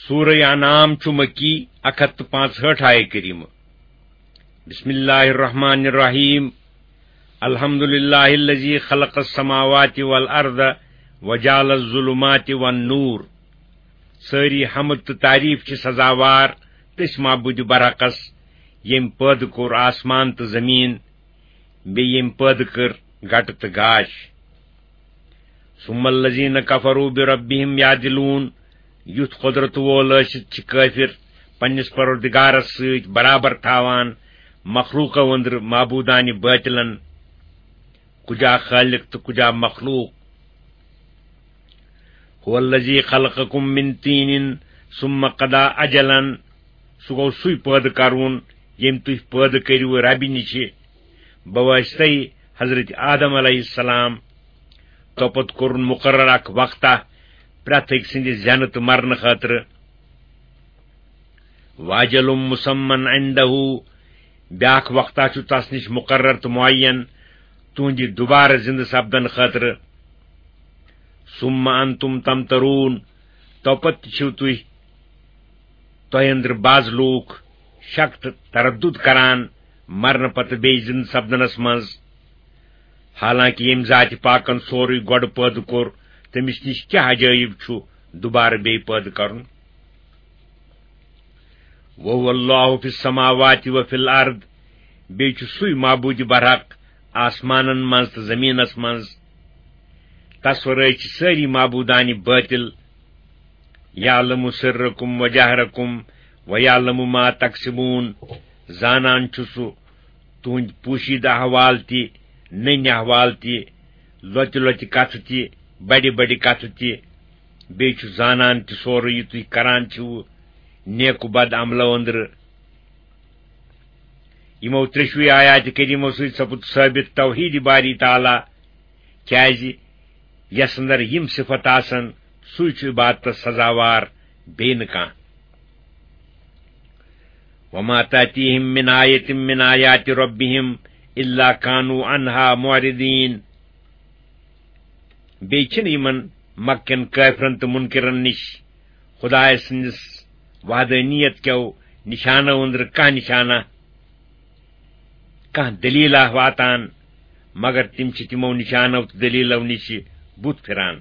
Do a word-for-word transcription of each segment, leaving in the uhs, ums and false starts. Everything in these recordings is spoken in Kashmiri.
سورہ انعام چھُ مکی، اکھ ہتھ تہٕ پانٛژہٲٹھ آیہ کریمہ۔ بسم اللہ الرحمن الرحیم۔ الحمد للہ الذی خلق السماوات والارض وجعل الظلمات والنور۔ سٲری حمد تہٕ تعریف چھِ سزاوار تٔسۍ معبود برحقس، ییٚمۍ پٲدٕ کوٚر آسمان تہٕ زمیٖن، بیٚیہِ ییٚمۍ پٲدٕ کٔر گٹہٕ تہٕ گاش۔ ثم الذین کفروا بربہم یعدلون۔ یُتھ قدرت وول ٲسِتھ چھِ کٲفر پننِس پروردگارس سۭتۍ برابر تھاوان مخلوقو أنٛدرٕ معبودانہِ باطلن، کُجا خالق تہٕ کُجا مخلوق۔ هو الذی خلقکم من طین ثم قضی اجلا۔ سُہ گوٚو سُے پٲدٕ کرون، ییٚمۍ تُہۍ پٲدٕ کٔرِو ربہِ نِشہِ بواسطے حضرت آدم علیہ السلام۔ توپتہٕ کوٚرُن مقرر اکھ وقتہ پرٛٮ۪تھ أکۍ سٕنٛدِ زٮ۪نہٕ تہٕ مرنہٕ خٲطرٕ۔ واجل مسمن عندہ، بیاکھ وقتہ چھُ تس نِش مقرر تہٕ معین تُہنٛدِ دوبارٕ زِندٕ سپدن خٲطرٕ۔ ثم انتم تمترون، توپتہٕ تہِ چھِو تُہۍ، تۄہہِ أنٛدرٕ بعض لوٗکھ شک تہٕ تردد کران مرنہٕ پتہٕ بیٚیہِ زِندٕ سپدنس منٛز، حالانکہ ییٚمۍ ذاتِ پاکن سورُے گۄڈٕ پٲدٕ کوٚر، تٔمِس نِش کیٛاہ عجٲیب چھُ دوبارٕ بیٚیہِ پٲدٕ کرُن؟ وَهُوَ اللَّهُ فِي السَّمَاوَاتِ وَفِي الْأَرْضِ، بیٚیہِ چھُ سُے معبوٗدِ برحق آسمانن منٛز تہٕ زٔمیٖنس منٛز۔ تس ورٲے چھِ سٲری معبوٗدانہِ بٲطِل۔ يَعْلَمُ سِرَّكُمْ وَجَهْرَكُمْ وَيَعْلَمُ مَا تَكْسِبُونَ، زانان چھُ سُہ تُہٕنٛدۍ پوشیدٕ احوال تہِ، نٔنۍ احوال تہِ، لۄتہِ لۄتہِ کتھٕ تہِ، بڑِ بڑِ کتھٕ تہِ۔ بیٚیہِ چھُ زانان تہِ سورُے یہِ تُہۍ کران چھِو نیک و بد عملو أنٛدرٕ۔ یِمو ترٛیٚشوٕے آیاتِ کریمو سۭتۍ سپُد ثٲبت توحید باری تعالیٰ، کیازِ یس اندر یِم صفت آسن، سُے چھُ عبادتس سزاوار، بیٚیہِ نہٕ کانٛہہ۔ وما تأتيهم من آية من آيات ربهم إلا كانوا عنها معرضين۔ بیٚیہِ چھِنہٕ یِمن مکہ کٮ۪ن کٲفرن تہٕ مُنکِرن نِش خدایہِ سٕنٛدِس وحدانیت کیو نِشانو أنٛدرٕ کانٛہہ نِشانہ، کانٛہہ دٔلیٖلہ واتان، مگر تِم چھِ تِمو نِشانو تہٕ دٔلیٖلو نِشہِ بُتھ پھِران۔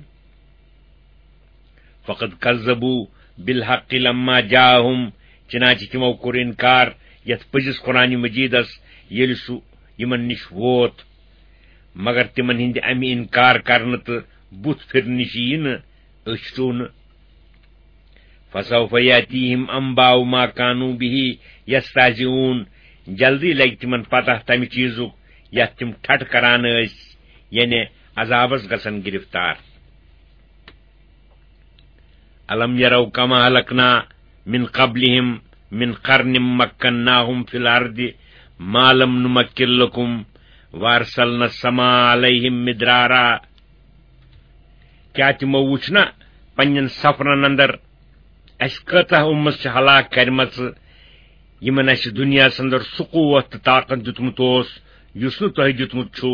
فقد كذبوا بالحق لما جاءهم، چنانچہ تِمو کوٚر انکار یتھ پٔزِس قرآن مجیدس، ییٚلہِ سُہ یِمن نِش ووت۔ مگر تِمن ہٕنٛدِ امہِ انکار کرنہٕ تہٕ بُتھ پھِرنہٕ نِش یی نہٕ أچھ ٹوٗنہٕ۔ فسوف يأتيهم أنباء ما كانوا به يستهزئون، جلدی لگہِ تِمن پتہ تمہِ چیزُک یتھ تِم ٹھٹھٕ کران ٲسۍ، یعنی عذابس گژھن گرفتار۔ ألم يروا كم أهلكنا من قبلهم من قرن مكناهم في الأرض ما لم نمكن لكم وأرسلنا السماء عليهم مدرارا۔ کیا تِمو وُچھ نہ پننٮ۪ن سفرن اندر اسہِ کۭژاہ اُمژ چھِ ہلاک کرِمژٕ، یِمن اسہِ دُنیاہس اندر سُہ قوت تہٕ طاقت دیُتمُت اوس، یُس نہٕ تۄہہِ دیُتمُت چھُ؟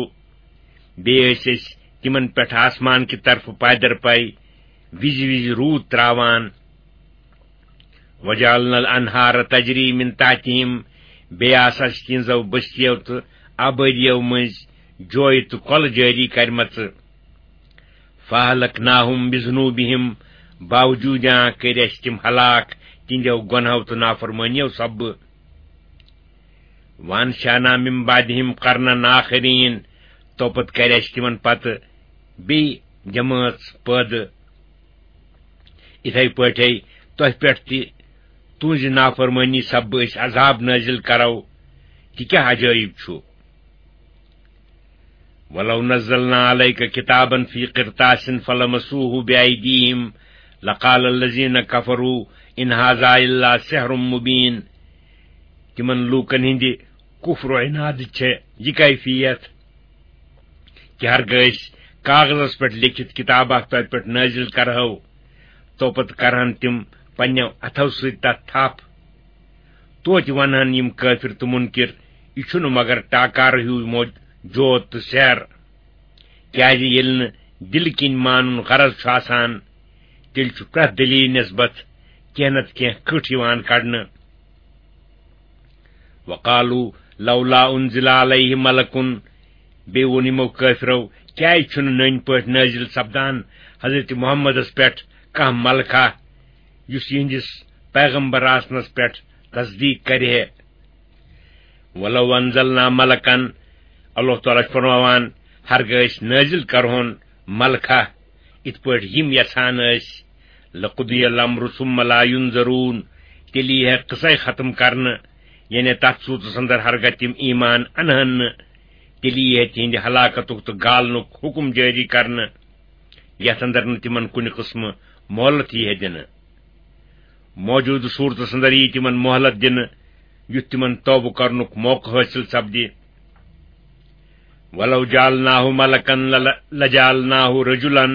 بیٚیہِ ٲسۍ أسۍ تِمن پٮ۪ٹھ آسمان کہِ طرفہٕ پادر پے وِزِ وِزِ روٗد تراوان۔ وجعلنا الأنهار تجري من تحتهم، بیٚیہِ آسہٕ اسہِ تِہنٛزو بستیو تہٕ آبٲدیو مٔنٛزۍ جویہِ تہٕ کۄلہٕ جٲری کرِمژٕ۔ فأهلكناهم بذنوبهم، باوجوٗد یان کٔرۍ اسہِ تِم ہلاک تِہنٛدیو گۄنہو تہٕ نافرمٲنیو سببہٕ۔ وأنشأنا من بعدهم قرنا آخرين، توپتہٕ کرِ اسہِ تِمن پتہٕ بیٚیہِ جمٲژ پٲدٕ۔ اِتھے پٲٹھۍ تۄہہِ پٮ۪ٹھ تہِ تُہنٛزِ نافرمٲنی سببہٕ أسۍ عذاب نٲزِل کرو، تہِ کیٛاہ عجٲیب چھُ؟ ولو نزلنا عليك كتابا في قرطاس فلمسوه بأيديهم لقال الذين كفروا إن هذا إلا سحر مبين۔ تِمن لوٗکن ہٕنٛدِ کفر و عنادٕچ چھےٚ یہِ کیفیت کہِ ہرگاہ أسۍ کاغذس پٮ۪ٹھ لیکھِتھ کتاب اکھ تۄہہِ پٮ۪ٹھ نٲزِل کرہو، توپتہٕ کرہن تِم پننٮ۪و اتھو سۭتۍ تتھ تھپھ۔ توتہِ ونہن یِم کٲفر تہٕ مُنکِر، یہِ چھُنہٕ مگر ٹاکارٕ ہیوٗ موج-، جوت تہٕ سیر۔ کیازِ ییٚلہِ نہٕ دِلہٕ کِنۍ مانُن غرض چھُ آسان، تیٚلہِ چھُ پرٛٮ۪تھ دٔلیٖل نسبت کینٛہہ نتہٕ کینٛہہ کٔٹ یِوان کڑنہٕ۔ وقالوا لولا انزل علیہ ملک۔ بیٚیہِ ووٚن یِمو کٲفرو، کیٛازِ چھُنہٕ نٔنۍ پٲٹھۍ نٲزِل سپدان حضرت محمدس پٮ۪ٹھ کانٛہہ ملکہ، یُس یِہنٛدِس پیغمبر آسنس پٮ۪ٹھ تصدیق کرِ ہے؟ ولو انزلنا ملکا، اللہ تعالیٰ چھُ فرماوان، ہرگاہ أسۍ نٲزِل کرہون ملکہ، یِتھ پٲٹھۍ یِم یژھان ٲسۍ، لقضی الامر ثم لا ينظرون، تیٚلہِ یی ہے قصے ختم کرنہٕ، یعنی تتھ صورتس اندر ہرگاہ تِم ایمان انہن نہٕ، تیٚلہِ یی ہے تِہنٛدِ ہلاکتُک تہٕ گالنُک حکم جٲری کرنہٕ، یتھ اندر نہٕ تِمن کُنہِ قٕسمہٕ مۄہلت یی ہے دِنہٕ۔ موجودٕ صورتس اندر یی تِمن مۄہلت دِنہٕ، یُتھ تِمن توبہٕ کرنُک موقعہٕ حٲصِل سپدِ۔ ولو جعلناه ملکا لل-، لجعلناه رجلا۔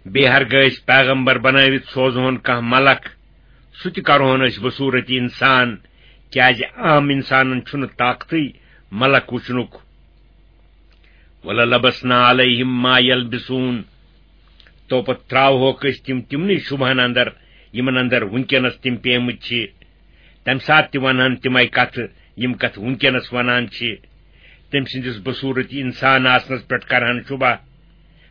بیٚیہِ ہرگاہ أسۍ پیغمبر بنٲوِتھ سوزہون کانٛہہ ملک، سُہ تہِ کرہون أسۍ بصورت انسان، کیازِ عام انسانن چھُنہٕ طاقتٕے ملک وٕچھنُک۔ وللبسنا علیہم ما یلبسون۔ تو پتہٕ ترٛاوہوکھ أسۍ تِم تِمنٕے شُبہن اندر، یِمن اندر وٕنکیٚنس تِم پیمٕتۍ چھِ۔ تمہِ ساتہٕ تہِ ونہن تِمے کتھٕ، یِم کتھٕ وٕنکیٚنس ونان چھِ۔ تٔمۍ سٕنٛدِس بصوٗرت انسان آسنس پٮ۪ٹھ کرہن شُبہ،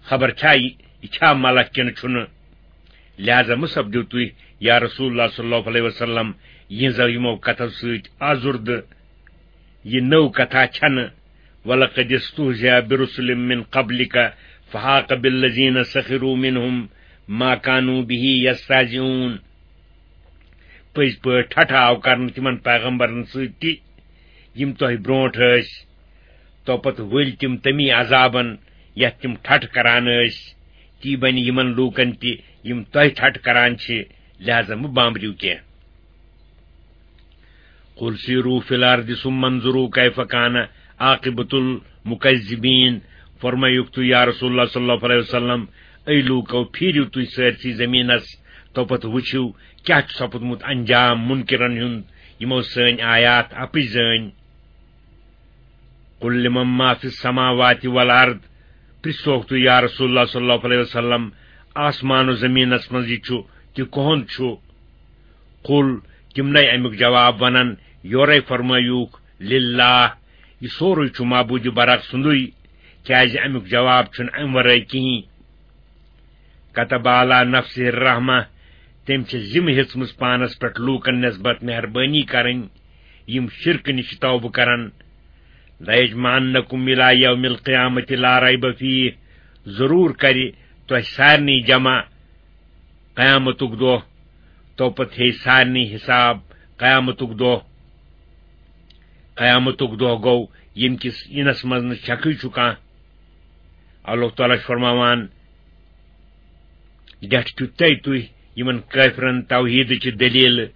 خبر چھا یہِ، یہِ چھا ملک کِنہٕ چھُنہٕ؟ لہذا مہ سپدِو تُہۍ، یا رسول اللہ صلی اللہ علیہ وسلم، یِہنٛزو یِمو کتھو سۭتۍ آزُردٕ۔ یہِ نٔو کتھا چھنہٕ۔ ولقد استهزئ برسل من قبلک فحاق بالذین سخروا منهم ما كانوا به یستهزئون۔ پٔزۍ پٲٹھۍ ٹھٹھہ آو کرنہٕ تِمن پیغمبرن سۭتۍ تہِ، یِم تۄہہِ برونٹھ ٲسۍ۔ تو پتہٕ ؤلۍ تِم تمی عذابن، یتھ تِم ٹھٹھہ کران ٲسۍ۔ تی بنہِ یِمن لوٗکن تہِ، یِم تۄہہِ ٹھٹھہ کران چھِ، لہذا مہٕ بامبرِو کینٛہہ۔ قل سیروا فی الارض ثم انظروا کیف کان عاقبۃ المکذبین۔ فرمٲیُکھ تُہۍ، یا رسول اللہ صلی اللہ علیہ وسلم، اے لوٗکو، پھیٖرِو تُہۍ سٲرسٕے زٔمیٖنس، تو پتہٕ وٕچھِو کیٛاہ چھُ سپُدمُت انجام مُنکِرن ہُنٛد، یِمو سٲنۍ آیات اپٕز زٲنۍ۔ قل لمن ما فی السماوات والارض، پرژھوکھ تُہۍ، یا رسول اللہ صلی اللہ علیہ وسلم، آسمان و زٔمیٖنس منٛز یہِ چھُ، تہِ کُہُنٛد چھُ؟ قل، تِمنے امیُک جواب ونان، یورے فرمٲیوکھ، للہ، یہِ سورُے چھُ معبوٗدِ برحق سُنٛدُے، کیازِ امیُک جواب چھُنہٕ امہِ ورٲے کِہیٖنۍ۔ کتب علی نفسہ الرحمہ، تٔمۍ چھِ ذمہٕ ہیٚژمٕژ پانس پٮ۪ٹھ لوٗکن نسبت مہربٲنی کرٕنۍ، یِم شرکہٕ نِش توبہٕ کرن۔ لیجمعنکم الی یوم القیامۃ لا ریب فیہ، ضروٗر کرِ تۄہہِ سارنٕے جمع قیامتُک دۄہ، تو پتہٕ ہیٚیہِ سارنٕے حساب قیامتُک دۄہ۔ قیامتُک دۄہ گوٚو، ییٚمہِ کِس یِنس منٛز نہٕ شکٕے چھُ کانٛہہ۔ اللہ تعالیٰ چھُ فرماوان، ڈٮ۪ٹھ چھُو تۄہہِ تُہۍ یِمن کٲفرن توحیٖدٕچہِ دٔلیٖلہٕ،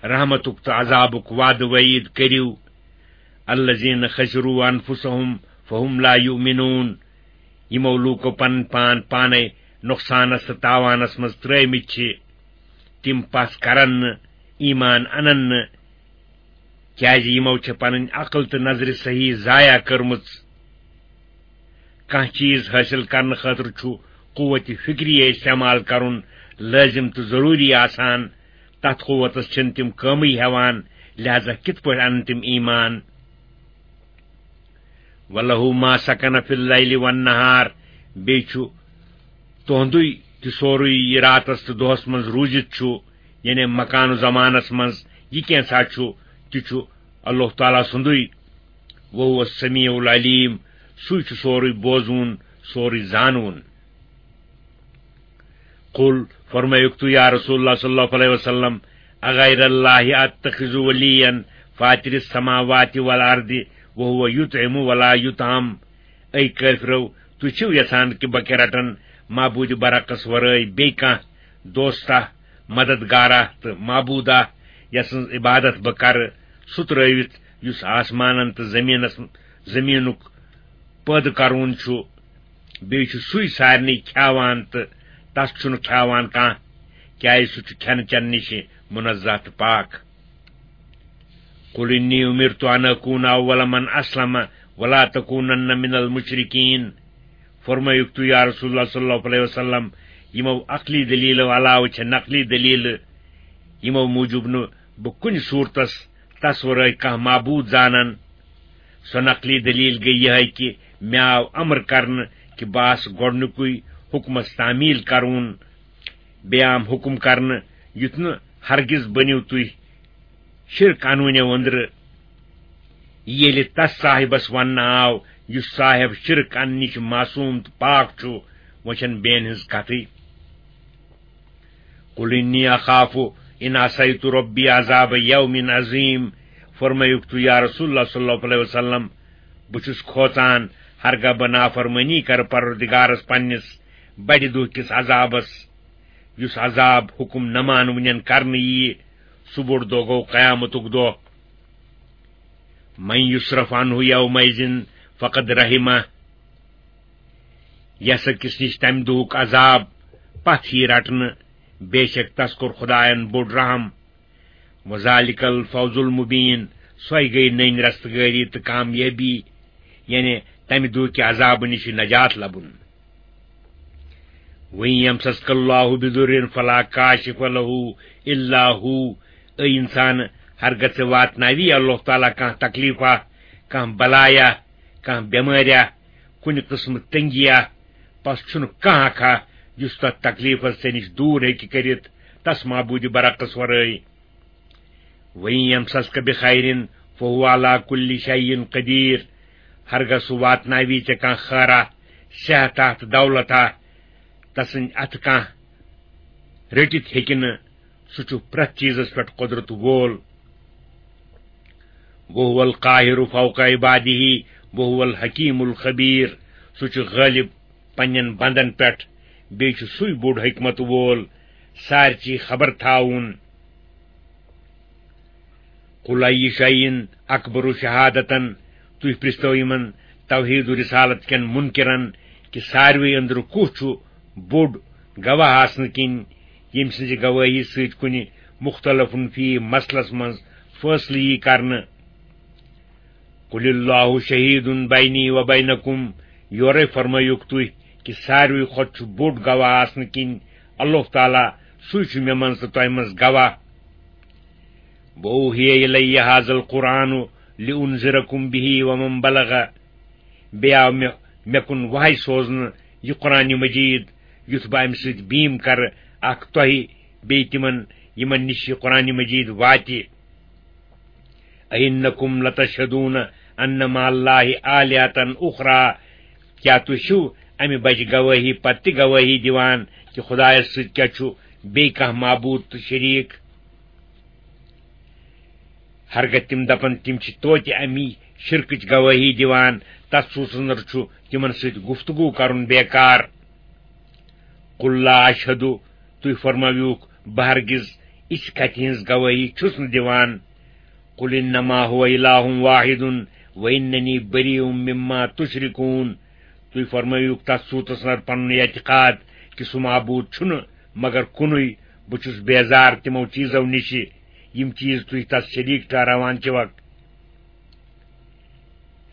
رحمتُک تہٕ عذابُک وعدٕ وعیٖد کٔرِو۔ الذین خسروا انفسهم فهم لا یؤمنون۔ یِمو لوٗکو پنٕنۍ پان پانے نۄقصانس تہٕ تاوانس منٛز ترٲومٕتۍ چھِ، تِم پس کرن نہٕ، ایمان انن نہٕ، کیازِ یِمو چھےٚ پنٕنۍ عقل تہٕ نظرِ صحیح ضایع کٔرمٕژ۔ کانٛہہ چیٖز حٲصِل کرنہٕ خٲطرٕ چھُ قوت فکریہ استعمال کرُن لٲزم تہٕ ضروٗری آسان۔ تتھ قوتس چھِنہٕ تِم کٲمٕے ہٮ۪وان، لہذا کِتھ پٲٹھۍ انن تِم ایمان؟ وَلَهُ مَا سَكَنَ فِي اللَّيْلِ وَالنَّهَارِ، بیٚیہِ چھُ تُہُنٛدُے تہِ سورُے یہِ راتس تہٕ دۄہس منٛز روٗزِتھ چھُ، یعنی مکان و زمانس منٛز یہِ کینٛژھا چھُ، تہِ چھُ اللہ تعالیٰ سُنٛدُے۔ وَهُوَ السَّمِيعُ الْعَلِيمُ، سُے چھُ سورُے بوزوُن، سورُے زانوُن۔ قل، فرمٲیُکھ تُہۍ یا رسول اللہ صلی اللہ علیہ وسلم، اغیر اللہ اتخذ ولیا فاطر السماوات والارض وهو یطعم ولا یطعم۔ اے کٲفرو، تُہۍ چھِو یژھان کہِ بہٕ کیٛاہ رٹن معبوٗدِ برحقس ورٲے بیٚیہِ کانٛہہ دوستہ، مددگارہ تہٕ معبوٗدہ، یسٕنٛز عبادت بہٕ کرٕ، سُہ ترٲوِتھ یُس آسمانن تہٕ زٔمیٖنس، زٔمیٖنُک پٲدٕ کرون چھُ، بیٚیہِ چھُ سُے سارنٕے کھیاوان تہٕ تس چھُنہٕ کھیاوان کانٛہہ، کیازِ سُہ چھُ کھٮ۪نہٕ چٮ۪نہٕ نِش منزہ تہٕ پاک۔ قل انی امرت ان اکون اول من اسلم ولا تکونن من المشرکین۔ فرمٲیُکھ تُہۍ یا رسول اللہ صلی اللہ علیہ وسلم، یِمو عقلی دٔلیٖلو علاوٕ چھےٚ نقلی دٔلیٖلہٕ، یِمو موٗجوٗب نہٕ بہٕ کُنہِ صوٗرتس تس ورٲے کانٛہہ معبوٗد زانن۔ سۄ نقلی دٔلیٖل گٔے یِہے کہِ مےٚ آو امر کرنہٕ کہِ بہٕ آسہٕ گۄڈٕنیُکُے حُکمس تعمیٖل کرُن۔ بیٚیہِ آم حُکم کرنہٕ، یُتھ نہٕ ہرگز بٔنِو تُہۍ شرک انوٕنیو أنٛدرٕ۔ ییٚلہِ تس صاحبس وننہٕ آو، یُس صاحب شرک اننہٕ نِش معصوٗم تہٕ پاک چھُ، وۄنۍ چھَنہٕ بیٚین ہٕنٛز کتھٕے۔ قل انی اخاف ان عصیت ربی عذاب یوم عظیم۔ فرمٲیُکھ تُہۍ، یا رسول اللہ صلی اللہ علیہ وسلم، بہٕ چھُس کھوژان، ہرگاہ بہٕ نافرمٲنی کرٕ پروردگارس پننِس بڑِ دۄہ کِس عذابس، یُس عذاب حُکم نہ مانوٕنٮ۪ن کرنہٕ ییہِ۔ سُہ بوٚڑ دۄہ گوٚو قیامتُک دۄہ۔ من یصرف عنہ یومئذ فقد رحمہ۔ یس أکِس نِش تمہِ دۄہُک عذاب پتھ یی رٹنہٕ، بے شک تس کوٚر خدایَن بوٚڑ رحم۔ وذالک الفوز المبین، سۄے گٔے نٔنۍ رستگٲری تہٕ کامیٲبی، یعنی تمہِ دۄہ کہِ عذابہٕ نِش نجات لبُن۔ وَإِن يَمْسَسْكَ اللَّهُ بِضُرٍّ فَلَا كَاشِفَ لَهُ إِلَّا هُوَ۔ اے انسان، ہرگاہ ژےٚ واتناوی اللہ تعالیٰ کانٛہہ تکلیفا، کانٛہہ بلایا، کانٛہہ بیماریا، کُنہِ قٕسمہٕ تنگیا، پس چھُنہٕ کانٛہہ اکھا یُس تتھ تکلیفس ژےٚ نِش دوٗر ہیٚکہِ کٔرِتھ، تس معبوٗدِ برحقس ورٲے۔ وَإِن يَمْسَسْكَ بِخَيْرٍ فَهُوَ عَلَىٰ كُلِّ شَيْءٍ قَدِيرٌ۔ ہرگاہ سُہ واتناوی ژےٚ کانٛہہ خٲرا، صحتا تہٕ دولتا، تسٕنٛدِ اَتھٕ کانٛہہ رٔٹِتھ ہیٚکہِ نہٕ، سُہ چھُ پرٛٮ۪تھ چیٖزس پٮ۪ٹھ قۄدرت وول۔ وَهُوَ الْقَاهِرُ فَوْقَ عِبَادِهِ وَهُوَ الْحَكِيمُ الْخَبِيرُ۔ سُہ چھُ غٲلب پننٮ۪ن بندن پٮ۪ٹھ، بیٚیہِ چھُ سُے بوٚڑ حکمت وول، سارِچی خبر تھاوُن۔ قل ای شیء اکبر شہادتن، تُہۍ پرٛژھتو یِمن توحید و رسالت کٮ۪ن منکرن کہِ ساروٕے أنٛدرٕ کُس چھُ بوٚڑ گواہ آسنہٕ کِنۍ، ییٚمہِ سٕنٛزِ گوٲہی سۭتۍ کُنہِ مختلف فی مسلس منٛز فٲصلہٕ یی کرنہٕ۔ قل اللہ شہید بینی و بینکم، یورے فرمٲیُکھ تُہۍ کہِ ساروٕے کھۄتہٕ چھُ بوٚڑ گواہ آسنہٕ کِنۍ اللہ تعالیٰ، سُے چھُ مےٚ منٛز تہٕ تۄہہِ منٛز گواہ۔ وأوحي إلي هذا القرآن لأنذركم به ومن بلغ۔ بیٚیہِ آو مےٚ، مےٚ کُن وحی سوزنہٕ یہِ قرآن مجید، یُتھ بہٕ اَمہِ سۭتۍ بیٖم کرٕ اکھ تۄہہِ بیٚیہِ تِمن، یِمن نِش یہِ قرآن مجید واتہِ۔ أئنكم لتشهدون أن مع الله آلهة أخرى۔ کیٛاہ تُہۍ چھِو اَمہِ بجہِ گوٲہی پتہٕ تہِ گوٲہی دِوان کہِ خدایس سۭتۍ کیٛاہ چھُ بیٚیہِ کانٛہہ معبوٗد تہٕ شریٖک؟ ہرگاہ تِم دپن تِم چھِ توتہِ اَمی شرکٕچ گوٲہی دِوان، تتھ سوٗسس اندر چھُ تِمن سۭتۍ گفتگو کرُن بیکار۔ قل لا أشهد، تُہۍ فرمٲوِوکھ، بہٕ ہرگز اِژھ کتھِ ہٕنٛز گوٲہی چھُس نہٕ دِوان۔ قل إنما هو إله واحد وإنني بريء مما تشركون۔ تُہۍ فرمٲوِوکھ تتھ صوٗرتس اندر پنُن اعتقاد کہِ سُہ معبوٗد چھُنہٕ مگر کُنُے، بہٕ چھُس بیزار تِمو چیٖزو نِشہِ، یِم چیٖز تُہۍ تس شریٖک ٹھہراوان چھِوکھ۔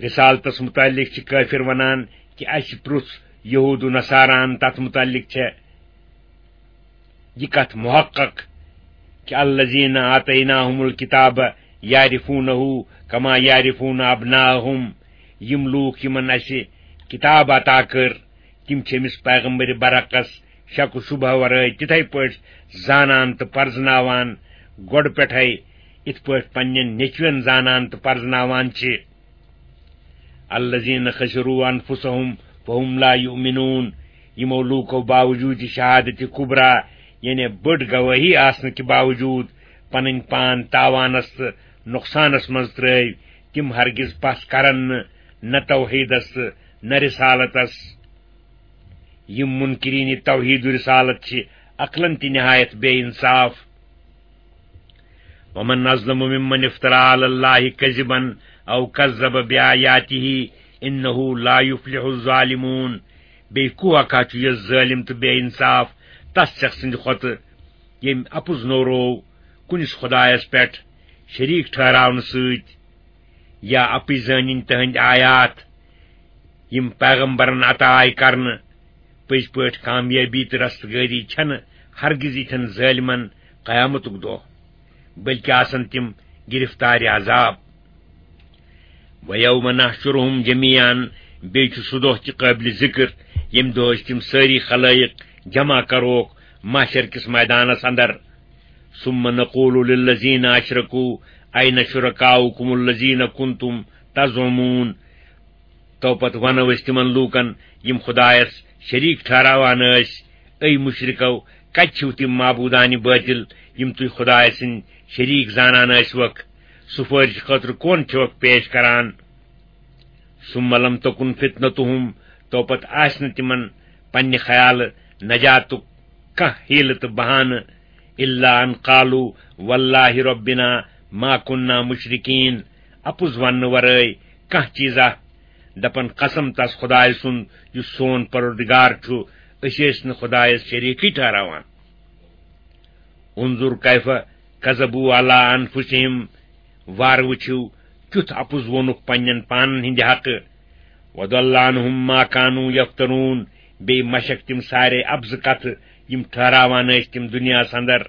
رسالتس متعلق چھِ کٲفر ونان کہِ اَسہِ پرُژھ یہود و نصاراہن تتھ متعلق چھےٚ یہِ کتھ محقق کہِ الذین آتیناہم الکتاب یعرفونہ کما یعرفون ابناءہم، یِم لوٗکھ یِمن اَسہِ کتاب عطا کٔر، تِم چھِ أمِس پیغمبر برحقس شک و شبہ ورٲے تِتھے پٲٹھۍ زانان تہٕ پرزناوان گۄڈٕ پٮ۪ٹھے، یِتھ پٲٹھۍ پننٮ۪ن نیٚچوٮ۪ن زانان تہٕ پرزناوان چھِ۔ الذین خسروا انفسهم فهم لا یؤمنون، یِمو لوٗکو باوجوٗد شہادت کبریٰ، یعنی بٔڑ گوٲہی آسنہٕ کہِ باوجوٗد، پنٕنۍ پان تاوانس تہٕ نۄقصانس منٛز ترٲوۍ، تِم ہرگز پژھ کرن نہٕ، نہ توحیدس تہٕ نہ رسالتس۔ یِم منکرین توحید و رسالت چھِ عقلن تہِ نہایت بے انصاف۔ ومن أظلم ممن افترى على الله كذبا أو كذب بآياته إنه لا يفلح الظالمون۔ بیٚیہِ کُس اکھا چھُ یُس ظٲلِم تہٕ بے انصاف تس شخص سٕنٛدِ کھۄتہٕ، ییٚمۍ اپُز نوروو کُنِس خدایس پٮ۪ٹھ شریٖک ٹھہراونہٕ سۭتۍ، یا اپُز زٲنِن تِہنٛدۍ آیات، یِم پیغمبرن عطا آیہِ کرنہٕ، پٔزۍ پٲٹھۍ کامیٲبی تہٕ رستگٲری چھنہٕ ہرگز یِتھٮ۪ن ظٲلمن قیامتُک دۄہ، بلکہِ آسن تِم گرفتار عذاب۔ وَيَوْمَ نَحْشُرُهُمْ جَمِيعًا، بیٚیہِ چھُ سُہ دۄہ تہِ قٲبلِ ذِکر، ییٚمہِ دۄہ أسۍ تِم سٲری خلٲیق جمع کروکھ محشر کِس مٲدانس اندر۔ ثُمَّ نَقُولُ لِلَّذِينَ أَشْرَكُوا أَيْنَ شُرَكَاؤُكُمُ الَّذِينَ كُنْتُمْ تَزْعُمُونَ۔ تو پتہٕ ونو أسۍ تِمن لوٗکن، یِم خدایس شریٖک ٹھہراوان ٲسۍ، اے مُشرِکو، کتہِ چھِو تِم معبوٗدانِ بٲطِل، یِم تُہۍ خدایس سٕنٛدۍ شریٖک زانان ٲسۍوکھ؟ سُفٲرِش خٲطرٕ کون چھِوکھ پیش کران؟ ثم لم تکن فتنتہم، تو پتہٕ آسہِ نہٕ تِمن پننہِ خیالہٕ نجاتُک کانٛہہ حیلہٕ تہٕ بہانہٕ، الا ان قالوا واللہ ربنا ما کنا مشرکین، اپُز وننہٕ ورٲے کانٛہہ چیٖزا۔ دپن، قسم تس خدایہِ سُنٛد یُس سون پروردگار چھُ، أسۍ ٲسۍ نہٕ خدایس شریٖکٕے ٹھہراوان۔ انظر کیف کذبوا علی انفسہم، وار وٕچھِو کیُتھ اپُز ووٚنُکھ پننٮ۪ن پانن ہٕنٛدِ حقہٕ۔ وضل عنہم ما کانوا یفترون، بیٚیہِ مشک تِم سارے اپزٕ کتھٕ یِم ٹھہراوان ٲسۍ تِم دُنیاہس اندر۔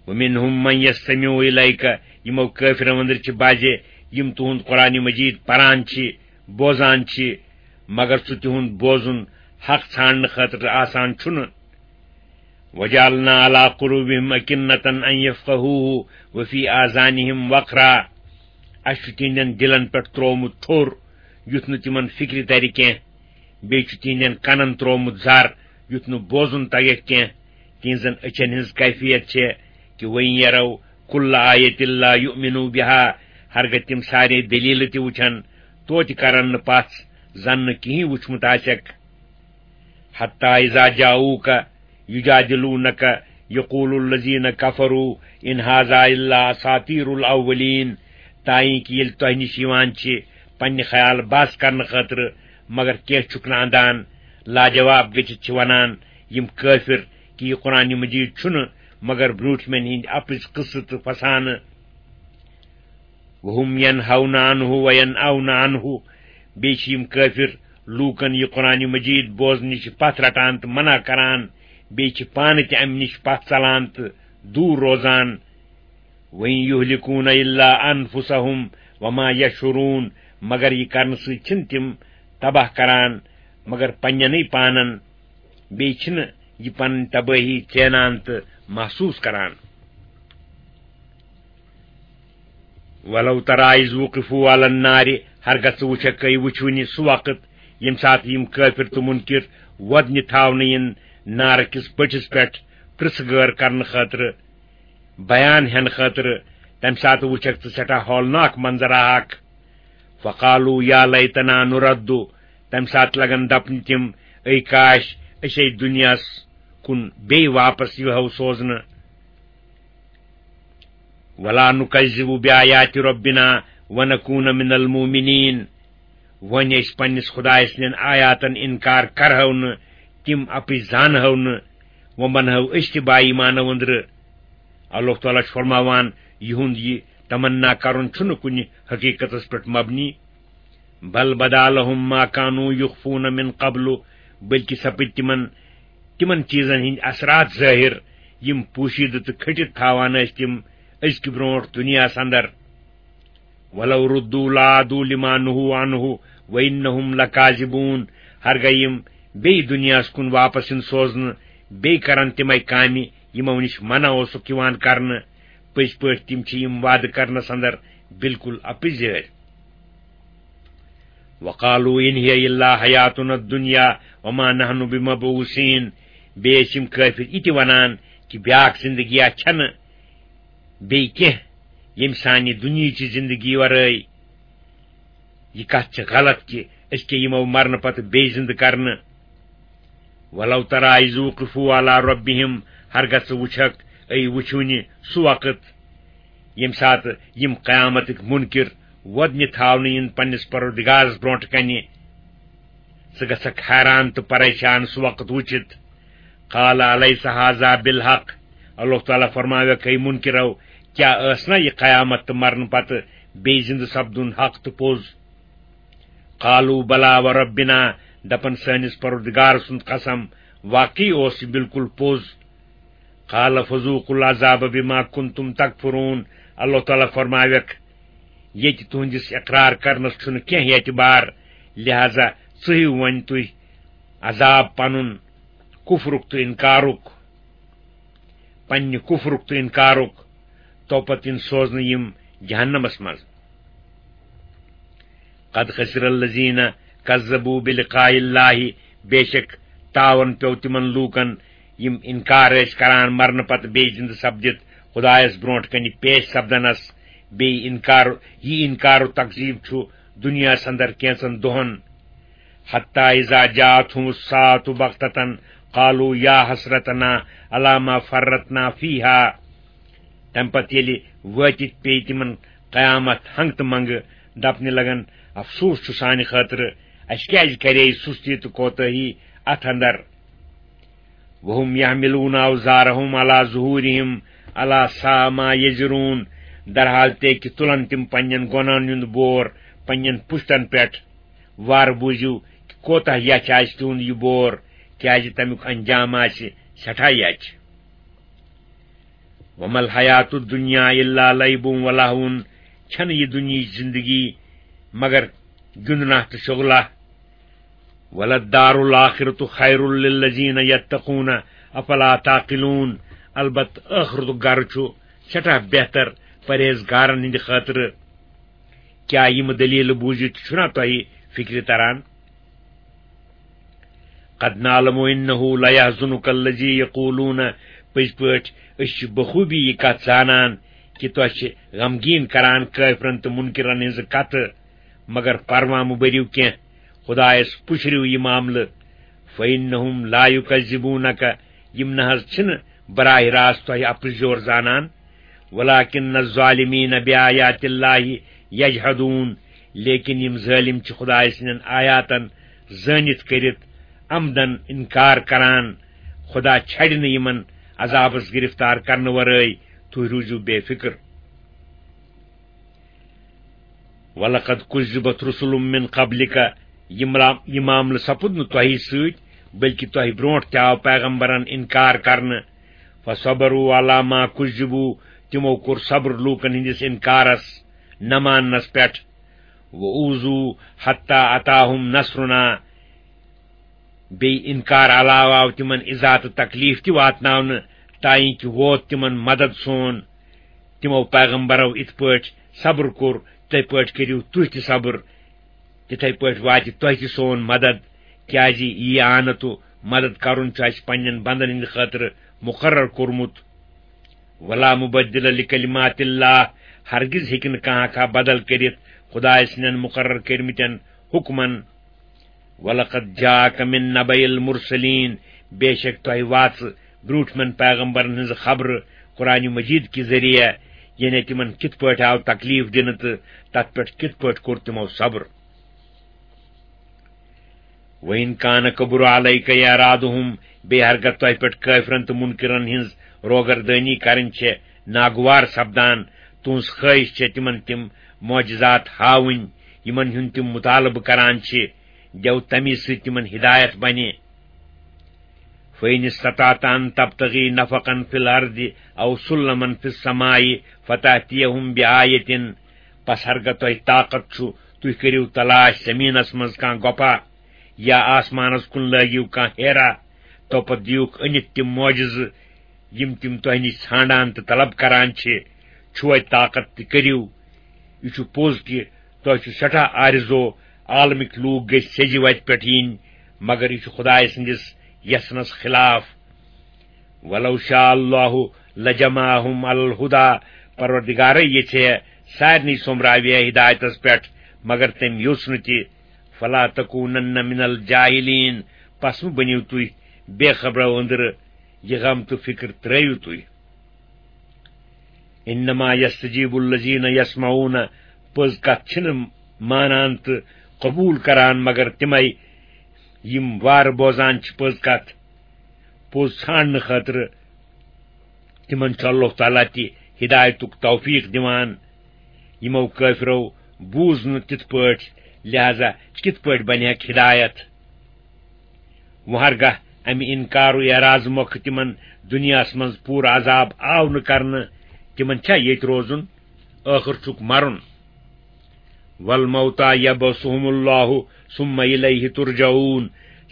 ومنہم من یستمع الیک، یِمو کٲفرو اندر چھِ بعضے یِم تُہُنٛد قرآن مجید پران چھِ، بوزان چھِ، مگر سُہ تِہُنٛد بوزُن حق ژھانڈنہٕ خٲطرٕ آسان چھُنہٕ۔ وجعلنا علی قلوبہم اکنة ان یفقہوہ وفی آذانہم وقرا، اسہِ چھُ تِہنٛدٮ۪ن دِلن پٮ۪ٹھ ترٛوومُت ٹھوٚر، یُتھ نہٕ تِمن فِکرِ ترِ کینٛہہ۔ بیٚیہِ چھُ تِہنٛدٮ۪ن کنن ترٛوومُت زر، یُتھ نہٕ بوزُن تگٮ۪کھ کینٛہہ۔ تِہنٛزن أچھن ہٕنٛز کیفیت چھےٚ کہِ وَإِن يَرَوْا كُلَّ آيَةٍ لَا يُؤْمِنُوا بِهَا، ہرگاہ تِم سارے دٔلیٖلہٕ تہِ وٕچھن، توتہِ کرن نہٕ پژھ، زن نہٕ کِہیٖنۍ وٕچھمُت آسٮ۪کھ۔ حتى إذا جاءوك يجادلونك يقول الذين كفروا إن هذا إلا أساطير الأولين، تائیں کہ ییٚلہِ تۄہہِ نِش یِوان چھِ پننہِ خیال بحث کرنہٕ خٲطرٕ، مگر کینٛہہ چھُکھ نہٕ اندان، لاجواب گٔژھِتھ چھِ ونان یِم کٲفر کہ یہِ قرآن مجید چھُنہٕ مگر برٛوٗٹھمٮ۪ن ہٕنٛدۍ اپٕزۍ قصہٕ تہٕ فسانہٕ۔ وَهُمْ يَنْهَوْنَ عَنْهُ وَيَنْأَوْنَ عَنْهُ، بیٚیہِ چھِ یِم کٲفر لوٗکن یہِ قرآن مجید بوزنہٕ نِش پتھ رٹان تہٕ منع کران، بیٚیہِ چھِ پانہٕ تہِ امہِ نِش پتھ ژلان تہٕ دوٗر روزان۔ وَإِنْ يُهْلِكُونَ إِلَّا أَنْفُسَهُمْ وَمَا يَشْعُرُونَ، مگر یہِ کرنہٕ سۭتۍ چھِنہٕ تِم تباہ کران مگر پننٮ۪نٕے پانن، بیٚیہِ چھِنہٕ یہِ پنٕنۍ تبٲہی ژینان تہٕ محسوٗس کران۔ وَلَوْ تَرَىٰ إِذْ وُقِفُوا عَلَى النَّارِ، ہرگاہ ژٕ وٕچھکھ، اے وٕچھوٕنہِ سُہ وقت ییٚمہِ ساتہٕ یِم کٲفر تہٕ مُنکِر وۄدنہِ تھاونہٕ یِن نارٕ کِس بٔٹھِس پٮ۪ٹھ پرٛژھٕ گٲر کرنہٕ خٲطرٕ، بیان ہٮ۪نہٕ خٲطرٕ، تَمہِ ساتہٕ وٕچھکھ ژٕ سٮ۪ٹھاہ ہولناک منظرا اکھ۔ فَقَالُوا يَا لَيْتَنَا نُرَدُّ، تَمہِ ساتہٕ لگن دپنہِ تِم، اے کاش أسۍ ہے دُنیاہس کُن بیٚیہِ واپس یِہو سوزنہٕ۔ وَلَا نُكَذِّبَ بِآيَاتِ رَبِّنَا وَنَكُونَ مِنَ الْمُؤْمِنِينَ۔ وۄنۍ أسۍ پننِس خدایہِ سٕنٛدٮ۪ن آیاتن اِنکار کرہو نہٕ، تِم اپٕزۍ زانہو نہٕ، وۄنۍ بنہو أسۍ تہِ با ایمانو أنٛدرٕ۔ اللہ تعالیٰ چھُ فرماوان، یِہُنٛد یہِ تمنا کرُن چھُنہٕ کُنہِ حقیقتس پٮ۪ٹھ مبنی۔ بل بدا لہم ما کانوا یخفون من قبل، بلکہ سپٕدۍ تِمن تِمن چیزن ہٕنٛدۍ اثرات ظٲہر، یِم پوشیدٕ تہٕ کھٔٹِتھ تھاوان ٲسۍ تِم أزکہِ برونٹھ دُنیاہس اندر۔ ولو ردوا لعادوا لما نہوا عنہ وانہم لکاذبون، ہرگاہ یِم بیٚیہِ دُنیاہس کُن واپس یِن سوزنہٕ، بیٚیہِ کرن تِمے کامہِ یِمو نِش منع اوسُکھ یِوان کرنہٕ۔ پٔزۍ پٲٹھۍ تِم چھِ یِم وعدٕ کرنس اندر بالکل اپٕزۍ۔ وقالوا ان هي الا حیاتنا الدنیا وما نحن بمبعوثین۔ بیٚیہِ ٲسۍ یِم کٲفر یہِ تہِ ونان کہِ بیاکھ زندگی چھنہٕ بیٚیہِ کینٛہہ ییٚمہِ سانہِ دُنیہٕچہِ زندگی ورٲے۔ یہِ کتھ چھِ غلط کہِ أسۍ کیٛاہ یِمو مرنہٕ پتہٕ بیٚیہِ زندٕ کرنہٕ۔ ولو ترى اذ وقفوا على ربهم، ہرگاہ ژٕ وٕچھکھ، اے وٕچھوٕنہِ سُہ وقت، ییٚمہِ ساتہٕ یِم قیامتٕکۍ مُنکِر وۄدنہِ تھاونہٕ یِن پننِس پروردگارس برونٹھ کنہِ۔ ژٕ گژھکھ حیران تہٕ پریشان سُہ وقت وٕچھِتھ۔ قال الیس هذا بالحق، اللہ تعالیٰ فرماویکھ، اے مُنکِرو، کیٛاہ ٲس نا یہِ قیامت تہٕ مرنہٕ پتہٕ بیٚیہِ زِندٕ سپدُن حق تہٕ پوٚز؟ قالوا بلى وربنا، دپان، سٲنِس پروردگار سُنٛد قسم، واقعی اوس یہِ بالکل پوٚز۔ قال فذوقوا العذاب بما کنتم تکفرون۔ اللہ تعالیٰ فرماویکھ، ییٚتہِ تُہنٛدِس اقرار کرنس چھُنہٕ کینٛہہ اعتبار، لہذا ژٕہِو وۄنۍ تُہۍ عذاب پنُن، کفرُک تہٕ انکارُک، پننہِ کفرُک تہٕ انکارُک، تو پتہٕ یِن سوزنہٕ یِم جہنمس منٛز۔ قد خسر الذین کذبوا بلقاء اللہ، بے شک تاون پیوٚو تِمن لوٗکن، یِم انکار ٲسۍ کران مرنہٕ پتہٕ بیٚیہِ زِندٕ سپدِتھ خدایس برونٛٹھ کنہِ پیش سپدنس، بیٚیہِ انکار، یہِ انکار و تکذیب چھُ دُنیاہس اندر کینٛژن دۄہن۔ حتی اذا جاءتهم الساعة بغتة قالوا یا حسرتنا علی ما فرطنا فیہا۔ تمہِ پتہٕ ییٚلہِ وٲتِتھ پیٚیہِ تِمن قیامت ہنٛگہٕ تہٕ منٛگہٕ، دپنہِ لگن، افسوس چھُ سانہِ خٲطرٕ، اسہِ کیازِ کرے سستی تہٕ کوتاہی اتھ اندر۔ وهم یحملون اوزارهم علی ظہورہم الا ساء ما یزرون۔ درحال تہِ کہِ تُلن تِم پننٮ۪ن گۄنہن ہُنٛد بور پننٮ۪ن پُشتن پٮ۪ٹھ۔ وارٕ بوٗزِو کہِ کوتاہ یچھ آسہِ تِہُنٛد یہِ بور، کیازِ تمیُک انجام آسہِ سٮ۪ٹھاہ یچھ۔ وما الحیات الدنیا الا لعب و لہو۔ چھنہٕ یہِ دُنیہٕچ زندگی مگر گِنٛدنہ تہٕ شُغلہ۔ وللدار الآخرۃ خیر للذین یتقون افلا تعقلون۔ البتہ ٲخرتُک گرٕ چھُ سٮ۪ٹھاہ بہتر پرہیزگارن ہٕنٛدِ خٲطرٕ۔ کیٛاہ یِم دٔلیٖلہٕ بوٗزِتھ چھُنا تۄہہِ فِکرِ تران؟ قد نعلم انہ لیحزنک الذی یقولون، پٔزۍ پٲٹھۍ أسۍ چھِ بخوٗبی یہِ کتھ زانان کہِ تۄہہِ چھِ غمگیٖن کران کٲفرن تہٕ مُنکِرن ہٕنٛزٕ کتھٕ، مگر پروا مہٕ بٔرِو کینٛہہ، خدایس پُشرِو یہِ معاملہٕ۔ فانہم لا یکذبونک، یِم نہ حظ چھِنہٕ براہ راست تۄہہِ اپُز یور زانان، ولکن الظالمین بآیات اللہ یجحدون، لیکن یِم ظٲلِم چھِ خدایہِ سٕنٛدٮ۪ن آیاتن زٲنِتھ کٔرِتھ عمدن انکار کران۔ خدا چھڑِ نہٕ یِمن عذابس گرفتار کرنہٕ ورٲے، تُہۍ روٗزِو بے فکر۔ ولقد کذبت رسل من قبلک، یہِ ملا-، یہِ معاملہٕ سپُد نہٕ تۄہہِ سۭتۍ، بلکہِ تۄہہِ برونٛٹھ تہِ آو پیغمبرن انکار کرنہٕ۔ فصبروا علی ما کذبوا، تِمو کوٚر صبر لوٗکن ہٕنٛدِس انکارس، نہ ماننس پٮ۪ٹھ۔ وأوذوا حتی أتاهم نصرنا، بیٚیہِ انکار علاوٕ آو تِمن ایذا تہٕ تکلیف تہِ واتناونہٕ، تانۍ کہِ ووت تِمن مدد سون۔ تِمو پیغمبرو یِتھ پٲٹھۍ صبر کوٚر، تِتھے پٲٹھۍ کٔرِو تُہۍ تہِ صبر، تِتھے پٲٹھۍ واتہِ تۄہہِ تہِ سون مدد، کیازِ یہِ اعانت و مدد کرُن چھُ اسہِ پننٮ۪ن بندن ہٕنٛدِ خٲطرٕ مقرر کوٚرمُت۔ ولا مبدل لکلمات اللہ، ہرگز ہیٚکہِ نہٕ کانٛہہ کانٛہہ بدل کٔرِتھ خدایہِ سٕنٛدٮ۪ن مقرر کٔرمٕتٮ۪ن حکمن۔ ولقد جاءک من نبأ المرسلین، بے شک تۄہہِ واژٕ برٛونٛٹھمٮ۪ن پیغمبرن ہٕنٛز خبرٕ قرآن مجید کہِ ذٔریعہٕ، یعنی تِمن کِتھ پٲٹھۍ آو تکلیف دِنہٕ تہٕ تتھ پٮ۪ٹھ کِتھ پٲٹھۍ کوٚر تِمو صبر۔ وَإِنْ كَانَ كَبُرَ عَلَيْكَ إِعْرَاضُهُمْ، بیٚیہِ ہرگاہ تۄہہِ پٮ۪ٹھ کٲفرن تہٕ مُنکِرن ہِنٛز روگردٲنی کرٕنۍ چھےٚ ناگوار سپدان، تُہٕنٛز خٲہِش چھےٚ تِمن تِم معجزات ہاوٕنۍ، یِمن ہُنٛد تِم مُطالبہٕ کران چھِ، گٮ۪و تَمی سۭتۍ تِمن ہدایت بنہِ۔ فَإِنِ اسْتَطَعْتَ أَنْ تَبْتَغِي نَفَقًا فِي الْأَرْضِ أَوْ سُلَّمًا فِي السَّمَاءِ فَتَأْتِيَهُمْ بِآيَةٍ، پس ہرگاہ تۄہہِ طاقت چھُ، تُہۍ کٔرِو تلاش زمینس منٛز کانٛہہ گۄپا یا آسمانس کُن لٲگِو کانٛہہ ہیرا، توپتہٕ دِیوکھ أنِتھ تِم معجزٕ، یِم تِم تۄہہِ نِش ژھانٛڈان تہٕ طلب کران چھِ۔ چھُوے طاقت تہٕ کٔرِو۔ یہِ چھُ پوٚز کہِ تۄہہِ چھُ سٮ۪ٹھاہ آرزو عالمٕکۍ لوٗکھ گٔژھۍ سیٚزِ وتہِ پٮ۪ٹھ یِنۍ، مگر یہِ چھُ خدایہِ سٕنٛدِس یژھنس خلاف۔ وَلَوْ شَاءَ اللَّهُ لَجَمَعَهُمْ عَلَى الْهُدَى، پروردگارے یژھے سارنٕے سومراوِ ہے ہدایتس پٮ۪ٹھ، مگر تٔمۍ یوٚژھ نہٕ تہِ۔ فَلَا تَكُونَنَّ مِنَ الْجَاهِلِينَ، پس مہٕ بٔنِو تُہۍ بے خبرو أنٛدرٕ، یہِ غم تہٕ فِکر ترٲوِو تُہۍ۔ إِنَّمَا يَسْتَجِيبُ الَّذِينَ يَسْمَعُونَ، پٔز کتھ چھِنہٕ مانان تہٕ قبوٗل کران مگر تِمے، یِم وارٕ بوزان چھِ پٔز کتھ۔ پوٚز ژھانٛڈنہٕ خٲطرٕ تِمن چھُ اللہ تعالیٰ تہِ ہدایتُک توفیق دِوان۔ یِمو کٲفرو بوٗز نہٕ تِتھ پٲٹھۍ، لہذا کِتھ پٲٹھۍ بنہِ ہیکھ ہدایت؟ وۄنۍ ہرگاہ امہِ انکار و اعراض مۄکھٕ تِمن دُنیاہس منٛز پوٗرٕ عذاب آو نہٕ کرنہٕ، تِمن چھا ییٚتہِ روزُن؟ ٲخٕر چھُکھ مرُن۔ والموتى يبعثهم الله ثم إليه ترجعون۔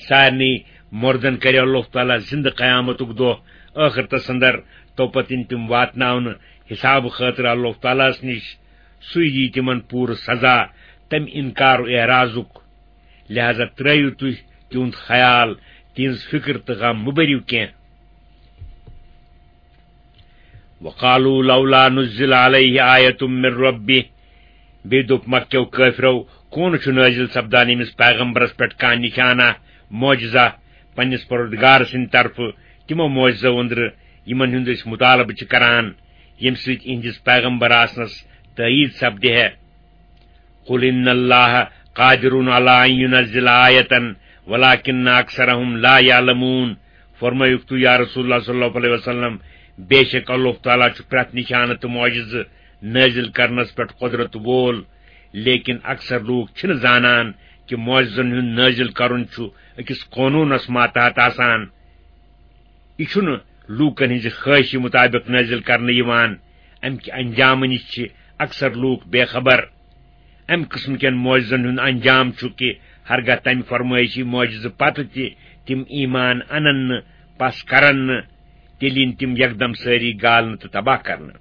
سارنٕے مردن کرِ اللہ تعالیٰ زندٕ قیامتُک دۄہ، ٲخرتس اندر، تو پتہٕ یِن تِم واتناونہٕ حساب خٲطرٕ اللہ تعالیٰ ہس نِش۔ سُے یی تِمن پوٗرٕ سزا تمہِ انکار و اعراضُک۔ لہذا ترٲیِو تُہۍ تِہُنٛد خیال، تِہنٛز فکر تہٕ غم مہٕ بٔرِو کینٛہہ۔ وقالوا لولا نزل عليه آية من ربه۔ بیٚیہِ دوٚپ مکہ کیو کٲفرو، کون چھُ نٲزِل سپدان ییٚمِس پیغمبرس پٮ۪ٹھ کانٛہہ نشانہ، معجزہ، پننِس پروردگار سٕنٛدِ طرفہٕ، تِمو معجزو أنٛدرٕ، یِمن ہُنٛد أسۍ مطالبہٕ چھِ کران، ییٚمہِ سۭتۍ اِہنٛدِس پیغمبر آسنس تٲیید سپدِ ہے۔ قل إن الله قادر على أن ينزل آية ولكن أكثرهم لا يعلمون۔ فرمٲیِکھ تُہۍ، یا رسول اللہ صلی اللہ علیہ وسلم، بے شک اللہ تعالیٰ چھُ پرٛٮ۪تھ نشانہٕ تہٕ معجزٕ نٲزِل کرنس پٮ۪ٹھ قدرت وول، لیکن اکثر لوٗکھ چھِنہٕ زانان کہِ معجزن ہُنٛد نٲزِل کرُن چھُ أکِس قونوٗنس ماتحت آسان۔ یہِ چھُنہٕ لوٗکن ہٕنٛزِ خٲہشہِ مُطابِق نٲزِل کرنہٕ یِوان۔ اَمہِ کہِ انجامہٕ نِش چھِ اکثر لوٗکھ بے خبر۔ اَمہِ قٕسمہٕ کٮ۪ن معجزن ہُنٛد انجام چھُ کہِ ہرگاہ تَمہِ فرمٲیشی معجزٕ پتہٕ تہِ تِم ایمان انن نہٕ، پس کرن نہٕ، تیٚلہِ یِن تِم یکدم سٲری گالنہٕ تہٕ تباہ کرنہٕ۔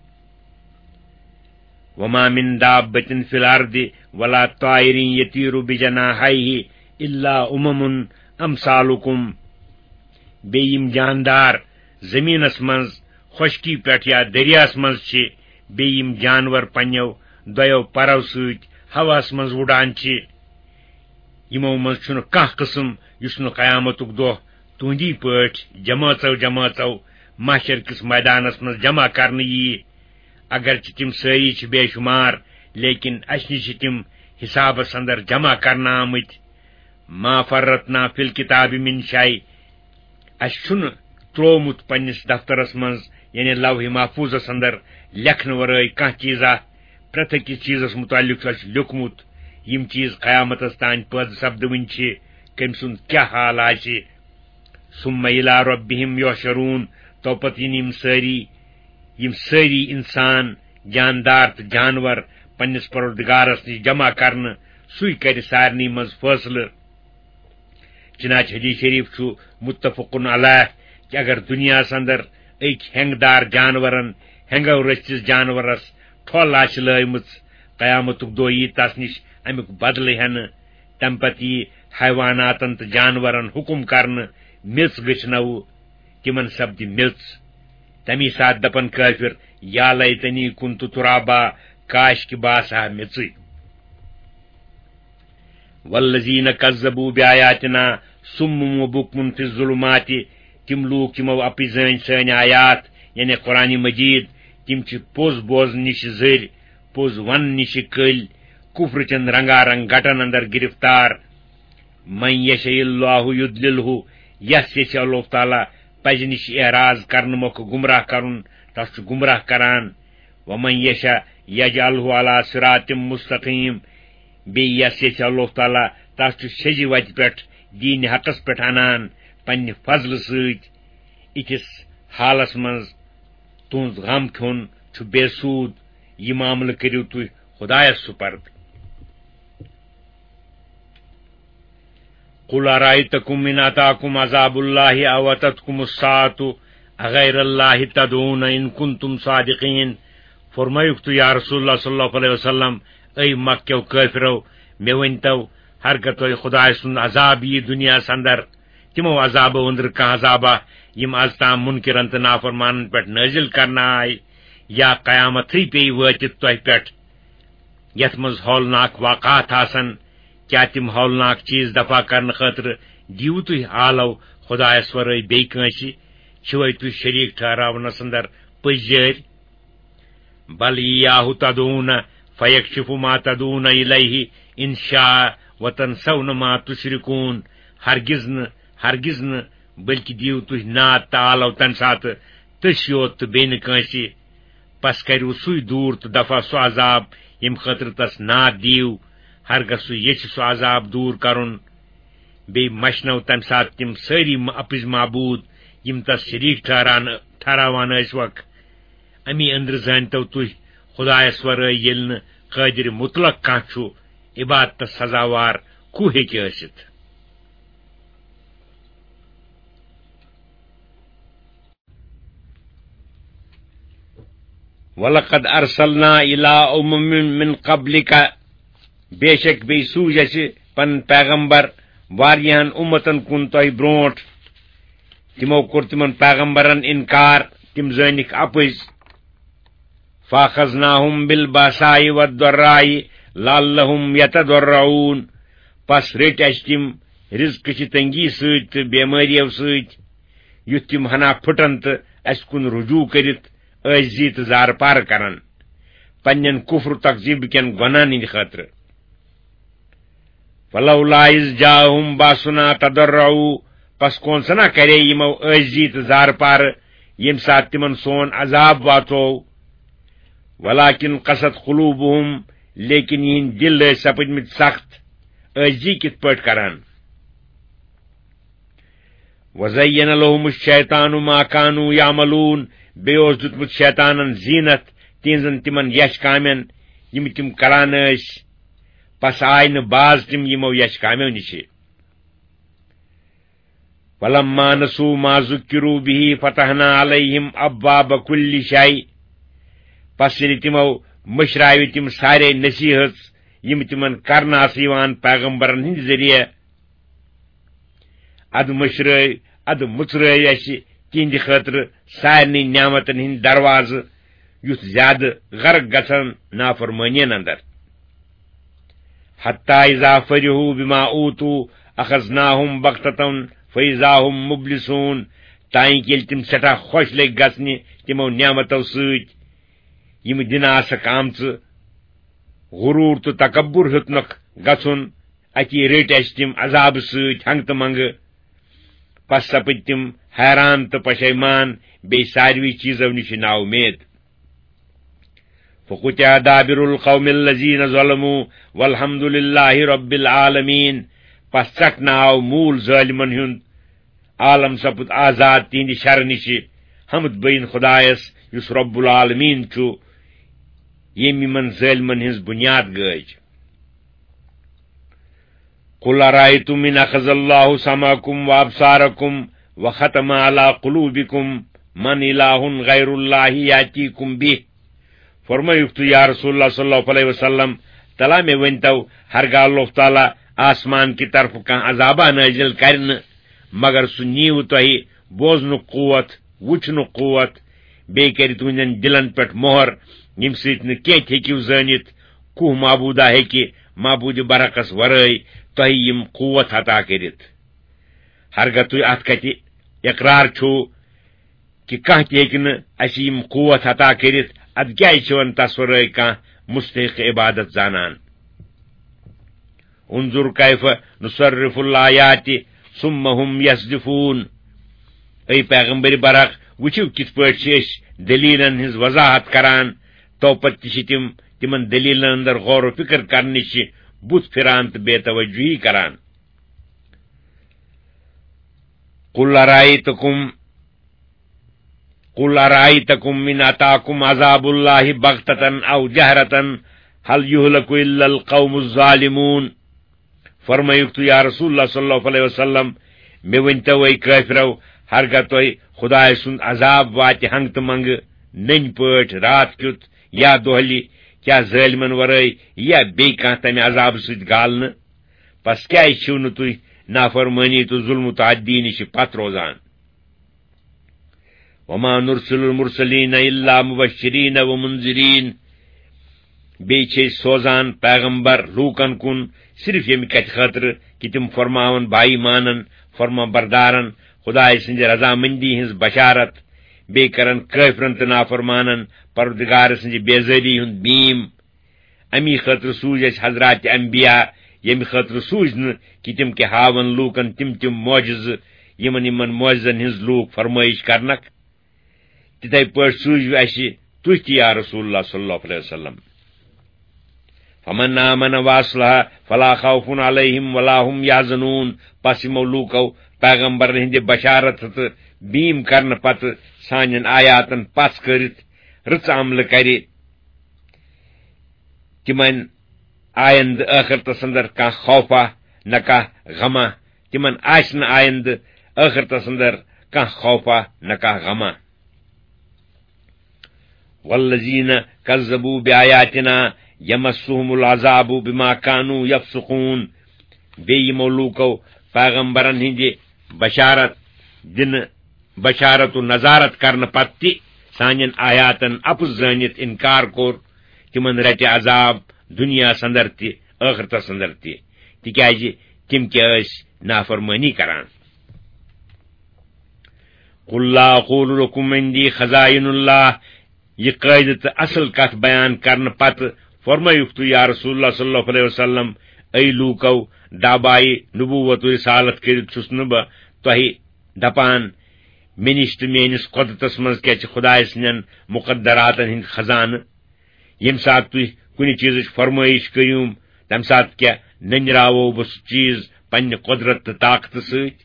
وما من دابة في الأرض ولا طائر يطير بجناحيه إلا أمم أمثالكم۔ بیٚیہِ یِم جاندار زٔمیٖنَس منٛز، خۄشکی پٮ۪ٹھ یا دٔریاہَس منٛز چھِ، بیٚیہِ یِم جانور پنٛنیو دۄیو پَرو سۭتۍ ہواہَس منٛز وُڈان چھِ، یِمو منٛز چھُنہٕ کانٛہہ قٕسم یُس نہٕ قیامتُک دۄہ تُہنٛدی پٲٹھۍ جمٲژو جمٲژو محشر کِس مٲدانَس منٛز جمع کرنہٕ یِیہِ۔ اگرچہِ تِم سٲری چھِ بے شُمار، لیکن اَسہِ نِش چھِ تِم حسابس اندر جمع کرنہٕ آمٕتۍ۔ ما فرطنا فی الکتاب من شیء۔ اَسہِ چھُنہٕ ترٛوومُت پننِس دفترس منٛز، یعنی لوح محفوظس اندر، لیکھنہٕ ورٲے کانٛہہ چیٖزا۔ پرٛٮ۪تھ أکِس چیٖزس مُتعلق چھُ اَسہِ لیوٗکھمُت۔ یِم چیٖز قیامتس تام پٲدٕ سپدوٕنۍ چھِ، کٔمۍ سُنٛد کیٛاہ حال آسہِ۔ ثم الی ربہم یحشرون۔ تو پتہٕ یِن یِم سٲری، یِم سٲری انسان، جاندار تہٕ جانور پننِس پروردگارس نِش جمع کرنہٕ، سُے کرِ سارنٕے منٛز فٲصلہٕ۔ چنانچہ حدیث شریف چھُ متفق علیہ کہ اگر دنیاہس اندر أکۍ ہٮ۪نٛگہٕ دار جانورن ہٮ۪نٛگو رٔژھِس جانورس ٹھۄل آسہِ لٲیمٕژ، قیامتُک دۄہ یی تس نِش امیُک بدلہٕ ہٮ۪نہٕ۔ تمہِ پتہٕ یی حیواناتن تہٕ جانورن حکم کرنہٕ، میٚژ گٔژھنو، تِمن سپدِ میٚژ۔ تمی ساتہٕ دپن کٲفر، یا لیتنی کنت ترابا، کاش کہ بہٕ آسہٕ ہا میٚژٕے۔ والذین کذبوا بآیاتنا صم و بکم فی الظلمات۔ تِم لوٗکھ یِمو اپٕزۍ زٲنۍ سٲنۍ آیات، یعنی قرآن مجید، تِم چھِ پوٚز بوزنہٕ نِش زٔرۍ، پوٚز وننہٕ نِش کٔلۍ، کفر چٮ۪ن رنگا رنگ گٹن اندر گرفتار۔ من یشاء اللہ یضللہ، یس یژھِ اللہ تعالیٰ پزِ نِش اعراض کرنہٕ مۄکھٕ گمراہ کرُن، تس چھُ گمراہ کران۔ ومن یشاء یجعلہ علی صراط مستقیم۔ بیٚیہِ یس یژھِ اللہ تعالیٰ، تس چھُ سیٚزِ وتہِ پٮ۪ٹھ، دین حقس پٮ۪ٹھ انان پننہِ فضلہٕ سۭتۍ۔ یِتھِس حالس منٛز تُہنٛد غم کھیوٚن چھُ بے سوٗد۔ یہِ معاملہٕ کٔرِو تُہۍ خدایس سپرد۔ قل أرأيتكم إن أتاكم عذاب الله أو أتتكم الساعة أغير الله تدعون إن كنتم صادقين۔ فرمٲیُکھ تُہۍ، یا رسول اللہ صلی اللہ علیہ وسلم، اے مکہ کیو کٲفرو، مےٚ ؤنۍتو، ہرگاہ تۄہہِ خدایہِ سُنٛد عذاب یی دُنیاہس اندر، تِمو عذابو أنٛدرٕ کانٛہہ عذابا، یِم از تام منکرن تہٕ نافرمانن پٮ۪ٹھ نٲزِل کرنہٕ آے، یا قیامتھٕے پیٚیہِ وٲتِتھ تۄہہِ پٮ۪ٹھ، یتھ منٛز ہولناک واقعات آسن، کیا تِم ہولناک چیز دفع کرنہٕ خٲطرٕ دیو تُہۍ آلو خدایس ورٲے بیٚیہِ کٲنٛسہِ؟ چھِوے تُہۍ شریک ٹھہراونس اندر پٔزۍ جٲرۍ؟ بل ایاہ تدعون فیکشف ما تدعون الیہ ان شاء وتنسون ما تشرکون۔ ہرگز نہٕ، ہرگز نہٕ، بلکہ دیو تُہۍ ناد تہٕ آلو تمہِ ساتہٕ تٔسۍ یوت تہٕ بیٚیہِ نہٕ کٲنٛسہِ۔ پس کریو سُے دوٗر تہٕ دفع سُہ عذاب، ییٚمہِ خٲطرٕ تس ناد دیو، ہرگاہ سُہ یژھِ سُہ عذاب دوٗر کرُن۔ بیٚیہِ مشنو تمہِ ساتہٕ تِم سٲری م-، اپٕزۍ معبوٗد، یِم تس شریٖک ٹھہران، ٹھہراوان ٲسۍ وکھ۔ امی أنٛدرٕ زٲنۍتو تُہۍ خدایس ورٲے ییٚلہِ نہٕ قٲدر مطلق کانٛہہ چھُ عبادتس سزاوار، کُو ہیٚکہِ ٲسِتھ؟ وَلَقَدْ أَرْسَلْنَا إِلَىٰ أُمَمٍ مِّن قَبْلِكَ، بے شک بیٚیہِ سوٗزۍ اَسہِ پنٕنۍ پیغمبر واریاہن اُمتن کُن تۄہہِ برونٛٹھ۔ تِمو کوٚر تِمن پیغمبرن اِنکار، تِم زٲنِکھ اَپٕزۍ۔ فَأَخَذْنَاهُم بِالْبَأْسَاءِ وَالضَّرَّاءِ لَعَلَّهُمْ يَتَضَرَّعُونَ۔ پس رٔٹۍ اَسہِ تِم رزقہٕ چہِ تنگی سۭتۍ تہٕ بیمٲرِیو سۭتۍ، یُتھ تِم ہنا پھُٹن تہٕ اَسہِ کُن رجوع کٔرِتھ عٲجزی تہٕ زارٕ پارٕ کرن، پننٮ۪ن کفر و تکذیب کٮ۪ن گۄناہن ہٕنٛدِ خٲطرٕ۔ فلولا اذ جاءهم باسنا تضرعوا، پس کون سنا کرے یِمو عٲجزی تہٕ زارٕ پارٕ، ییٚمہِ ساتہٕ تِمن سون عذاب واتوو۔ ولكن قست قلوبهم، لیکن یِہنٛدۍ دِل ٲسۍ سپٕدمٕتۍ سخت، عٲجزی کِتھ پٲٹھۍ کران؟ وزین لهم الشیطان ما كانوا يعملون، بیٚیہِ اوس دیُتمُت شیطانن زینت تِہنٛزن تِمن یش کامٮ۪ن، یِم تِم کران ٲسۍ۔ پس آے نہٕ باز تِم یِمو یش کامیو نِشہِ۔ فلما نسوا ما ذكروا به فتحنا عليهم أبواب كل شيء۔ پس ییٚلہِ تِمو مٔشراوِ تِم سارے نصیحت، یِم تِمن کرنہٕ آسہٕ یِوان پیغمبرن ہٕنٛدِ ذٔریعہٕ، ادٕ مٔشرٲوۍ، ادٕ مُژرٲوۍ اَسہِ تِہنٛدِ خٲطرٕ سارنٕے نعمتن ہٕنٛدۍ دروازٕ، یُتھ زیادٕ غرق گژھن نافرمٲنین اندر۔ حتى إذا فرحوا بما أوتوا أخذناهم بغتة فإذا هم مبلسون، تانۍ ییٚلہِ تِم سٮ۪ٹھاہ خۄش لٔگۍ گژھنہِ تِمو نعمتو سۭتۍ، یِم دِنہٕ آسکھ آمژٕ، غرور تہٕ تکبر ہیوٚتنکھ گژھُن، اتی رٔٹۍ اَسہِ تِم عذابہٕ سۭتۍ ہنگہٕ تہٕ منگہٕ۔ پس سپٕدۍ تِم حیران تہٕ پشیمان، بیٚیہِ ساروی چیٖزو نِش نااُمید۔ فقطع دابر القوم الذين ظلموا والحمد لله رب العالمين۔ پس ژٹنہٕ آو موٗل ظٲلمن ہُنٛد، عالم سپُد آزاد تِہنٛدِ شرٕ نِشہِ۔ حمد بین خدایس، یُس رب العالمین چھُ، ییٚمۍ یِمن ظٲلمن ہٕنٛز بُنیاد گٲج۔ قل أرأيتم إن أخذ الله سمعكم وأبصاركم وختم على قلوبكم من إله غير الله يأتيكم به۔ فرمٲیِو تُہۍ، یا رسول اللہ صلی اللہ علیہ وسلم، تلا مےٚ ؤنۍتو، ہرگاہ اللہ تعالیٰ آسمان کہِ طرفہٕ کانٛہہ عذابہ نٲزِل کرِ نہٕ، مگر سُہ نِیِو تۄہہِ بوزنُک قوت، وٕچھنُک قوت، بیٚیہِ کرِ تُہنٛدٮ۪ن دِلن پٮ۪ٹھ مۄہر، ییٚمہِ سۭتۍ نہٕ کینٛہہ تہِ ہیٚکِو زٲنِتھ، کُہ معبوٗدا ہیٚکہِ معبوٗدِ برحقس ورٲے تۄہہِ یِم قوت عطا کٔرِتھ۔ ہرگاہ تُہۍ اتھ کتھِ اقرار چھِو کہِ کانٛہہ تہِ ہیٚکہِ نہٕ اسہِ یِم قوت عطا کٔرِتھ، ادٕ کیازِ چھِو نہٕ تس ورٲے کانٛہہ مستحق عبادت زانان؟ انظر كيف نصرف الآيات ثم هم يصدفون۔ اے پیغمبر برحق، وٕچھِو کِتھ پٲٹھۍ چھِ أسۍ دٔلیٖلن ہٕنٛز وضاحت کران، تو پتہٕ تہِ چھِ تِم تِمن دٔلیٖلن اندر غور و فکر کرنہٕ نِش بُتھ پھِران تہٕ بے توجہی کران۔ قل أرأيتكم قل أرأيتكم إن أتاكم عذاب الله بغتة أو جهرة هل يهلك إلا القوم الظالمون۔ فرمٲیِو تُہۍ، یا رسول اللہ صلی اللہ علیہ وسلم، مےٚ ؤنۍتو، اے کٲفرو، ہرگاہ تۄہہِ خدایہِ سُنٛد عذاب واتہِ ہنٛگہٕ تہٕ منٛگہٕ، نٔنۍ پٲٹھۍ، راتھ کیُتھ یا دۄہلہِ، کیٛاہ ظٲلمن ورٲے یِیا بیٚیہِ کانٛہہ تمہِ عذابہٕ سۭتۍ گالنہٕ؟ پس کیٛازِ چھِو نہٕ تُہۍ نافرمٲنی تہٕ ظلم و تعدی نِش پتھ روزان؟ وما نرسل المرسلین الا مبشرین و منذرین۔ بیٚیہِ چھِ أسۍ سوزان پیغمبر لوٗکن کُن صرف ییٚمہِ کتھِ خٲطرٕ کہِ تِم فرماون باقی مانن، فرما بردارن خدایہِ سٕنٛزِ رضامندی ہٕنٛز بشارت، بیٚیہِ کرن کٲفرن تہٕ نافرمانن پروردگار سٕنٛزِ بیزٲری ہُنٛد بیٖم۔ امی خٲطرٕ سوٗزۍ اَسہِ حضرات انبیاء، ییٚمہِ خٲطرٕ سوٗزۍ نہٕ کہِ تِم کہِ ہاون لوٗکن تِم تِم معجزٕ، یِمن یِمن معجزن ہٕنٛز لوٗکھ فرمٲیش کرنکھ۔ تِتھے پٲٹھۍ سوٗزِو اَسہِ تُہۍ تہِ، یا رسول اللہ صلی اللہ علیہ وسلم۔ فمن آمن واصلح فلا خوف علیہم ولا هم یحزنون۔ پس یِمو لوٗکو پیغمبرن ہٕنٛدِ بشارت تہٕ بیٖم کرنہٕ پتہٕ سانٮ۪ن آیاتن پژھ کٔرِتھ رٕژ عملہٕ کرِ، تِمن آیندٕ ٲخرتس اندر کانٛہہ خوفا نہ کانٛہہ غما، تِمن آسہِ نہٕ آیندٕ ٲخرتس اندر کانٛہہ خوفا نہ کانٛہہ غما۔ والذین کذبوا بآیاتنا یمسهم العذاب بما کانوا یفسقون۔ بیٚیہِ یِمو لوٗکو پیغمبرن ہٕنٛدِ بشارت دِنہٕ، بشارت و نذارت کرنہٕ پتہٕ تہِ سانٮ۪ن آیاتن اپُز زٲنِتھ انکار کوٚر، تِمن رٹہِ عذاب دُنیاہس اندر تہِ، ٲخرتس اندر تہِ، تِکیازِ تِم کیٛاہ ٲسۍ نافرمٲنی کران۔ قل لا اقول لکم عندی خزائن اللہ۔ یہِ قٲعدٕ تہٕ اصل کتھ بیان کرنہٕ پتہٕ فرمٲیِکھ تُہۍ یا رسول اللہ صلی اللہ علیہ وسلم، اے لوٗکو، دعوایہِ نبوت و رسالت کٔرِتھ چھُس نہٕ بہٕ تۄہہِ دپان، مےٚ نِش تہٕ میٲنِس قۄدرتس منٛز کیٛاہ چھِ خدایہِ سٕنٛدٮ۪ن مقدراتن ہٕنٛدۍ خزانہٕ۔ ییٚمہِ ساتہٕ تُہۍ کُنہِ چیٖزٕچ فرمٲیش کٔرِو، تَمہِ ساتہٕ کیٛاہ نٔنراوو بہٕ سُہ چیٖز پننہِ قۄدرت تہٕ طاقتہٕ سۭتۍ؟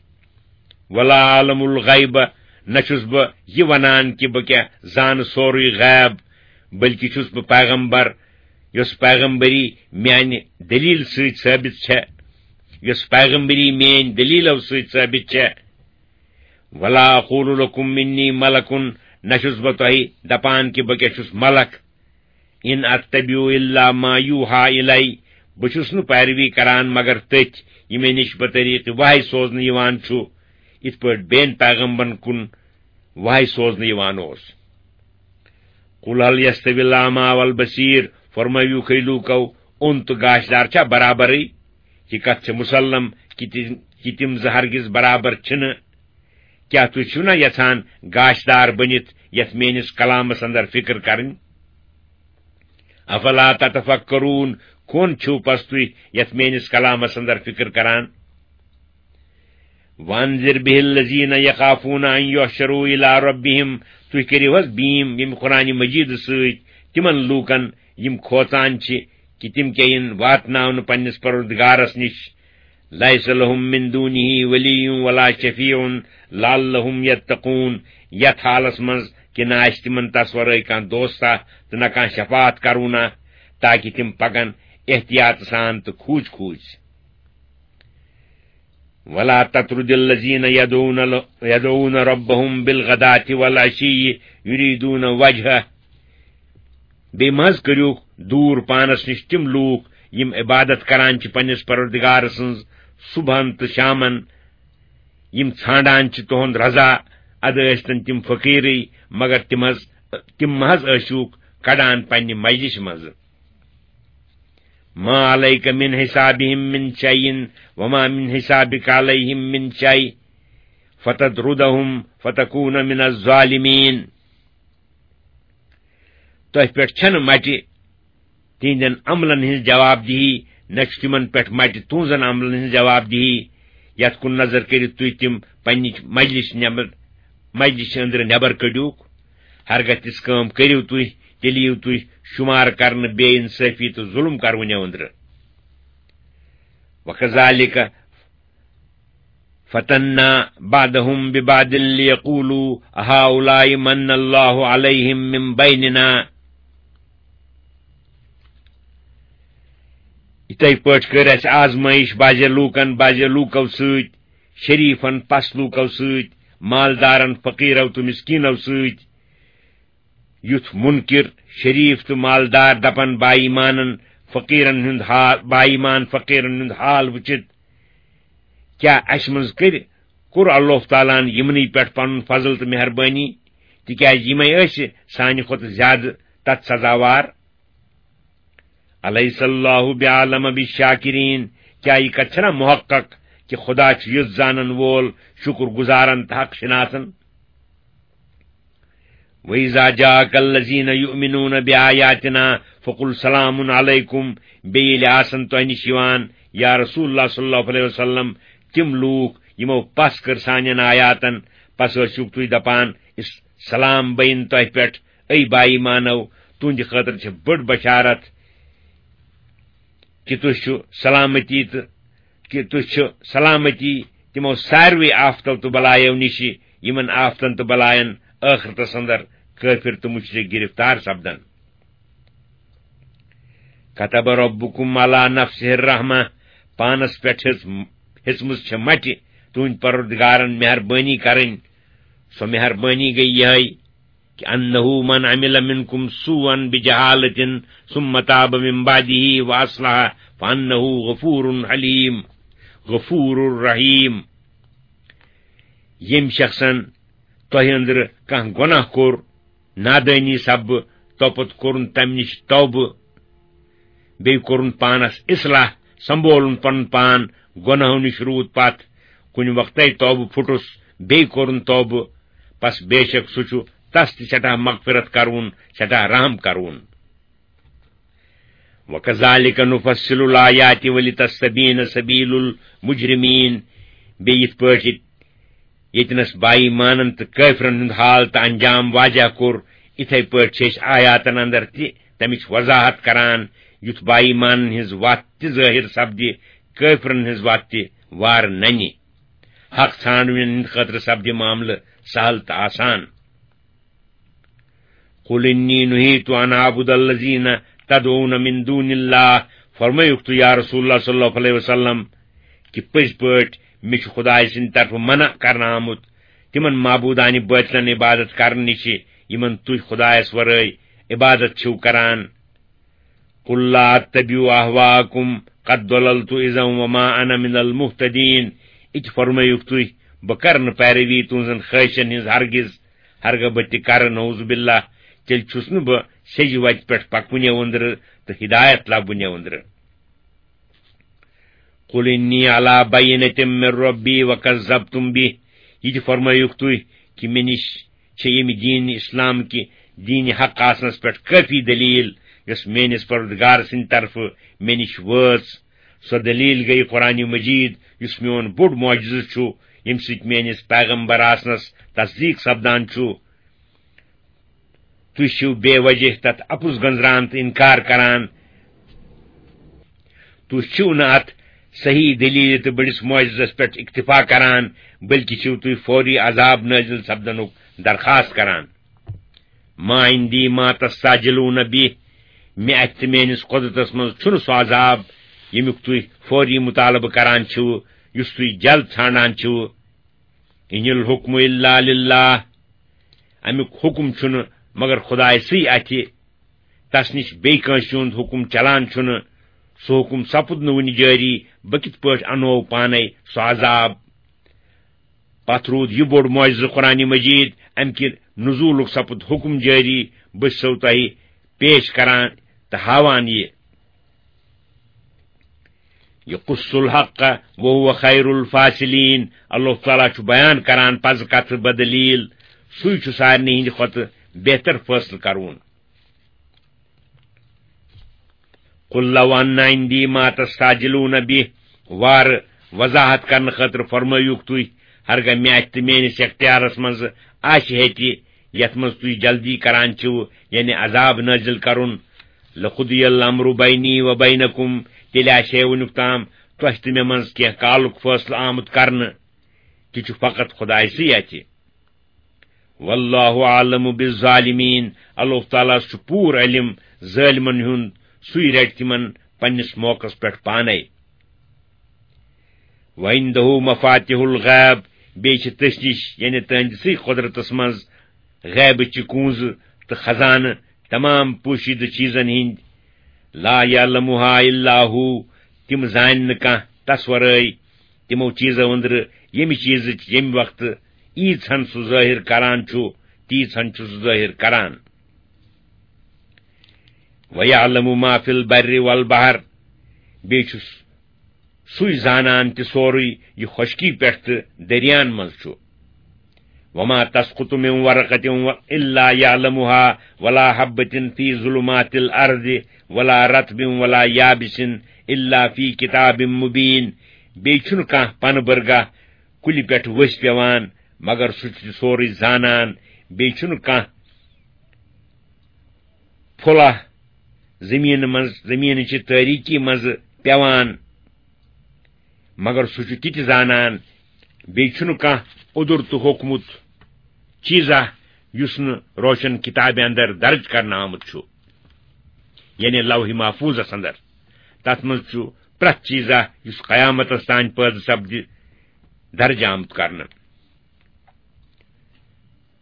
ولا اعلم الغیب، نہ چھُس بہٕ یہِ ونان کہِ بہٕ کیٛاہ زانہٕ سورُے غیب، بلکہِ چھُس بہٕ پیغمبر، یۄس پیغمبری میانہِ دلیل سۭتۍ ثٲبت چھےٚ، یۄس پیغمبری میٲنۍ دلیلو سۭتۍ ثٲبت چھےٚ۔ ولا اقول لکم انی ملک، نہ چھُس بہٕ تۄہہِ دپان کہِ بہٕ کیٛاہ چھُس ملک۔ ان اتبع الا ما یوحی الی، بہٕ چھُس نہٕ پیروی کران مگر تٔتھۍ، یہِ مےٚ نِش بطریقِ وحی سوزنہٕ یِوان چھُ، یِتھ پٲٹھۍ بیٚین پیغمبرن کُن وحی سوزنہٕ یِوان اوس۔ قل هل يستوي الاعمى والبصير، فرمٲیِو ہے لوٗکو، اوٚنٛد تہٕ گاشدار چھا برابرٕے؟ یہِ کتھ چھِ مسلم کہِ تِم، کہِ تِم زٕ ہرگز برابر چھِنہٕ۔ کیٛاہ تُہۍ چھِو نا یژھان گاشدار بٔنِتھ یتھ میٲنِس کلامس اندر فکر کرٕنۍ؟ افلا تتفکرون، کون چھِو پس تُہۍ یتھ میٲنِس کلامس اندر فکر کران؟ وانذر به الذین یخافون ان یحشروا الی ربہم، تُہۍ کٔرِو حظ بیٖم ییٚمہِ قرآنِ مجیدٕ سۭتۍ تِمن لوٗکن یِم کھوژان چھِ کہِ تِم کیٛاہ یِن واتناونہٕ پننِس پروردگارس نِش۔ لیس لہم من دونہ ولی ولا شفیع لعلہم یتقون، یتھ حالس منٛز کہِ نہ آسہِ تِمن تس ورٲے کانٛہہ دوستا تہٕ نہ کانٛہہ شفاعت کرونہ، تاکہِ تِم پکن احتیاط سان تہٕ کھوٗژۍ کھوٗژۍ۔ ولا تطرد الذین یدعون ل-، یدعون ربهم بالغداة والعشی یریدون وجهه۔ بیٚیہِ مہ حظ کٔرِو دوٗر پانس نِش تِم لوٗکھ یِم عبادت کران چھِ پننِس پروردگار سٕنٛز صبحن تہٕ شامن، یِم ژھانڈان چھِ تُہُنٛد رضا، ادٕ ٲسۍتن تِم فقیٖرٕے، مگر تِم حظ، تِم مہ حظ ٲسِوکھ کڑان پننہِ مجلسہِ منٛزٕ۔ ما علیک من حسابہم من شیء وما من حسابک علیہم من شیء فتطردہم فتکون من الظالمین۔ تۄہہِ پٮ۪ٹھ چھَنہٕ مٹہِ تِہنٛدٮ۪ن عملن ہٕنٛز جواب دہی، نہ چھُ تِمن پٮ۪ٹھ مٹہِ تُہنٛزن عملن ہٕنٛز جواب دہی، یتھ کُن نظر کٔرِتھ تُہۍ تِم پننہِ مجلس نٮ۪بر، مجلس أنٛدرٕ نٮ۪بر کٔڑِوکھ۔ ہرگاہ تِژھ کٲم کٔرِو تُہۍ، تیٚلہِ یِیِو تُہۍ شُمار کرنہٕ بے انصٲفی تہٕ ظُلم کرونیو أنٛدرٕ۔ وکذالک فتنا بعضهم ببعض لیقولوا اہؤلاء من اللہ علیہم من بیننا۔ یِتھے پٲٹھۍ کٔر اَسہِ آزمٲیِش بعضے لوٗکن بعضے لوٗکو سۭتۍ، شریفن پس لوٗکو سۭتۍ، مالدارن فقیرو تہٕ مسکینو سۭتۍ۔ یُتھ منکر، شریف تہٕ مالدار دپن با ایمانن فقیرن ہُنٛد حال، با ایمان فقیرن ہُنٛد حال وٕچھِتھ، کیٛاہ اَسہِ منٛز کٔرۍ، کوٚر اللہ تعالیٰ ہن یِمنٕے پٮ۪ٹھ پنُن فضل تہٕ مہربٲنی، تِکیٛازِ یِمے ٲسۍ سانہِ کھۄتہٕ زیادٕ تتھ سزاوار؟ الیس اللہ بعالم بالشاکرین، کیٛاہ یہِ کتھ چھنا محقق کہِ خدا چھُ یُتھ زانن وول، شُکر گزارن تہٕ حق شناسن؟ وَإِذَا جَاءَكَ الَّذِينَ يُؤْمِنُونَ بِآيَاتِنَا فَقُلْ سَلَامٌ عَلَيْكُمْ، بیٚیہِ ییٚلہِ آسن تۄہہِ نِش یِوان، یا رسول اللہ صلی اللہ علیہ وسلم، تِم لوٗکھ یِمو پس کٔر سانٮ۪ن آیاتن، پس ٲسِو تُہۍ دپان، "اس-، سلام بین تۄہہِ پٮ۪ٹھ، اے با ایمانو، تُہنٛدِ خٲطرٕ چھِ بٔڑ بشارت۔" کہِ تُہۍ چھِو سلامتی تہٕ کہِ تُہۍ چھِو سلامتی تِمو ساروٕے آفتو تہٕ بلایو نِشہِ، یِمن آفتن تہٕ بلاین ٲخرتس اندر کٲفر تہٕ مُشرِک گِرفتار سپدن۔ كتب ربكم على نفسه الرحمة، پانس پٮ۪ٹھ ہیٚژ-، ہیٚژمٕژ چھےٚ مٹہِ تُہنٛدِ پروردگارن مہربٲنی کرٕنۍ۔ سۄ مہربٲنی گٔے یِہے، کہ انہ من عمل منکم سوءا بجہالۃ ثم تاب من بعدہ واصلح فانہ غفور حلیم، غفور رحیم۔ ییٚمۍ شخصن تۄہہِ أنٛدرٕ کانٛہہ گۄناہ کوٚر، نادٲنی سببہٕ، توپتہٕ کوٚرُن تمہِ نِش توبہٕ، بیٚیہِ کوٚرُن پانس اصلاح، سنبولُن پنُن پان گۄناہو نِش روٗد پتھ، کُنہِ وقتے توبہٕ پھُٹُس، بیٚیہِ کوٚرُن توبہٕ، پس بے شک سُہ چھُ تس تہِ سٮ۪ٹھاہ مغفرت کرون، سٮ۪ٹھاہ رحم کرون۔ وَكَذَلِكَ نُفَصِّلُ الْآيَاتِ وَلِتَسْتَبِينَ سَبِيلُ الْمُجْرِمِينَ۔ بیٚیہِ یِتھ پٲٹھۍ ییٚتنَس بے ایمانن تہٕ کٲفرن ہُنٛد حال تہٕ انجام واضح کوٚر، اِتھے پٲٹھۍ چھِ أسۍ آیاتن اندر تہِ تمِچ وضاحت کران، یُتھ بے ایمانن ہٕنٛز وتھ تہِ ظٲہِر سپدِ، کٲفرن ہٕنٛز وتھ تہِ وارٕ ننہِ۔ حق ژھانڈوٕنٮ۪ن ہٕنٛدِ خٲطرٕ سپدِ معاملہٕ سہل تہٕ آسان۔ قل انی نہیت ان اعبد الذین تدعون من دون اللہ، فرمٲیُکھ تُہۍ یا رسول اللہ صلی اللہ علیہ وسلم کہِ پٔزۍ پٲٹھۍ مےٚ چھُ خدایہِ سٕنٛدِ طرفہٕ منع کرنہٕ آمُت تِمن معبوٗدانہِ بٲطلن عبادت کرنہٕ نِش، یِمن تُہۍ خدایس ورٲے عبادت چھِو کران۔ قل لا اتبع اہواءکم قد ضللت اذا وما انا من المہتدین۔ یہِ تہِ فرمٲیُکھ تُہۍ، بہٕ کرٕ نہٕ پیروی تُہنٛزن خٲہشن ہٕنٛز ہرگز، ہرگاہ بہٕ تہِ کرٕ، نعوذ باللہ، تیٚلہِ چھُس نہٕ بہٕ سیٚزِ وتہِ پٮ۪ٹھ پکوٕنیو أنٛدرٕ تہٕ ہدایت لبوٕنیو أنٛدرٕ۔ قل انی علی بینۃ من ربی وکذبتم بہ، یہِ تہِ فرمٲیُکھ تُہۍ کہِ مےٚ نِش چھےٚ ییٚمہِ دیٖن اسلام کہِ دیٖنِ حق آسنس پٮ۪ٹھ کٲفی دلیل، یۄس میٲنِس پروردگار سٕنٛدِ طرفہٕ مےٚ نِش وٲژ۔ سۄ دلیل گٔیہِ قرآن مجید، یُس میون بوٚڑ معجزٕ چھُ، ییٚمہِ سۭتۍ میٲنِس پیغمبر آسنس تصدیق سپدان چھُ۔ تُہۍ چھِو بے وجہ تتھ اپُز گنزران تہٕ انکار کران۔ تُہۍ چھِو نہٕ اتھ صحیح دلیل تہٕ بٔڑِس معجزس پٮ۪ٹھ اکتفا کران، بلکہِ چھِو تُہۍ فوری عذاب نٲزِل سپدنُک درخواست کران۔ ما عندی ما تستعجلون بہ، مےٚ اتھِ تہٕ میٲنِس قۄدرتس منٛز چھُنہٕ سُہ عذاب، ییٚمیُک تُہۍ فوری مطالبہٕ کران چھِو، یُس تُہۍ جلد ژھانڈان چھِو۔ ان الحکم الا للہ، امیُک حکم چھُنہٕ مگر خدایہِ سٕے اتھِ، تس نِش بیٚیہِ کٲنٛسہِ ہُنٛد حکم چلان چھُنہٕ۔ سُہ حکم سپُد نہٕ وُنہِ جٲری، بہٕ کِتھ پٲٹھۍ انو پانے سُہ عذاب؟ پتھ روٗد یہِ بوٚڑ معجزٕ قرآن مجید، امہِ کہِ نزولُک سپُد حکم جٲری، بہٕ چھُسو تۄہہِ پیش کران تہٕ ہاوان یہِ۔ یقص الحق وهو خیر الفاصلین، اللہ تعالیٰ چھُ بیان کران پزٕ کتھٕ بدلیل، سُے چھُ سارنٕے ہٕنٛدِ کھۄتہٕ بہتر فٲصلہٕ کرون۔ قل لو ان عندی ما تستعجلون بہ، وارٕ وضاحت کرنہٕ خٲطرٕ فرمٲیِو تُہۍ، ہرگاہ مےٚ اتھِ تہٕ میٲنِس اختیارس منٛز آسہِ ہے تہِ، یتھ منٛز تُہۍ جلدی کران چھِو، یعنی عذاب نٲزِل کرُن، لقضی الامر بینی و بینکم، تیٚلہِ آسہِ ہے وُنیُک تام تۄہہِ تہٕ مےٚ منٛز کینٛہہ کالُک فٲصلہٕ آمُت کرنہٕ، تہِ چھُ فقط خدایہِ سٕے اتھِ۔ واللہ اعلم بالظالمین، اللہ تعالیٰ ہس چھُ پوٗرٕ علم ظٲلمن ہُنٛد، سُے رٹہِ تِمن پننِس موقعس پٮ۪ٹھ پانے۔ وعنده مفاتح الغیب، بیٚیہِ چھِ تٔسۍ نِش، یعنی تٕہنٛدِسٕے قۄدرتس منٛز، غیبٕچہِ کونٛزٕ تہٕ خزانہٕ تمام پوشیدٕ چیزن ہٕنٛدۍ۔ لا یعلمها الا هو، تِم زانہِ نہٕ کانٛہہ تس ورٲے۔ تِمو چیزو أنٛدرٕ ییٚمہِ چیزٕچ ییٚمہِ وقتہٕ ییٖژہن سُہ ظٲہِر کران چھُ، تیٖژہن چھُ سُہ ظٲہِر کران۔ وَيَعْلَمُ مَا فِي الْبَرِّ وَالْبَحْرِ، بیٚیہِ چھُ سُے زانان تہِ سورُے یہِ خۄشکی پٮ۪ٹھ تہٕ دٔریاہن منٛز چھُ۔ وَمَا تَسْقُطُ مِنْ وَرَقَةٍ إِلَّا يَعْلَمُهَا وَلَا حَبَّةٍ فِي ظُلُمَاتِ الْأَرْضِ وَلَا رَطْبٍ وَلَا يَابِسٍ إِلَّا فِي كِتَابٍ مُبِينٍ۔ بیٚیہِ چھُنہٕ کانٛہہ پنہٕ بٔرگاہ کُلہِ پٮ۪ٹھ ؤسۍ پٮ۪وان، مگر سُہ چھُ سورُے زانان۔ بیٚیہِ چھُنہٕ کانٛہہ پھُلہ زٔمیٖنہٕ منٛز، زٔمیٖنہٕ چہِ تٲریٖکی منٛزٕ پٮ۪وان، مگر سُہ چھُ تہِ تہِ زانان، بیٚیہِ چھُنہٕ کانٛہہ اوٚدُر تہٕ ہوٚکھمُت چیٖزا یُس نہٕ روشن کِتابہِ اندر درج کرنہٕ آمُت چھُ، یعنی لوح محفوظس اندر۔ تتھ منٛز چھُ پرٛٮ۪تھ چیٖزا یُس قیامتس تام پٲدٕ سپدِ، درج آمُت کرنہٕ۔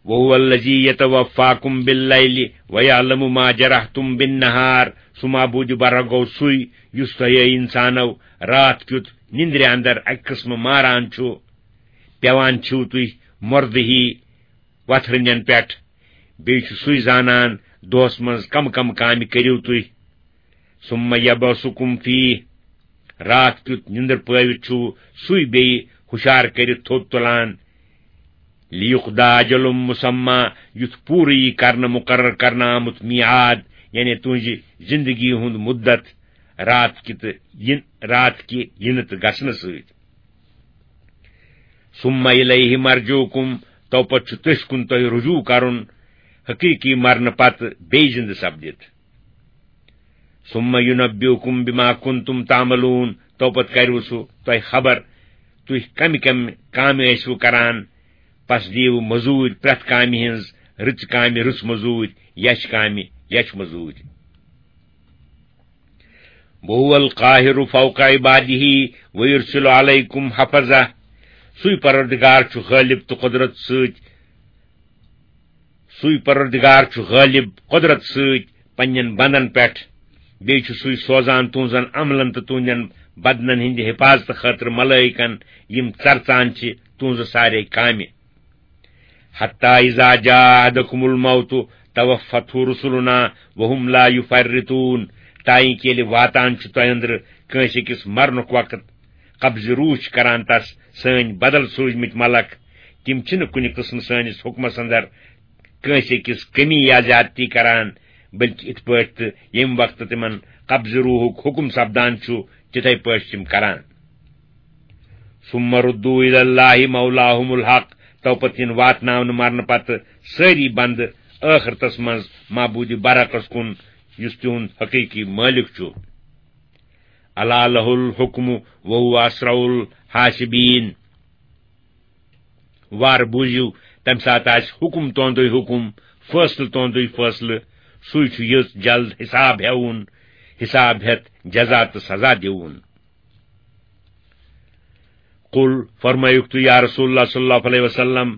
وَهُوَ الَّذِي يَتَوَفَّاكُم بِاللَّيْلِ وَيَعْلَمُ مَا جَرَحْتُم بِالنَّهَارِ۔ سُہ معبوٗدِ برحق گوٚو سُے یُس تۄہہِ، اے اِنسانو، راتھ کیُتھ نِندرِ اندر اکہِ قٕسمہٕ ماران چھُ۔ پٮ۪وان چھِو تُہۍ مۄردٕ ہی وتھرٕنٮ۪ن پٮ۪ٹھ۔ بیٚیہِ چھُ سُے زانان دۄہس منٛز کم کم کامہِ کٔرِو تُہۍ۔ ثم یبعثکم فیہ، راتھ کیُتھ نِندٕر پٲوِتھ چھُ سُے بیٚیہِ ہُشار کٔرِتھ تھوٚد تُلان۔ لیقضی اجل مسمی، یُتھ پوٗرٕ یی کرنہٕ مُقرر کرنہٕ آمُت میعاد، یعنی تُہنزِ زندگی ہُند مُدت، راتھ کہِ تہٕ یِن-، راتھ کہِ یِنہٕ تہٕ گژھنہٕ سۭتۍ۔ ثم الیہ مرجعکم، تو پتہٕ چھُ تٔسۍ کُن تۄہہِ رجوع کرُن، حقیقی مرنہٕ پتہٕ بیٚیہِ زندٕ سپدِتھ۔ ثم ينبئكم بما كنتم تعملون، تو پتہٕ کرِوٕ سُہ تۄہہِ خبر، تُہۍ کمہِ کمہِ کامہِ ٲسوٕ کران۔ پس دِیِو مٔزوٗرۍ پرٛٮ۪تھ کامہِ ہٕنٛز، رٕژ کامہِ رٕژ مٔزوٗرۍ، یچھ کامہِ یچھ مٔزوٗرۍ۔ وهو القاهر فوق عباده ويرسل عليكم حفظة۔ سُے پروردگار چھُ غٲلب تہٕ قدرت سۭتۍ سُے پروردگار چھُ غٲلب قدرت سۭتۍ پننٮ۪ن بندن پٮ۪ٹھ۔ بیٚیہِ چھُ سُے سوزان تُہنزن عملن تہٕ تُہندٮ۪ن بدنن ہٕنٛدِ حفاظتہٕ خٲطرٕ ملائکن، یِم ژرژان چھِ تُہنزٕ سارے کامہِ۔ حتى إذا جاء أحدكم الموت توفته رسلنا وهم لا يفرطون۔ تائیں کہ ییٚلہِ واتان چھُ تۄہہِ أنٛدرٕ کٲنٛسہِ أکِس مرنُک وقت، قبض روح چھِ کران تس سٲنۍ بدل سوٗزمٕتۍ ملک۔ تِم چھِنہٕ کُنہِ قٕسمہٕ سٲنِس حُکمس اندر کٲنٛسہِ أکِس کمی یا زیادتی کران، بلکہِ اِتھ پٲٹھۍ تہٕ ییٚمہِ وقتہٕ تِمن قبض روحُک حُکم سپدان چھُ، تِتھے پٲٹھۍ چھِ تِم کران۔ ثم ردوا إلى الله مولاهم الحق، تو پتہٕ یِن واتناونہٕ مرنہٕ پتہٕ سٲری بندٕ ٲخرتس منٛز معبوٗدِ برحقس کُن، یُس تِہُنٛد حقیقی مٲلِک چھُ۔ ألا له الحكم وهو أسرع الحاسبين۔ وار بوٗزِو، تَمہِ ساتہٕ آسہِ حُکُم تُہُنٛدُے حُکُم، فٲصلہٕ تُہُنٛدُے فٲصلہٕ۔ سُے چھُ یٔژ جلد حساب ہٮ۪وُن، حساب ہٮ۪تھ جزا تہٕ سزا دِوُن۔ قل، فرمٲیِو تُہۍ یا رسول اللہ صلی اللہ علیہ وسلم،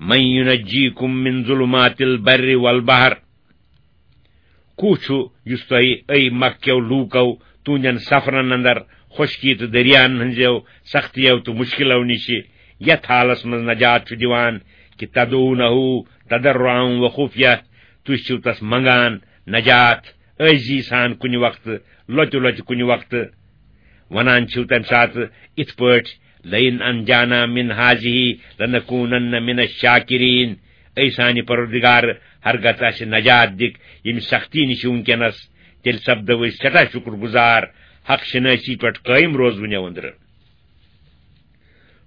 من ينجيكم من ظلمات البر والبحر؟ کُس چھُ یُس تۄہہِ، اے مکہ کیو لوٗکو، تُہنٛدٮ۪ن سفرن اندر خۄشکی تہٕ دٔریاہن ہٕنٛزیو سختیو تہٕ مُشکلو نِشہِ یتھ حالس منٛز نجات چھُ دِوان کہ تدعونه تضرعا وخفیہ، تُہۍ چھِو تس منگان نجات عٲجزی سان کُنہِ وقتہٕ، لۄتہِ لۄتہِ کُنہِ وقتہٕ؟ ونان چھِو تمہِ ساتہٕ اِتھ پٲٹھۍ، لئن أنجانا من هذه لنكونن من الشاكرين۔ اے سانہِ پروردگار، ہرگز اسہِ نجات دِکھ ییٚمہِ سختی نِش وُنکیٚنس، تیٚلہِ سپدو أسۍ سٮ۪ٹھاہ شُکر گُزار، حق شنٲسی پٮ۪ٹھ قٲیِم روزوٕنٮ۪و أنٛدرٕ۔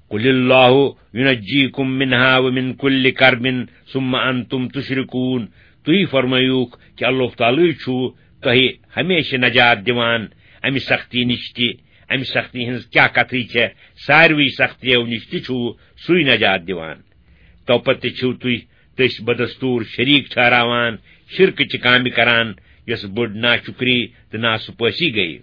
قل الله ينجيكم منها ومن كل كرب ثم أنتم تشركون۔ تُہۍ فرمٲیوکھ کہِ اللہ تعالیٰ چھُ تۄہہِ ہمیشہِ نجات دِوان امہِ سختی نِش تہِ۔ امہِ سختی ہٕنٛز کیٛاہ کتھٕے چھےٚ، ساروٕے سختیو نِش تہِ چھُ سُے نجات دِوان۔ تو پتہٕ تہِ چھِو تُہۍ تٔسۍ بدستور شریٖک ٹھہراوان، شرکٕچہِ کامہِ کران، یۄس بٔڑ ناشُکری تہٕ ناسپٲسی گٔیہِ۔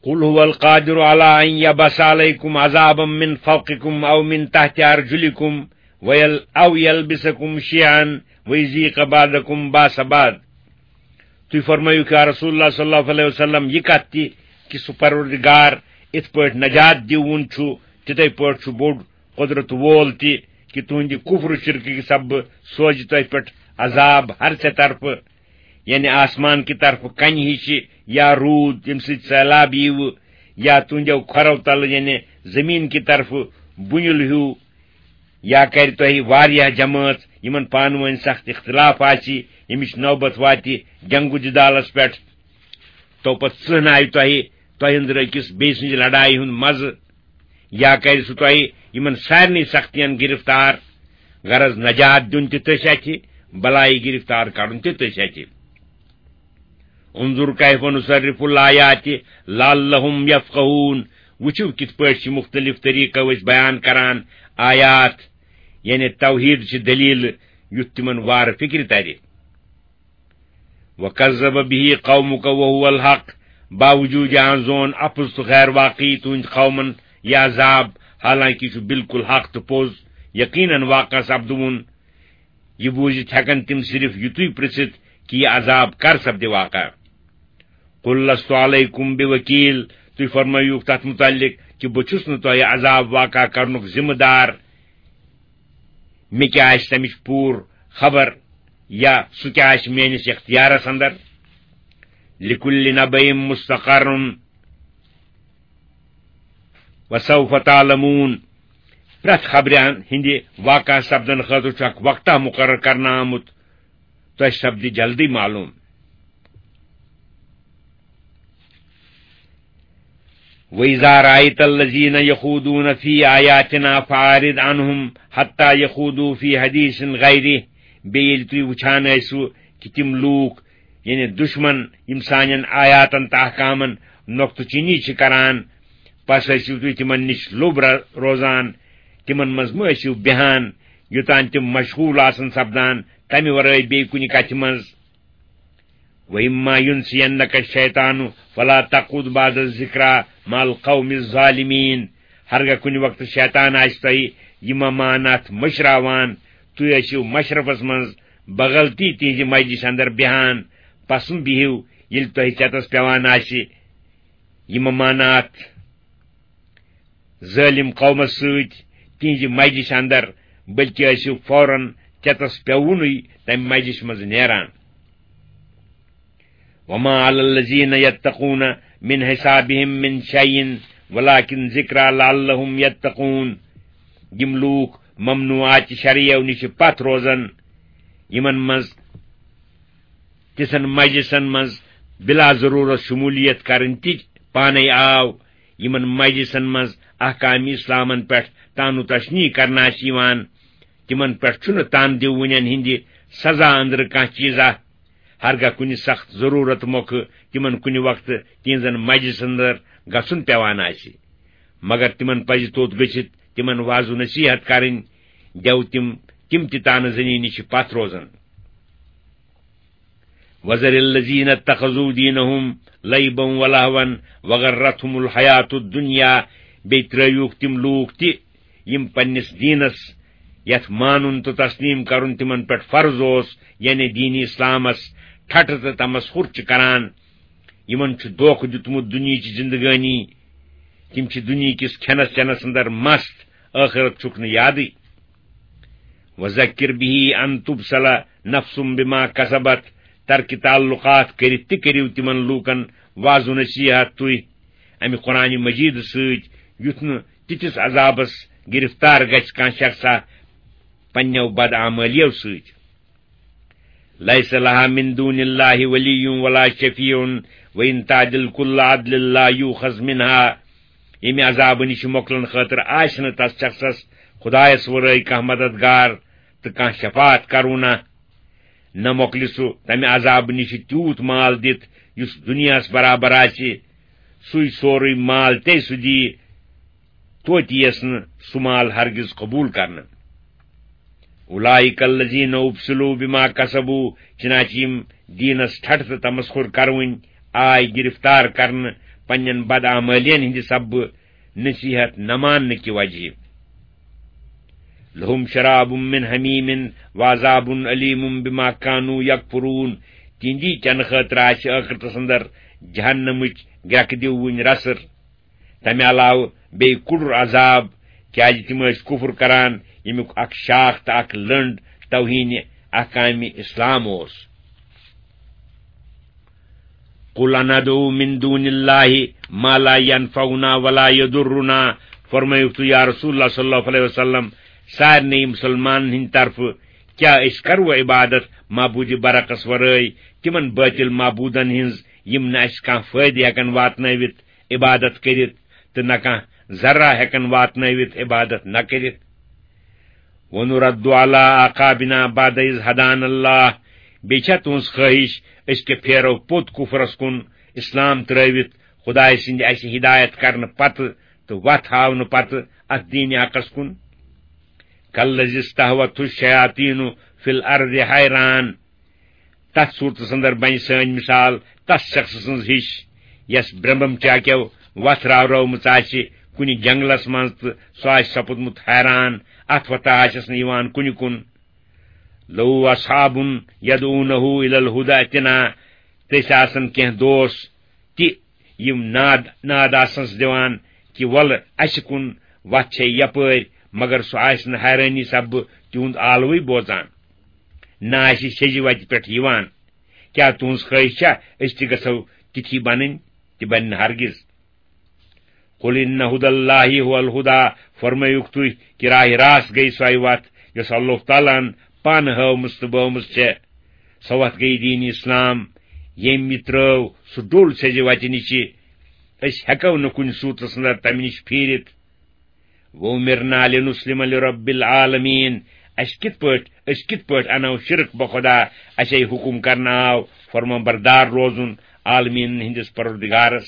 قل هو القادر على أن يبعث عليكم عذابا من فوقكم أو من تحت أرجلكم ويل-، أو يلبسكم شيعا ويذيق بعضكم بأس بعض۔ تُہۍ فرمٲیِو یا رسول اللہ صلی اللہ علیہ وسلم یہِ کتھ تہِ کہِ سُہ پروردگار اِتھ پٲٹھۍ نجات دِوُن چھُ، تِتھے پٲٹھۍ چھُ بوٚڑ قۄدرت وول تہِ کہِ تُہنٛدِ کُفر و شرکٕکہِ سببہٕ سوزِ تۄہہِ پٮ۪ٹھ عذاب ہر ژےٚ طرفہٕ، یعنی آسمان کہِ طرفہٕ کنہِ ہِش یا روٗد، ییٚمہِ سۭتۍ سیلاب ییٖوٕ، یا تُہنٛدیو کھۄرو تلہٕ، یعنی زمین کہِ طرفہٕ بُنیُل ہیوٗ، یا کرِ تۄہہِ واریاہ جمٲژ، یِمن پانہٕ وٲنۍ سخت اختلاف آسہِ، ییٚمِچ نوبت واتہِ جنگ و جدالس پٮ۪ٹھ۔ تو پتہٕ ژٕہنایہِ تۄہہِ، تۄہہِ أنٛدرٕ أکِس بیٚیہِ سٕنٛزِ لڑایہِ ہُنٛد مزٕ، یا کرِ سُہ تۄہہِ یِمن سارنٕے سختین گرفتار۔ غرض، نجات دیُن تہِ تٔسۍ اَتھِ، بلایہِ گرفتار کرُن تہِ تٔسۍ اَتھِ۔ انظر کیف نصرف الآیات لعلہم یفقہون۔ وٕچھِو کِتھ پٲٹھۍ چھِ مُختٔلِف طریٖقو أسۍ بیان کران آیات، یعنی توحیٖد چھِ دٔلیٖلہٕ، یُتھ تِمن وارٕ فِکرِ ترِ۔ وکذب به قومک وهو الحق، باوجوٗد یہِ زون اپُز تہٕ غیر واقعی تُہنٛدۍ قومن یہِ عذاب، حالانکہ یہِ چھُ بالکل حق تہٕ پوٚز، یقیناً واقع سپدوُن۔ یہِ بوٗزِتھ ہٮ۪کن تِم صرف یِتُے پرژھِتھ کہِ یہِ عذاب کر سپدِ واقع۔ قل لست علیکم بوکیل، تُہۍ فرمٲیِو تتھ متعلق کہِ بہٕ چھُس نہٕ تۄہہِ عذاب واقع کرنُک ذمہٕ دار۔ مےٚ کیٛاہ آسہِ تمِچ پوٗرٕ خبر یا سُہ کیٛاہ آسہِ میٲنِس اختیارس اندر؟ لکل نبأ مستقر وسوف تعلمون۔ پرٛٮ۪تھ خبرِ ہٕنٛدِ واقع سپدن خٲطرٕ چھُ اکھ وقتہ مقرر کرنہٕ آمُت، تۄہہِ سپدِ جلدی معلوم۔ وَإِذَا رَأَيْتَ الَّذِينَ يَخُوضُونَ فِي آيَاتِنَا فَأَعْرِضْ عَنْهُمْ حَتَّى يَخُوضُوا فِي حَدِيثٍ غَيْرِهِ۔ بیٚیہِ ییٚلہِ تُہۍ وٕچھان ٲسِو کہِ تِم لوٗکھ، یعنی دُشمن، یِم سانٮ۪ن آیاتن تہٕ احکامن نۄقطہٕ چینی چھِ کران، پس ٲسِو تُہۍ تِمن نِش لوٚب ر-، روزان، تِمن منٛز مہ ٲسِو بیہان، یوٚتام تِم مشغوٗل آسن سپدان تمہِ ورٲے بیٚیہِ کُنہِ کتھِ منٛز۔ وَإِمَّا يَنْسِيَنَّكَ الشَّيْطَانُ فَلَا تَقْعُدْ بَعْدَ الذِّكْرَىٰ مَعَ الْقَوْمِ الظَّالِمِينَ۔ ہرگاہ کُنہِ وقتہٕ شیطان آسہِ تۄہہِ یہِ ممانات مٔشراوان، تُہۍ ٲسِو مشرفس منٛز بغلطی تِہنٛزِ مجلسہِ اندر بیہان، پسم بِہِو، ییٚلہِ تۄہہِ ژٮ۪تس پٮ۪وان آسہِ یہِ ممانات ظٲلِم قومس سۭتۍ تِہنٛزِ مجلسہِ اندر، بلکہِ ٲسِو فوراً ژٮ۪تس پٮ۪ووُنُے تمہِ مجلسہِ منٛز نیران۔ وَمَا عَلَى الَّذِينَ يَتَّقُونَ مِنْ حِسَابِهِمْ مِنْ شَيْءٍ وَلَٰكِنْ ذِكْرَىٰ لَعَلَّهُمْ يَتَّقُونَ۔ یِم لوٗکھ ممنوعات چہِ شرعیو نِش پتھ روزن، یِمن منٛز تِژھن مجلسن منٛز بلا ضروٗرت شموٗلیت کرٕنۍ تہِ پانے آو، یِمن مجلسن منٛز احکام اسلامن پٮ۪ٹھ طعن و تشنیع کرنہٕ آسہِ یِوان، تِمن پٮ۪ٹھ چھُنہٕ طعن دِوٕنٮ۪ن ہٕنٛدِ سزا أنٛدرٕ کانٛہہ چیٖزا۔ ہرگاہ کُنہِ سخت ضروٗرت مۄکھٕ تِمن کُنہِ وقتہٕ تِہنٛزن مجلسن اندر گژھُن پٮ۪وان آسہِ، مگر تِمن پزِ توٚت گٔژھِتھ تِمن وعظ و نصیحت کرٕنۍ، دٮ۪و تِم، تِم تہِ طعنہٕ زنی نِش پتھ روزن۔ وَذَرِ الَّذِينَ اتَّخَذُوا دِينَهُمْ لَعِبًا وَلَهْوًا وَغَرَّتْهُمُ الْحَيَاةُ الدُّنْيَا۔ بیٚیہِ ترٲوِوکھ تِم لوٗکھ تہِ، یِم پننِس دیٖنس، یتھ مانُن تہٕ تسلیٖم کرُن تِمن پٮ۪ٹھ فرض اوس، یعنی دیٖنِ اسلامس، ٹھٹھٕ تہٕ تمسخر چھِ کران۔ یِمن چھُ دھوکہٕ دیُتمُت دُنیہٕچ زندگٲنی۔ تِم چھِ دُنیہٕکِس کھٮ۪نس چٮ۪نس اندر مست، ٲخرت چھُکھ نہٕ یادٕے۔ وَذَكِّرْ بِهِ أَن تُبْسَلَ نَفْسٌ بِمَا كَسَبَتْ۔ ترکِ تعلقات کٔرِتھ تہِ کٔرِو تِمن لوٗکن وعظ و نصیحت تُہۍ امہِ قرآنِ مجیدٕ سۭتۍ، یُتھ نہٕ تِتھِس عذابس گرفتار گژھِ کانٛہہ شخصا پننٮ۪و بدعملیو سۭتۍ۔ لَيْسَ لَهَا مِن دُونِ اللَّهِ وَلِيٌّ وَلَا شَفِيعٌ وَإِن تَعْدِلْ كُلَّ عَدْلٍ لَا يُؤْخَذْ مِنْهَا۔ ییٚمہِ عذابہٕ نِش مۄکلن خٲطرٕ آسہِ نہٕ تس شخصس خدایس ورٲے کانٛہہ مددگار تہٕ کانٛہہ شفاعت کرونہ۔ نہ مۄکلہِ سُہ تمہِ عذابہٕ نِش تیوٗت مال دِتھ یُس دُنیاہس برابر آسہِ، سُے سورُے مال تے سُہ دِیہِ، توتہِ یِیَس نہٕ سُہ مال ہرگز قبوٗل کرنہٕ۔ اولئک الذین ابسلوا بما کسبوا، چنانچہ یِم دیٖنس ٹھٹھ تہٕ تمسخر کرونۍ آے گرفتار کرنہٕ پننٮ۪ن بدعمٲلین ہٕنٛدِ سببہٕ نصیحت نہ ماننہٕ کہِ وجہ۔ لہم شراب من حمیم وعذاب علیم بما کانوا یکفرون۔ تِہنٛدی چنہٕ خٲطرٕ آسہِ ٲخرتس اندر جہنمٕچ گرٛٮ۪کہٕ دِوٕنۍ رسٕر۔ تمہِ علاوٕ بیٚیہِ کُڑُر عذاب، کیازِ تِم ٲسۍ کُفر کران، ییٚمیُک اکھ شاخ تہٕ اکھ لٔنڈ توہین احکام اسلام اوس۔ قل اندعو من دون اللہ ما لا ينفعنا ولا يضرنا، فرمٲیِو تُہۍ یا رسول اللہ صلی اللہ علیہ وسلم، سارنٕے مسلمانن ہٕنٛدِ طرفہٕ، کیٛاہ أسۍ کرو عبادت معبود برحقس ورٲے تِمن باطل معبودن ہٕنٛز، یِم نہٕ اَسہِ کانٛہہ فٲیدٕ ہٮ۪کن واتنٲوِتھ عبادت کٔرِتھ تہٕ نہ کانٛہہ ذرہ ہٮ۪کن واتنٲوِتھ عبادت نہ کٔرِتھ؟ ونرد علی اعقابنا بعد اذ ہدانا اللہ، بیٚیہِ چھا تُہنٛز خٲہِش أسۍ کیٛاہ پھیرو پوٚت کُفرس کُن، اسلام ترٲوِتھ خدایہِ سٕنٛدِ اسہِ ہدایت کرنہٕ پتہٕ تہٕ وتھ ہاونہٕ پتہٕ اتھ دینِ حقس کُن؟ کالذی استہوتہ الشیاطین فی الارض حیران۔ تتھ صورتس اندر بنہِ سٲنۍ مثال تس شخص سٕنٛز ہِش، یس برمبم چاکیو وتھ راورٲومٕژ آسہِ کُنہِ جنگلس منٛز تہٕ سُہ آسہِ سپُدمُت حیران، اتھ وتہ آسٮ۪س نہٕ یِوان کُنہِ کُن۔ لو اصحاب یدعونہ الی الہدی اتنا، تٔسۍ آسن کینٛہہ دوس تہِ یِم ناد، ناد آسنس دِوان کہِ وَلہٕ اَسہِ کُن وَتھ چھے یَپٲرۍ، مگر سُہ آسہِ نہٕ حیرٲنی سببہٕ تِہُنٛد آلوٕے بوزان، نہ آسہِ سیٚزِ وَتہِ پٮ۪ٹھ یِوان۔ کیٛاہ تُہٕنٛز خٲہِش چھا أسۍ تہِ گژھو تِتھی بَنٕنۍ؟ تہِ بَنہِ نہٕ ہرگِز۔ قل ان ہدی اللہ هو الہدی، فرمٲیِکھ تُہۍ کہِ راہِ راست گٔے سۄے وَتھ یۄس اللہ تعالیٰ ہن پانہٕ ہٲومٕژ تہٕ بٲومٕژ چھےٚ۔ سۄ وَتھ گٔے دیٖن اسلام۔ ییٚمۍ یہِ ترٲو، سُہ ڈوٚل سیٚزِ وَتہِ نِشہِ۔ أسۍ ہٮ۪کو نہٕ کُنہِ صوٗرتس اندر تَمہِ نِش پھیٖرِتھ۔ وَأُمِرْنَا لِنُسْلِمَ لِرَبِّ الْعَالَمِينَ۔ اَسہِ کِتھ پٲٹھۍ، أسۍ کِتھ پٲٹھۍ اَنو شِرک بخدا؟ اَسے حُکُم کرنہٕ آو فرمان بردار روزُن عالمیٖنَن ہٕنٛدِس پروردگارس۔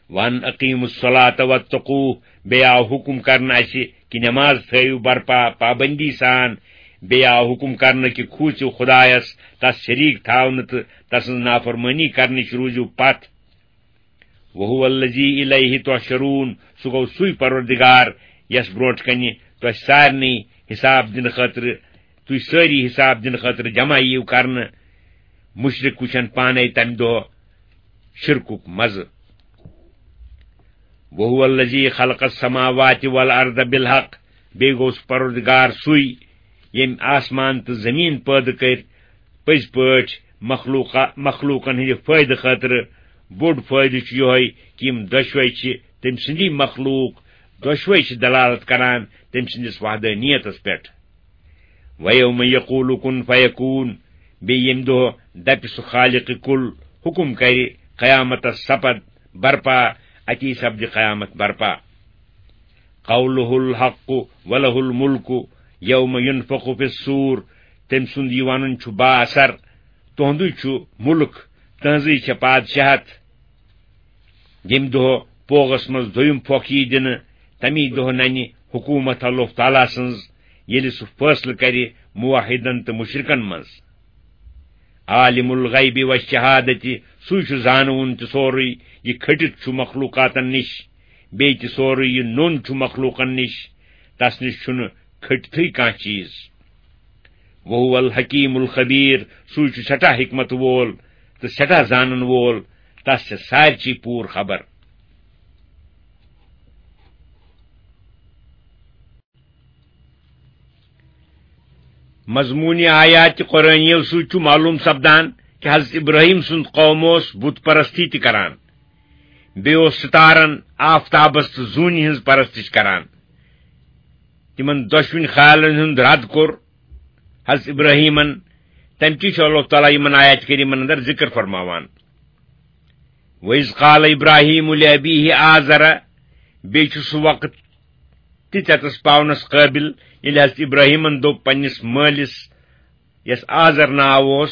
وَأَنْ أَقِيمُوا الصَّلَاةَ وَاتَّقُوهُ، بیٚیہِ آو حُکُم کرنہٕ اَسہِ کہِ نماز تھٲیِو برپا پابندی سان، بیٚیہِ آو حُکُم کرنہٕ کہِ کھوٗژِو خدایس، تس شریٖک تھاونہٕ تہٕ تسٕنٛز نافرمٲنی کرنٕچ روٗزِو پتھ۔ وَهُوَ الَّذِي إِلَيْهِ تُحْشَرُونَ، سُہ گوٚو سُے پروردگار یس برونٛٹھ کنہِ تۄہہِ سارنٕے حساب دِنہٕ خٲطرٕ، تُہۍ سٲری حساب دِنہٕ خٲطرٕ جمع یِیِو کرنہٕ۔ مُشرِک وٕچھن پانے تمہِ دۄہ شرکُک مزٕ۔ وَهُوَ الَّذِي خَلَقَ السَّمَاوَاتِ وَالْأَرْضَ بِالْحَقِّ، بیٚیہِ گوٚو سُہ پروردگار سُے ییٚمۍ آسمان تہٕ زٔمیٖن پٲدٕ کٔرۍ پٔزۍ پٲٹھۍ مخلوقہ، مخلوقن ہٕنٛدِ فٲیدٕ خٲطرٕ۔ بوٚڑ فٲیدٕ چھُ یِہوٚے کہِ یِم دۄشوے چھِ تٔمۍ سٕنٛدی مخلوق، دۄشوے چھِ دلالت کران تٔمۍ سٕنٛدِس وحدانیتس پٮ۪ٹھ۔ وَيَوْمَ يَقُولُ كُنْ فَيَكُونُ، بیٚیہِ ییٚمہِ دۄہ دَپہِ سُہ خالق کُل، حُکُم کَرِ، قیامتس سپد برپا، اَتی سپدِ قیامت برپا۔ قَوْلُهُ الْحَقُّ وَلَهُ الْمُلْكُ يَوْمَ يُنْفَخُ فِي الصُّورِ، تٔمۍ سُنٛد یہِ وَنُن چھُ با اثر، تُہُنٛدُے چھُ مُلک، تُہٕنٛزٕے چھےٚ پادشاہت۔ ییٚمہِ دۄہ پوغس منٛز دوٚیُم پھۄکھ یی دِنہٕ، تَمی دۄہ نَنہِ حکوٗمت اللہ تعالیٰ سٕنٛز، ییٚلہِ سُہ فٲصلہٕ کَرِ موحدن تہٕ مُشرِکن منٛز۔ عالم الغیب والشہادت، سُے چھُ زانوُن تہِ سورُے، یہِ کھٔٹِتھ چھُ مخلوقاتن نِش، بیٚیہِ تہِ سورُے یہِ نوٚن چھُ مخلوقن نِش، تس نِش چھُنہٕ کھٔٹتھٕے کانٛہہ چیٖز۔ وَهُوَ الْحَكِيمُ الْخَبِيرُ، سُے چھُ سٮ۪ٹھاہ حکمت وول تہٕ سٮ۪ٹھاہ زانن وول، تس چھےٚ سارچی پوٗرٕ خبر۔ مضموٗنِ آیاتِ قرآنیو سۭتۍ چھُ معلوٗم سپدان کہِ حضرت ابراہیم سُنٛد قوم اوس بُت پرستی تہِ کران، بیٚیہِ اوس ستارن، آفتابس تہٕ زوٗنہِ ہٕنٛز پرستش کران۔ تِمن دۄشوٕنی خیالن ہُنٛد رد کوٚر حضرت ابراہیمن۔ تمہِ کِنۍ چھُ اللہ تعالیٰ یِمن آیات کریٖمن اندر ذکر فرماوان۔ وَإِذْ قَالَ إِبْرَاهِيمُ لِأَبِيهِ آزَرَ، بیٚیہِ چھُ سُہ وقت تہِ ژےٚ تس پاونس قٲبل، ییٚلہِ حضرت ابراہیمن دوٚپ پننِس مٲلِس، یس آزر ناو اوس،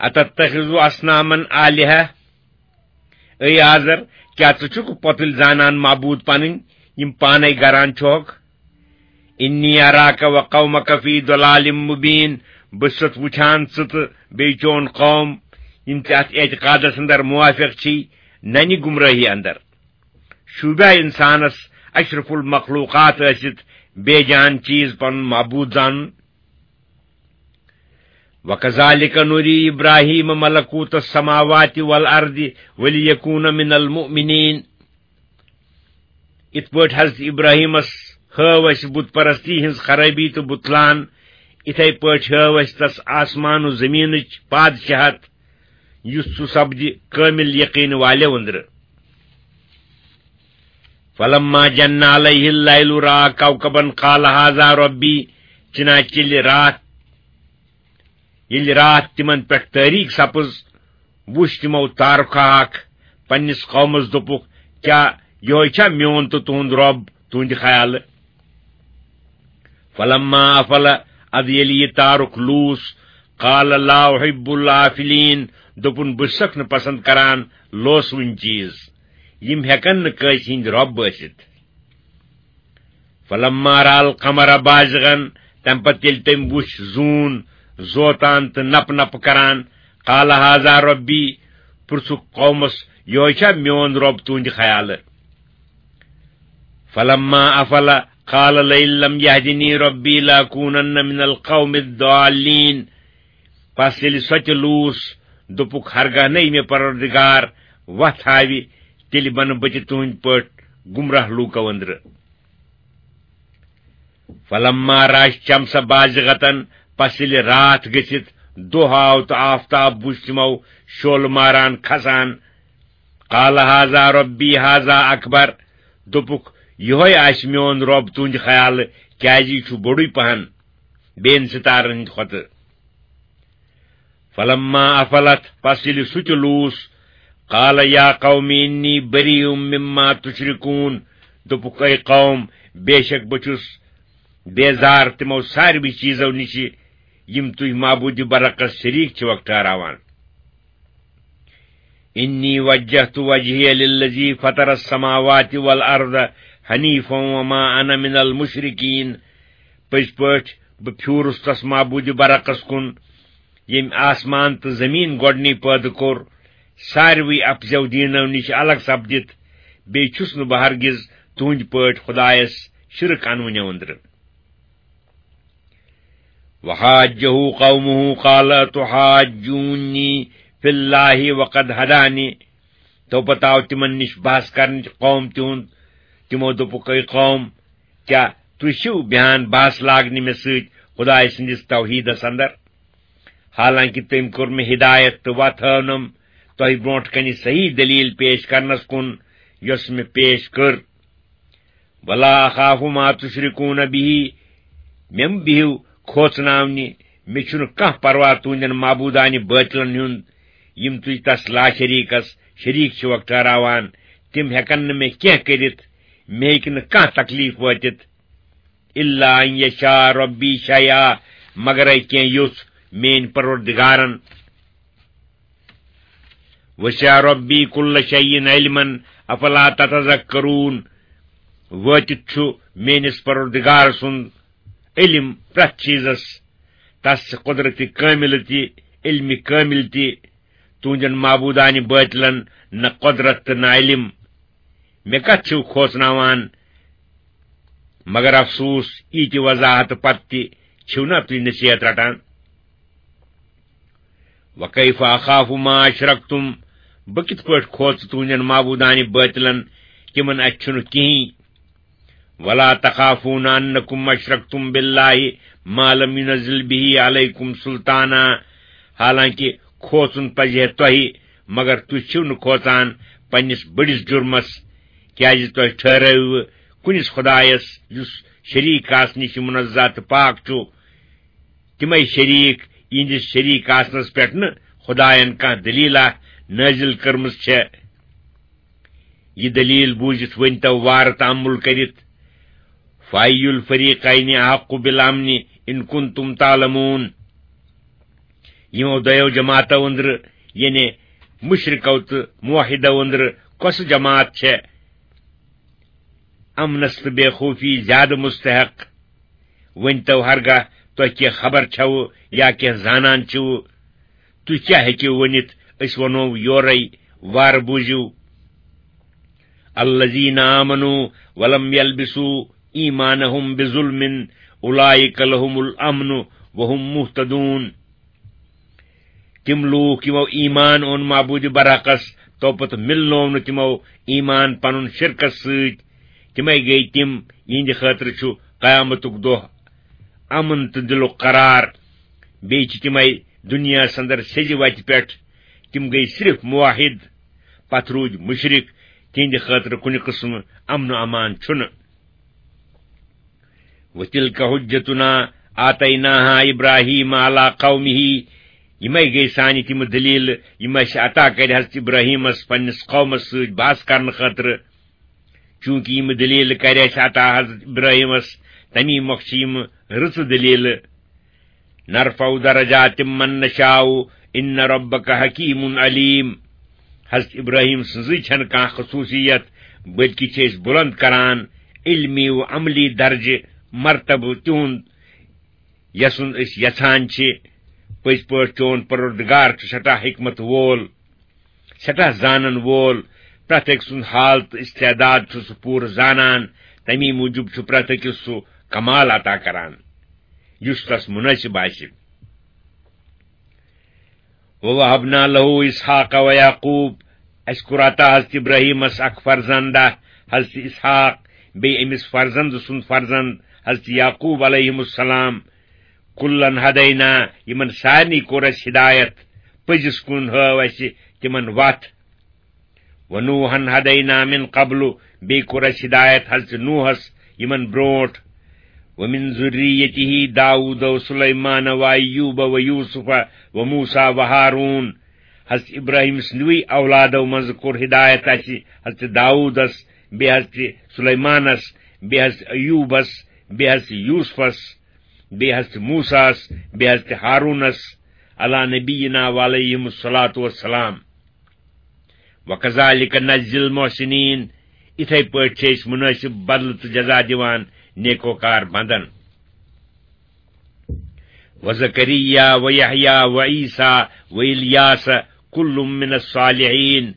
أَتَتَّخِذُ أَصْنَامًا آلِهَةً، اے آزر، کیٛاہ ژٕ چھُکھ پۄتُلۍ زانان معبوٗد پنٕنۍ، یِم پانے گران چھُکھ؟ إِنِّي أَرَاكَ وَقَوْمَكَ فِي ضَلَالٍ مُّبِينٍ، بہٕ چھُسَتھ وُچھان ژٕ تہٕ بیٚیہِ چون قوم، یِم ژےٚ اَتھ اعتقادس اندر موافق چھی، ننہِ گمراہی اندر۔ شوٗبیا انسانس اشرف المخلوقات ٲسِتھ بے جان چیز پنُن معبوٗد زانُن؟ وَكَذَلِكَ نُرِي إِبْرَاهِيمَ مَلَكُوتَ السَّمَاوَاتِ وَالْأَرْضِ وَلِيَكُونَ مِنَ الْمُؤْمِنِينَ۔ یِتھ پٲٹھۍ حضرت ابراہیمس ہٲو اسہِ بت پرستی ہٕنٛز خرٲبی تہٕ بطلان، یِتھے پٲٹھۍ ہٲو اسہِ تس آسمان و زمینٕچ پادشاہت، یُتھ سُہ سپدِ کٲمِل یقین والٮ۪و أنٛدرٕ۔ فَلَمَّا جَنَّ عَلَيْهِ اللَّيْلُ رَأَىٰ كَوْكَبًا قَالَ هَٰذَا رَبِّي، چنانچہ ییٚلہِ راتھ، ییٚلہِ راتھ تِمن پٮ۪ٹھ تٲریٖک سپٕز، وُچھ تِمو تارکھا اکھ، پننِس قومس دوٚپُکھ، کیٛاہ یِہوٚے چھا میون تہٕ تُہُنٛد رۄب تُہنٛدِ خیالہٕ؟ فَلَمَّا أَفَلَ، ادٕ ییٚلہِ یہِ تارُک لوٗس، قال لا احب الآفلین، دوٚپُن، بہٕ چھُسکھ نہٕ پسند کران لوسوٕنۍ چیٖز، یِم ہٮ۪کن نہٕ کٲنٛسہِ ہٕنٛدۍ رۄب ٲسِتھ۔ فلما رأى القمر بازغا، تمہِ پتہٕ ییٚلہِ تٔمۍ وُچھ زوٗن زوتان تہٕ نپہٕ نپہٕ کران، قال هذا ربی، پرژھُکھ قومس، یِہوٚے چھا میون رۄب تُہنٛدِ خیالہٕ؟ فلما افل قال لئن لم يهدني ربي لأكونن من القوم الضالين۔ پس ییٚلہِ سۄ تہِ لوٗس، دوٚپُکھ، ہرگاہ نَے مےٚ پروردگار وتھ ہاوِ، تیٚلہِ بنہٕ بہٕ تہِ تُہنٛدۍ پٲٹھۍ گمراہ لوٗکو أنٛدرٕ۔ فلما رأى الشمس بازغة، پس ییٚلہِ راتھ گٔژھِتھ دۄہ آو تہٕ آفتاب وُچھ تِمو شولہٕ ماران کھسان، قال هذا ربي هذا أكبر، دوٚپُکھ، یِہوٚے آسہِ میون رۄب تُہنٛدِ خیالہٕ، کیازِ یہِ چھُ بوٚڑُے پہن بیٚین ستارن ہٕنٛدِ کھۄتہٕ۔ فلما افلت، پس ییٚلہِ سُہ تہِ لوٗس، قال يا قوم إني بريء مما تشركون، دوٚپُکھ، اے قوم، بے شک بہٕ چھُس بیزار تِمو ساروٕے چیٖزو نِشہِ، یِم تُہۍ معبوٗدِ برحقس شریٖک چھِوکھ ٹھہراوان۔ إني وجهت وجهي للذي فطر السماوات والأرض حنيفا وما أنا من المشركين۔ پٔزۍ پٲٹھۍ بہٕ پھیوٗرُس تس معبوٗدِ برحقس کُن، ییٚمۍ آسمان تہٕ زمیٖن گۄڈٕنی پٲدٕ کوٚر، ساروٕے اپزیو دیٖنو نِش الگ سپدِتھ، بیٚیہِ چھُس نہٕ بہٕ ہرگز تُہنٛدِ پٲٹھۍ خۄدایس شرک انوٕنٮ۪و أنٛدرٕ۔ وحاجه قومه قال أتحاجوني في الله وقد هداني۔ تو پتہٕ آو تِمن نِش بحث کرنٕچ قوم تِہُنٛد۔ تِمو دوٚپُکھ، اے قوم، کیٛاہ تُہۍ چھِو بیہان بحث لاگنہِ مےٚ سۭتۍ خۄداے سٕنٛدِس توحیٖدس اندر؟ حالانکہِ تٔمۍ کوٚر مےٚ ہدایت تہٕ وتھ ہٲونم تۄہہِ برونٛٹھ کنہِ صحیح دلیل پیش کرنس کُن، یۄس مےٚ پیش کٔر۔ ولا اخاف ما تشركون به، مےٚ مہٕ بِہِو کھوژناونہِ، مےٚ چھُنہٕ کانٛہہ پرواہ تُہنٛدٮ۪ن معبوٗدانہِ بٲطلن ہُنٛد، یِم تُہۍ تس لاشریٖکس شریٖک چھِوکھ ٹھہراوان، تِم ہٮ۪کن نہٕ مےٚ کینٛہہ کٔرِتھ، مےٚ ہیٚکہِ نہٕ کانٛہہ تکلیف وٲتِتھ۔ الا ان یشاء ربی شیئا، مگرے کینٛہہ یوٚژھ میٲنۍ پروردگارن۔ وسع ربی کل شیء علما افلا تتذکرون، وٲتِتھ چھُ میٲنِس پروردگار سُنٛد علم پرٛٮ۪تھ چیٖزس، تس چھِ قدرت کٲملہ تہِ، علم کٲمل تہِ، تُہنٛدٮ۪ن معبوٗدانہِ بٲطلن نہ قدرت تہٕ نہ علم۔ مےٚ کتھ چھِو کھوژناوان؟ مگر افسوس، ییٖتِ وضاحت پتہٕ تہِ چھِو نا تُہۍ نصیحت رٹان۔ وکیف اخاف ما اشرکتم، بہٕ کِتھ پٲٹھۍ کھوژٕ تُہنٛدٮ۪ن معبوٗدانہِ بٲطلن، تِمن اتھِ چھُنہٕ کِہیٖنۍ۔ ولا تخافون انکم اشرکتم باللہ ما لم ينزل به علیکم سلطانا، حالانکہ کھوژُن پزِ ہے تۄہہِ، مگر تُہۍ چھِو نہٕ کھوژان پننِس بٔڑِس جُرمس، کیازِ تۄہہِ ٹھہرٲوٕ کُنِس خۄدایس، یُس شریٖک آسنہٕ نِش منزہ تہٕ پاک چھُ۔ تِمے شریٖک، یِہنٛدِس شریٖک آسنس پٮ۪ٹھ نہٕ خۄداین کانٛہہ دلیٖلہ نٲزِل کٔرمٕژ چھےٚ۔ یہِ دلیٖل بوٗزِتھ ؤنۍ تو وارٕ تامُل کٔرِتھ، فأي الفريقين أحق بالأمن إن كنتم تعلمون۔ یِمو دۄیو جماعتو أنٛدرٕ، یعنی مشرکو تہٕ موحدو أنٛدرٕ، کۄسہٕ جماعت چھےٚ امنس تہٕ بے خوفی زیادٕ مستحق؟ ؤنۍ تو ہرگاہ تۄہہِ کینٛہہ خبر چھوٕ یا کینٛہہ زانان چھِوٕ، تُہۍ کیٛاہ ہیٚکِو ؤنِتھ؟ أسۍ وَنو یورَے، وارٕ بوٗزِو۔ الذين آمنوا ولم يلبسوا إيمانهم بظلم أولئك لهم الأمن وهم مهتدون۔ تِم لوٗکھ یِمو ایمان اوٚن معبوٗدِ برحقس، توپتہٕ مِلنوو نہٕ تِمو ایمان پنُن شرکس سۭتۍ، تِمے گٔے تِم، یِہنٛدِ خٲطرٕ چھُ قیامتُک دۄہ امن تہٕ دِلُک قرار۔ بیٚیہِ چھِ تِمے دُنیاہس اندر سیٚزِ وتہِ پٮ۪ٹھ، تِم گٔے صرف موحد، پتہٕ روٗدۍ مُشرِک، تِہنٛدِ خٲطرٕ کُنہِ قٕسمہٕ امن و امان چھُنہٕ۔ وتلك حجتنا آتيناها إبراهيم على قومه، یِمے گٔے سانہِ تِم دٔلیٖلہٕ، یِم اَسہِ عطا کَرِ حضرت ابراہیمس پننِس قومس سۭتۍ بحث کرنہٕ خٲطرٕ۔ چوٗنٛکہِ یِم دٔلیٖلہٕ کَرِ اَسہِ عطا حضرت ابراہیمس، تَمی مۄکھٕ چھِ یِم رٕژٕ دٔلیٖلہٕ۔ نرفع درجات من نشاء، ان ربک حکیم علیم۔ حضرت ابراہیم سٕنٛزٕے چھنہٕ کانٛہہ خصوٗصیت، بلکہِ چھِ أسۍ بُلند کران علمی و عملی درجہٕ مرتبہٕ تِہُنٛد، یَسُنٛد أسۍ یژھان چھِ۔ پٔزۍ پٲٹھۍ چون پروردگار چھُ سٮ۪ٹھاہ حکمت وول، سٮ۪ٹھاہ زانن وول، پرٛٮ۪تھ أکۍ سُنٛد حال تہٕ استعداد چھُ سُہ پوٗرٕ زانان، تَمی موٗجوٗب چھُ پرٛٮ۪تھ أکِس سُہ کمال عطا کران، یُس تس مناسب آسہِ۔ وَوَهَبْنَا لَهُ إِسْحَاقَ وَيَعْقُوبَ، اَسہِ کوٚر عطا حضرت ابراہیمس اکھ فرزندا، حضرت اسحاق، بیٚیہِ أمِس فرزند سُنٛد فرزند حضرت یعقوب علیہم السلام۔ کُلَّن ہدینا، یِمن سارنٕے کوٚر اَسہِ ہدایت، پٔزِس کُن ہٲو اَسہِ تِمن وَتھ۔ وَنُوحًا هَدَيْنَا مِنْ قَبْلُ، بیٚیہِ کوٚر اَسہِ ہدایت حضرت نوحس یِمن برونٛٹھ۔ وَمِنْ ذُرِّيَّتِهِ دَاوُودَ وَسُلَيْمَانَ وَأَيُّوبَ وَيُوسُفَ وَمُوسَى وَهَارُونَ۔ حضرت ابراہیم سٕنٛدوٕے اولادو منٛزٕ کوٚر ہدایت اَسہِ حضرت داوودس، بیٚیہِ حضرت سلیمانس، بیٚیہِ حضرت ایوبس، بیٚیہِ حضرت یوسفس، بیٚیہِ حضرت موسیٰ ہس، بیٚیہِ حضرت ہارونس، علی نبینا وعلیہم الصلوۃ والسلام۔ وَكَذَلِكَ نَجْزِي الْمُحْسِنِينَ، اِتھے پٲٹھۍ چھِ أسۍ مُنٲسِب بدلہٕ تہٕ جزا دِوان نیکوکار بندن۔ وَزَكَرِيَّا وَيَحْيَىٰ وَعِيسَىٰ وَإِلْيَاسَ كُلٌّ مِّنَ الصَّالِحِينَ۔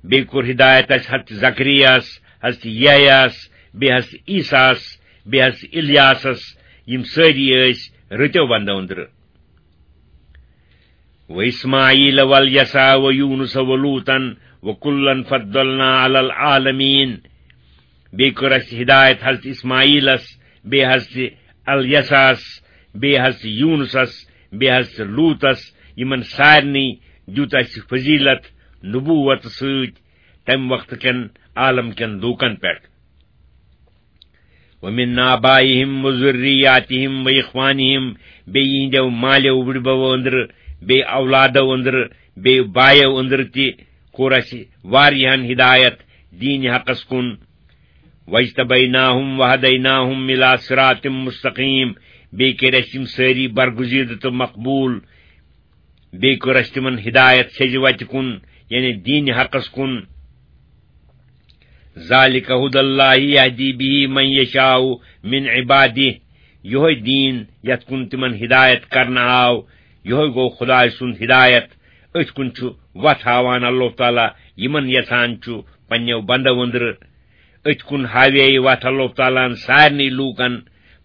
بیٚیہِ کوٚر ہدایت اَسہِ حضرت زکریاہس، حضرت یحییس، بیٚیہِ حضرت عیسیٰ ہس، بیٚیہِ حضرت الیاسس، یِم سٲری ٲسۍ رٕتیو بندو أنٛدرٕ۔ وَإِسْمَاعِيلَ وَالْيَسَعَ وَيُونُسَ وَلُوطًا وَكُلًّا فَضَّلْنَا عَلَى الْعَالَمِينَ۔ بیٚیہِ کٔر اَسہِ ہدایت حضرت اسماعیلس، بیٚیہِ حضرت الیسعس، بیٚیہِ حضرت یونسس، بیٚیہِ حضرت لوطس، یِمن سارنٕے دیُت اَسہِ فضیلت نبوت سۭتۍ تمہِ وقتہٕ کٮ۪ن عالم کٮ۪ن لوٗکن پٮ۪ٹھ۔ وَمِنْ آبَائِهِمْ وَذُرِّيَّاتِهِمْ وَإِخْوَانِهِمْ، بیٚیہِ یِہِنٛدیو مالیو وُڈبو أنٛدرٕ، بیٚیہِ اولادو أنٛدرٕ، بیٚیہِ بایو أنٛدرٕ تہِ کوٚر اَسہِ واریاہن ہدایت دیٖنِ حقس کُن۔ وَاجْتَبَيْنَاهُمْ وَهَدَيْنَاهُمْ إِلَى صِرَاطٍ مُسْتَقِيمٍ، بیٚیہِ کٔرۍ اَسہِ یِم سٲری برگزیدٕ تہٕ مقبوٗل۔ بیٚیہِ کٔر اَسہِ تِمن ہدایت سیٚزِ وتہِ کُن، یعنی دیٖنِ حقس کُن۔ ذَلِكَ هُدَى اللَّهِ يَهْدِي بِهِ مَن يَشَاءُ مِنْ عِبَادِهِ، یِہوٚے دیٖن یَتھ کُن تِمن ہدایت کرنہٕ آو، یِہوٚے گوٚو خدایہِ سُنٛد ہدایت۔ أتھۍ کُن چھُ وَتھ ہاوان اللہ تعالیٰ یِمن یژھان چھُ پننیو بندو أنٛدرٕ۔ أتھۍ کُن ہاوے یہِ وَتھ اللہ تعالیٰ ہن سارنٕے لوٗکن،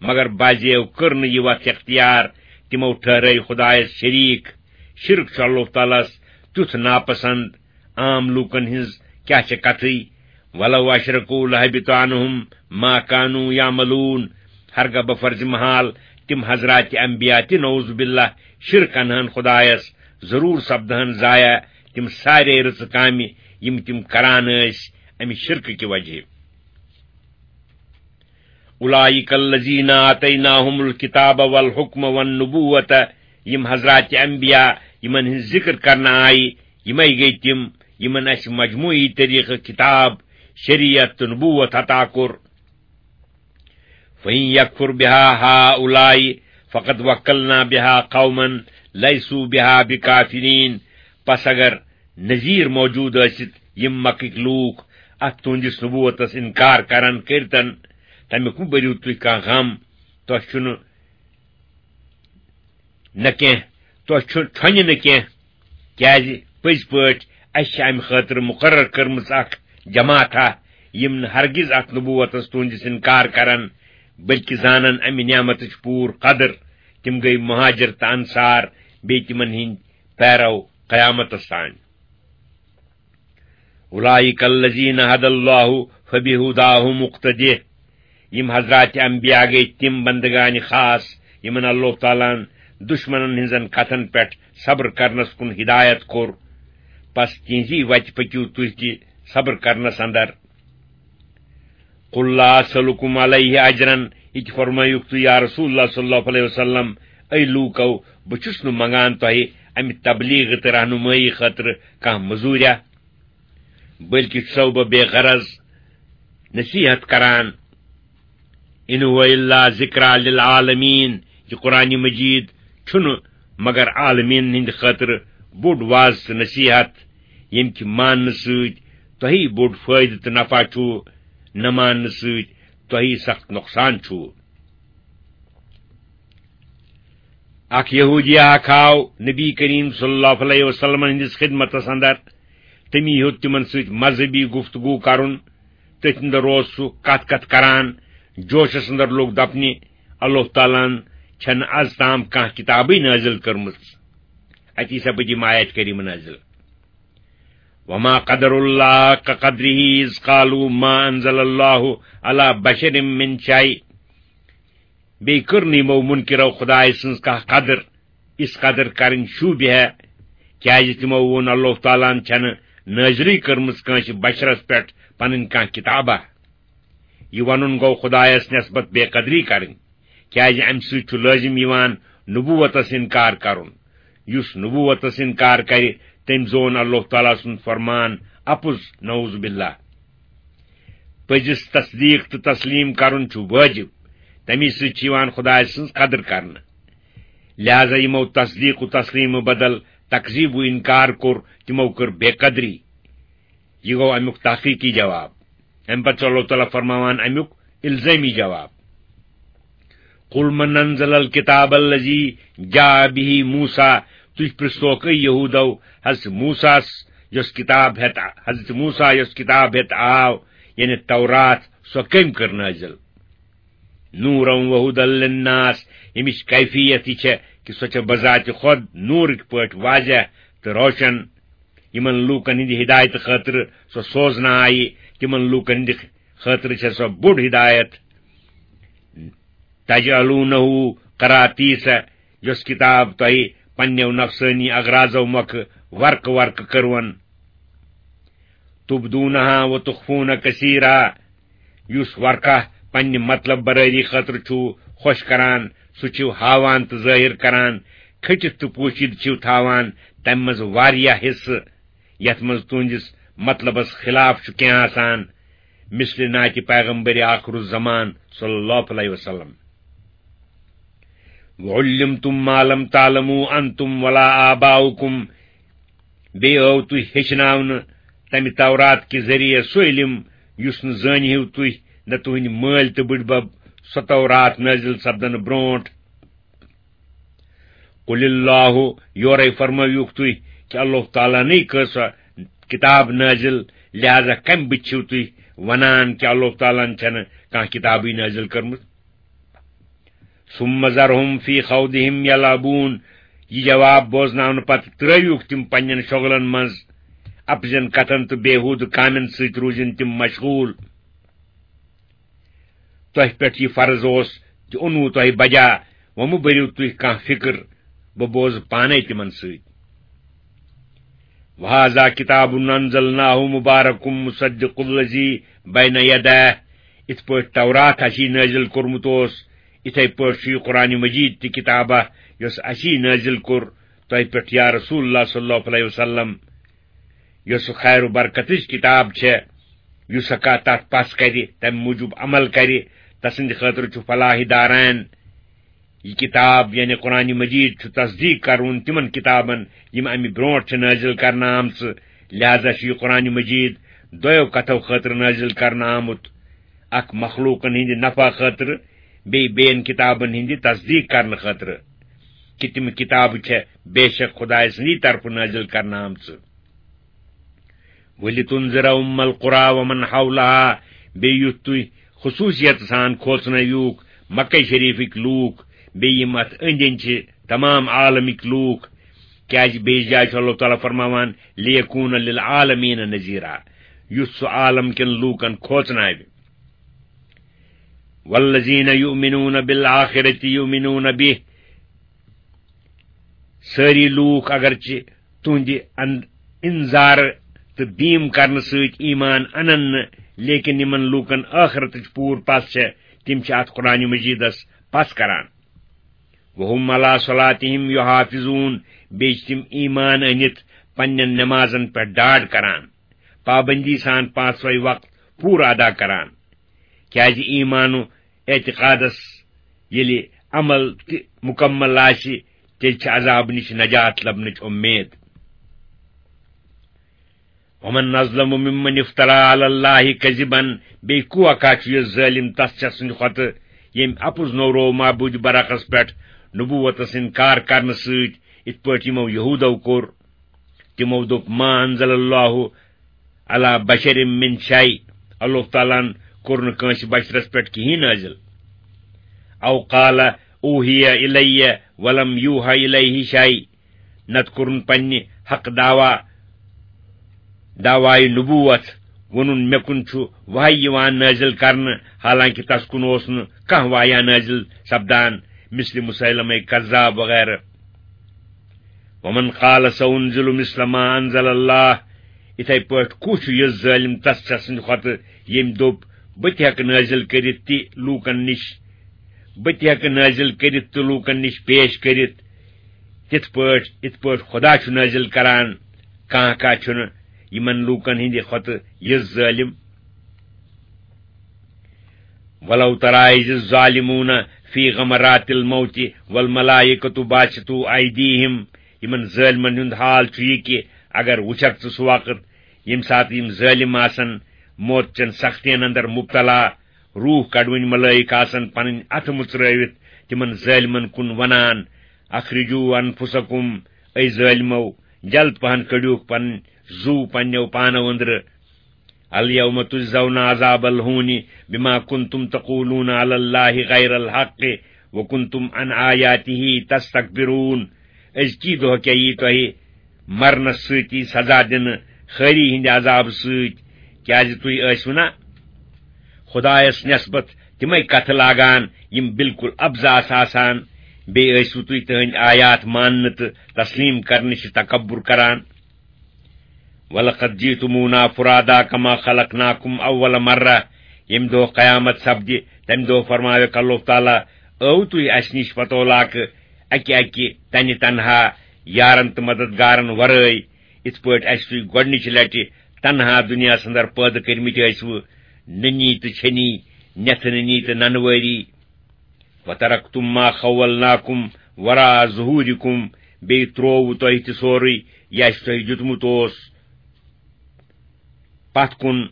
مگر بعضیو کٔر نہٕ یہِ وَتھ اختیار، تِمو ٹھہرٲے خدایس شریٖک۔ شرک چھُ اللہ تعالیٰ ہس تیُتھ ناپسند، عام لوٗکن ہٕنٛز کیٛاہ چھےٚ کتھٕے۔ وَلَوْ أَشْرَكُوا لَحَبِطَ عَنْهُمْ مَا كَانُوا يَعْمَلُونَ۔ ہرگاہ بفرضِ محال تِم حضرات انبیاء تہِ نعوذ باللہ شرک انہن خدایس، ضروٗر سپدہن ضایع تِم سارے رٕژٕ کامہِ، یِم تِم کران ٲسۍ امہِ شرکہٕ کہِ وجہ۔ أُولَٰئِكَ الَّذِينَ آتَيْنَاهُمُ الْكِتَابَ وَالْحُكْمَ وَالنُّبُوَّةَ، یِم حضرات انبیاء یِمن ہٕنٛز ذِکر کرنہٕ آیہِ، یِمے گٔے تِم یِمن اَسہِ مجموعی طریقہٕ کِتاب، شریعت تہٕ نبوت عطا کوٚر۔ فَإِن يَكْفُرْ بِهَا هَٰؤُلَاءِ فَقَدْ وَكَّلْنَا بِهَا قَوْمًا لَيْسُوا بِهَا بِكَافِرِينَ۔ پس اگر نذیر موجود ٲسِتھ یِم مکٕکۍ لوٗکھ اتھ تُہنٛدِس نبوتس انکار کرن کٔرتن، تمیُک مہٕ بٔرِو تُہۍ کانٛہہ غم، تۄہہِ چھُنہٕ نہ کینٛہہ، تۄہہِ چھُ، چھۄنہِ نہٕ کینٛہہ، کیازِ پٔزۍ پٲٹھۍ اَسہِ چھِ امہِ خٲطرٕ مُقرر کٔرمٕژ اکھ جماعتھا، یِم نہٕ ہرگز اتھ نبوتس تُہنٛدِس انکار کرن، بلکہِ زانن امہِ نعمتٕچ پوٗرٕ قدر۔ تِم گٔے مہاجر تہٕ انصار، بیٚیہِ تِمن ہٕنٛدۍ پیرو قیامتس تام۔ أُولَٰئِكَ الَّذِينَ هَدَى اللَّهُ فَبِهُدَاهُ مُقْتَدِهْ۔ یِم حضرات انبیاء گٔے تِم بندگان خاص، یِمن اللہ تعالیٰ ہن دشمنن ہٕنٛزن کتھن پٮ۪ٹھ صبر کرنس کُن ہدایت کوٚر۔ پس تِہنٛزی وتہِ پٔکِو تُہۍ تہِ صبر کرنس اندر۔ قُل لَا أَسْأَلُكُمْ عَلَيْهِ أَجْرًا، یہِ تہِ فرمٲیِو تُہۍ یا رسول اللہ صلی اللہ علیہ وسلم، اے لوٗکو، بہٕ چھُس نہٕ منگان تۄہہِ امہِ تبلیغ تہٕ رہنمٲیی خٲطرٕ کانٛہہ مٔزوٗریا، بلکہِ چھُسو بہٕ بے غرض نصیحت کران۔ إِنْ هُوَ إِلَّا ذِكْرَىٰ لِلْعَالَمِينَ، یہِ قرآن مجید چھُنہٕ مگر عالمیٖن ہٕنٛدِ خٲطرٕ بوٚڑ واز تہٕ نصیحت، ییٚمہِ کہِ ماننہٕ سۭتۍ تۄہہِ بوٚڑ فٲیدٕ تہٕ نفع چھُ، نہ ماننہٕ سۭتۍ تۄہہِ سخت نۄقصان چھُ۔ اکھ یہودی اکھ آو نبی کریم صلی اللہ علیہ وسلم ہٕنٛدِس خدمتس اندر۔ تٔمی ہیوٚت تِمن سۭتۍ مذہبی گفتگو کرُن۔ تٔتھۍ اندر اوس سُہ کتھ کتھ کران۔ جوشس اندر لوٚگ دپنہِ، "اللہ تعالیٰ ہن چھنہٕ از تام کانٛہہ کتابٕے نٲزِل کٔرمٕژ۔" اتی سپدِ یِم آیت کریمہ نٲزِل۔ وما قدر اللہ حق قدرہ اذ قالوا ما انزل اللہ علی بشر من شیء۔ بیٚیہِ کٔر نہٕ یِمو منکرو خدایہِ سٕنٛز کانٛہہ قدر، یِژھ قدر کرٕنۍ شوٗبہِ ہے، کیازِ تِمو ووٚن، "اللہ تعالیٰ ہن چھنہٕ نٲزِلٕے کٔرمٕژ کٲنٛسہِ بشرس پٮ۪ٹھ پنٕنۍ کانٛہہ کتابہ۔" یہِ ونُن گوٚو خدایس نسبت بے قدری کرٕنۍ، کیازِ امہِ سۭتۍ چھُ لٲزم یِوان نبوتس انکار کرُن۔ یُس نبوتس انکار کرِ، تٔمۍ زون اللہ تعالیٰ سُنٛد فرمان اپُز، نعوذ باللہ۔ پٔزِس تصدیق تہٕ تسلیم کرُن چھُ وٲجِب، تَمی سۭتۍ چھِ یِوان خدایہِ سٕنٛز قدر کرنہٕ۔ لہذا یِمو تصدیق و تسلیمہٕ بدل تکذیب و انکار کوٚر، تِمو کٔر بے قدری۔ یہِ گوٚو امیُک تحقیقی جواب۔ امہِ پتہٕ چھُ اللہ تعالیٰ فرماوان امیُک الزٲمی جواب۔ "قل من انزل الكتاب الذي جاء به موسى"، تُہۍ پرٛژھوکھ، اے یہودو، حضرت موسیٰ ہس یۄس کتاب ہٮ۪تھ، حضرت موسیٰ یۄس کتاب ہٮ۪تھ آو، یعنی تورات، سۄ کٔمۍ کٔر نٲزِل؟ "نورا وهدى للناس"، ییٚمِچ کیفیت یہِ چھےٚ کہِ سۄ چھےٚ بذات خود نوٗرٕکۍ پٲٹھۍ واضح تہٕ روشن۔ یِمن لوٗکن ہٕنٛدِ ہدایتہٕ خٲطرٕ سۄ سوزنہٕ آیہِ، تِمن لوٗکن ہٕنٛدِ خٲطرٕ چھےٚ سۄ بوٚڑ ہدایت۔ "تجعلونه قراطیس"، یۄس کتاب تۄہہِ پننیو نفسٲنی اغراضو مۄکھٕ ورقہٕ ورقہٕ کٔروَن۔ "تبدونها وتخفون كثيرا"، یُس ورقہ پننہِ مطلب برٲری خٲطرٕ چھُو خۄش کران، سُہ چھِو ہاوان تہٕ ظٲہِر کران، کھٔٹِتھ تہٕ پوشیدٕ چھِو تھاوان تمہِ منٛز واریاہ حصہٕ، یتھ منٛز تُہنٛدِس مطلبس خلاف چھُ کینٛہہ آسان، مثل نعتِ پیغمبر آخر الزمان صلی اللہ علیہ وسلم۔ "وعلمتم ما لم تعلموا انتم ولا آباؤكم"، بیٚیہِ آو تُہۍ ہیٚچھناونہٕ تمہِ تورات کہِ ذٔریعہٕ سُہ علم یُس نہٕ زٲنۍ ہیوٗ تُہۍ نہ تُہنٛدۍ مٲلۍ تہٕ بٕڈبب سۄ تورات نٲزِل سپدنہٕ برونٛٹھ۔ "قل اللہ"، یورے فرمٲوِوکھ تُہۍ کہِ اللہ تعالیٰ ہنٕے کٔر سۄ کتاب نٲزِل، لہذا کمہِ بُتھِ چھِو تُہۍ ونان کہِ اللہ تعالیٰ ہن چھنہٕ کانٛہہ کتابٕے نٲزِل کٔرمٕژ؟ "ثم ذرهم في خوضهم يلعبون"، یہِ جواب بوزناونہٕ پتہٕ ترٲوِوکھ تِم پننٮ۪ن شۄغلن منٛز، اپزٮ۪ن کتھن تہٕ بیہودٕ کامٮ۪ن سۭتۍ روٗزِن تِم مشغول۔ تۄہہِ پٮ۪ٹھ یہِ فرض اوس تہِ اوٚنوُ تۄہہِ بجا، وۄنۍ مہٕ بٔرِو تُہۍ کانٛہہ فِکر، بہٕ بوزٕ پانے تِمن سۭتۍ۔ "وهذا كتاب أنزلناه مبارك مصدق الذي بين يديه"، یِتھ پٲٹھۍ تورات اسی نٲزِل کوٚرمُت اوس، یِتھے پٲٹھۍ چھُ یہِ قرآن مجید تہِ کتابہ یۄس اسی نٲزِل کوٚر تۄہہِ پٮ۪ٹھ یا رسول اللہ صلی اللہ علیہ وسلم، یۄس خیر و برکتٕچ کتاب چھےٚ، یُس ہیٚکا تتھ پس کرِ، تمہِ موٗجوٗب عمل کرِ، تسٕنٛدِ خٲطرٕ چھُ فلاحی داران۔ یہِ کتاب یعنی قرآن مجید چھُ تصدیق کرُن تِمن کتابن یِم امہِ برونٛٹھ چھِ نٲزِل کرنہٕ آمژٕ، لہذا چھُ یہِ قرآن مجید دۄیو کتھو خٲطرٕ نٲزِل کرنہٕ آمُت، اکھ مخلوقن ہٕنٛدِ نفع خٲطرٕ، بیٚیہِ بیٚین کتابن ہٕنٛدِ تصدیق کرنہٕ خٲطرٕ، کہِ تِم کتابہٕ چھےٚ بے شک خدایہِ سٕنٛدی طرفہٕ نٲزِل کرنہٕ آمژٕ۔ "ولتنذر أم القرى ومن حولها"، بیٚیہِ یُتھ تُہۍ خصوٗصیت سان کھوژنٲوِوکھ مکہ شریفٕکۍ لوٗکھ، بیٚیہِ یِم اتھ أنٛدۍ أنٛدۍ چھِ تمام عالمٕکۍ لوٗکھ، کیازِ بیٚیِس جایہِ چھُ اللہ تعالیٰ فرماوان، "لِیَکُونَ لِلْعَالَمِینَ نَذِیرًا"، یُتھ سُہ عالم کٮ۪ن لوٗکن کھوژناوِ۔ "وَالَّذِینَ یُؤْمِنُونَ بِالْآخِرَةِ یُؤْمِنُونَ بِهِ"، سٲری لوٗکھ اگرچہِ تُہنٛدِ ان-، انذار تہٕ بیٖم کرنہٕ سۭتۍ ایمان انن نہٕ، لیکن یِمن لوٗکن ٲخرتٕچ پوٗرٕ پژھ چھےٚ، تِم چھِ اتھ قرآن مجیدس پژھ کران۔ "وَهُمْ عَلَى صَلَاتِهِمْ يُحَافِظُونَ"، بیٚیہِ چھِ تِم ایمان أنِتھ پننٮ۪ن نمازن پٮ۪ٹھ ڈاڈ کران، پابندی سان پانٛژوے وقت پوٗرٕ ادا کران۔ کیازِ ایمانُک اعتقادس ییٚلہِ عمل تہِ مکمل آسہِ، تیٚلہِ چھِ عذاب نِش نجات لبنٕچ اُمید۔ ومن اظلم ممن افترى على الله كذبا، بیٚیہِ کوا کاہ چھُ یُس ظٲلِم تس چھِ سٕنٛدِ کھۄتہٕ، ییٚمۍ اپُز نوروو معبوٗدِ برحقس پٮ۪ٹھ نبوتس انکار کرنہٕ سۭتۍ، یِتھ پٲٹھۍ یِمو یہودو کوٚر۔ تِمو دوٚپ، ما انزل اللہ علی بشر من شیء، اللہ تعالیٰ ہن کوٚر نہٕ کٲنٛسہِ بشرس پٮ۪ٹھ کِہیٖنۍ نٲزِل۔ او قال اوحی الی ولم یوحی الیہ شیء، نتہٕ کوٚرُن پننہِ حق دعویٰ، دعویٰ نبوت، ووٚنُن، مےٚ کُن چھُ وحی یِوان نٲزِل کرنہٕ، حالانکہِ تس کُن اوس نہٕ کانٛہہ وحیہ نٲزِل سپدان، مثل مسیلمہ کذاب وغیرہ۔ ومن قال سأنزل مثل ما أنزل الله، یِتھے پٲٹھۍ کُس چھُ یُس ظٲلِم تس سٕنٛدِ کھۄتہٕ، ییٚمۍ دوٚپ، بہٕ تہِ ہٮ۪کہٕ نٲزِل کٔرِتھ تہِ لوٗکن نِش، بہٕ تہِ ہٮ۪کہٕ نٲزِل کٔرِتھ تہٕ لوٗکن نِش پیش کٔرِتھ، تِتھ پٲٹھۍ، یِتھ پٲٹھۍ خدا چھُ نٲزِل کران، کانٛہہ کانٛہہ چھُنہٕ یِمن لوٗکن ہٕنٛدِ کھۄتہٕ یُس ظٲلِم۔ ولو ترى إذ الظالمون في غمرات الموت والملائكة باسطو أيديهم، یِمن ظٲلمن ہُنٛد حال چھُ یہِ کہِ اگر وُچھکھ ژٕ سُہ وقت، ییٚمہِ ساتہٕ یِم ظٲلِم آسن موت چٮ۪ن سختین اندر مبتلا، روح کڑوٕنۍ ملٲیِک آسن پنٕنۍ اتھٕ مُژرٲوِتھ تِمن ظٲلمن کُن ونان، اخرجوا انفسکم، اے ظٲلمو، جلد پہن کڑیوکھ پنٕنۍ زُو پننیو پانو أنٛدرٕ۔ الیوم تجزون عذاب الہون بما کنتم تقولون علی اللہ غیر الحق وکنتم عن آیاته تستکبرون۔ أزکی دۄہ کیٛاہ یی تۄہہِ مرنس سۭتی سزا دِنہٕ خٲری ہٕنٛدِ عذابہٕ سۭتۍ، کیٛازِ تُہۍ ٲسِو نا خدایس نسبت تِمے کتھٕ لاگان یِم بالکل ابزاس آسان، بیٚیہِ ٲسِو تُہۍ تٕہٕنٛدۍ آیات ماننہٕ تہٕ تسلیم کرنہٕ نِش تکبر کران۔ ولقد جئتمونا فرادا كما خلقناكم اول مرة، ییٚمہِ دۄہ قیامت سپدِ، تمہِ دۄہ فرماوکھ اللہ تعالیٰ، ٲو تُہۍ اسہِ نِش پتو لاکہٕ اکہِ اکہِ تنہِ تنہا، یارن تہٕ مددگارن ورٲے، یِتھ پٲٹھۍ اسہِ تُہۍ گۄڈٕنِچہِ لٹہِ تنہا دُنیاہس اندر پٲدٕ کٔرمٕتۍ ٲسوٕ، نٔنی تہٕ چھٔنی، نٮ۪تھٕ نٔنی تہٕ ننہٕ وٲری۔ وترکتم ما خولناکم وراء ظہورکم، بیٚیہِ ترٛووُ تۄہہِ تہِ سورُے یہِ اسہِ تۄہہِ دیُتمُت اوس پتھ کُن۔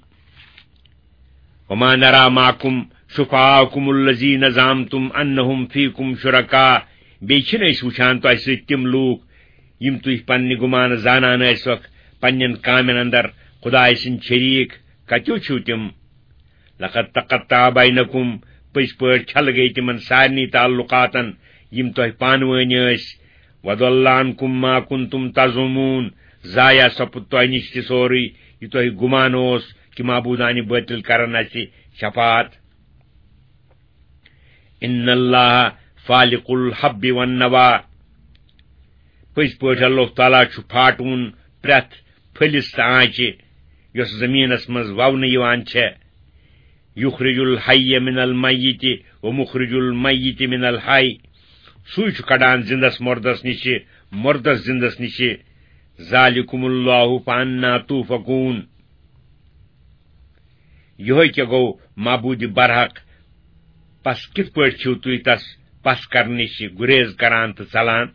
وما نرى معكم شفعاءكم الذين زعمتم أنهم فيكم شركاء، بیٚیہِ چھِنہٕ أسۍ وٕچھان تۄہہِ سۭتۍ تِم لوٗکھ یِم تُہۍ پننہِ گُمانہٕ زانان ٲسِوکھ پننٮ۪ن کامٮ۪ن اندر خدایہِ سٕنٛدۍ شریٖک، کتیو چھِو تِم؟ لقد تقطع بينكم، پٔزۍ پٲٹھۍ چھلہٕ گٔے تِمن سارنٕے تعلقاتن یِم تۄہہِ پانہٕ وٲنۍ ٲسۍ۔ وضل عنكم ما كنتم تزعمون، ضایع سپُد تۄہہِ نِش تہِ سورُے یہِ تۄہہِ گُمان اوس کہِ معبوٗدانہِ بٲطِل کرن اسہِ شفاعت۔ ان اللہ فالق الحب والنوى، پٔزۍ پٲٹھۍ اللہ تعالیٰ چھُ پھاٹوُن پرٛٮ۪تھ پھٔلِس تہٕ آنٛچہِ یۄس زٔمیٖنَس منٛز وَونہٕ یِوان چھےٚ۔ یُخرِجُ الحَیَّ مِنَ الْمَیِّتِ وَمُخرِجُ الْمَیِّتِ مِنَ الْحَیِّ، سُے چھُ کڑان زِندَس مُردَس نِشہِ، مُردَس زِندَس نِشہِ۔ ذَلِکُمُ اللَّہُ فَأَنَّا تُؤْفَکُونَ۔ یِہوٚے کیٛاہ گوٚو معبوٗدِ برحق پس؟ کِتھ پٲٹھۍ چھِو تُہۍ تس پس کرنہٕ نِش گُریز کران تہٕ ژلان؟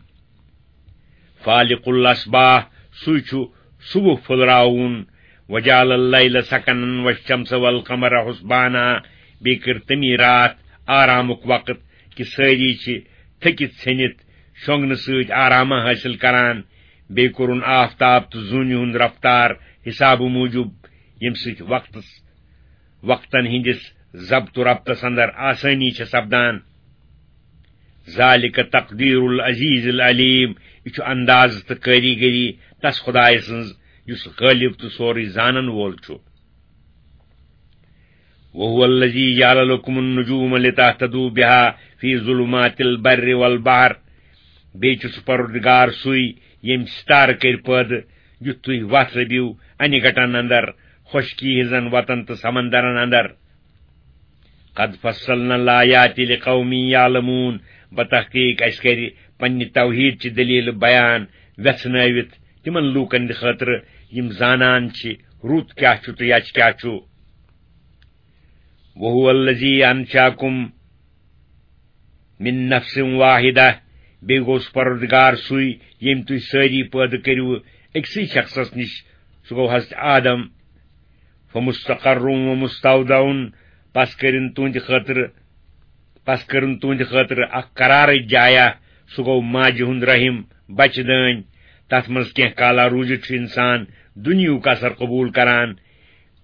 فالق الصباح، سُے چھُ صبح پھُلراوُن۔ وجعل اللیل سکناً والشمس والقمر حسباناً، بیٚیہِ کٔر تٔمی راتھ آرامُک وقت کہِ سٲری چھِ تھٔکِتھ ژھیٚنِتھ شۄنٛگنہٕ سۭتۍ آرامہ حٲصِل کران۔ بیٚیہِ کوٚرُن آفتاب تہٕ زوٗنہِ ہُنٛد رفتار حسابہٕ موٗجوٗب، ییٚمہِ سۭتۍ وقتس، وقتن ہٕنٛدِس ضبط و ربطس اندر آسٲنی چھےٚ سپدان۔ ذالک تقدیر العزیز العلیم، یہِ چھُ انداز تہٕ کٲریگری تس خدایہِ سٕنٛز یُس غٲلب تہٕ سورُے زانن وول چھُ۔ وهو الذي جعل لكم النجوم لتهتدوا بها في ظلمات البر والبحر۔ بیٚیہِ چھُ سُہ پروردگار سُے ییٚمۍ ستارٕ کٔرۍ پٲدٕ، یُتھ تُہۍ وتھ لٔبِو انہِ گٹن اندر، خۄشکی ہٕنٛزن وتن تہٕ سمندرن اندر۔ قد فصلنا الآيات لقوم يعلمون۔ بتحقیق اسہِ کرِ پننہِ توحید چہِ دلیلہٕ بیان ویژھنٲوِتھ تِمن لوٗکن ہٕنٛدِ خٲطرٕ یِم زانان چھِ رُت کیٛاہ چھُ تہٕ یچھ کیٛاہ چھُ۔ وهو الذي أنشأكم من نفس واحدة، بیٚیہِ گوٚو سُہ پروردگار سُے، ییٚمۍ تُہۍ سٲری پٲدٕ کٔرِو أکسٕے شخصس نِش، سُہ گوٚو حضرت آدم۔ فمستقر و مستودع، پس کٔرِن تُہنٛدِ خٲطرٕ، پس کٔرٕن تُہنٛدِ خٲطرٕ اکھ قرارٕچ جایہ، سُہ گوٚو ماجہِ ہُنٛد رحم، بچہٕ دٲنۍ۔ تتھ منٛز کینٛہہ کالا روٗزِتھ چھُ انسان دُنیہُک اثر قبول کران۔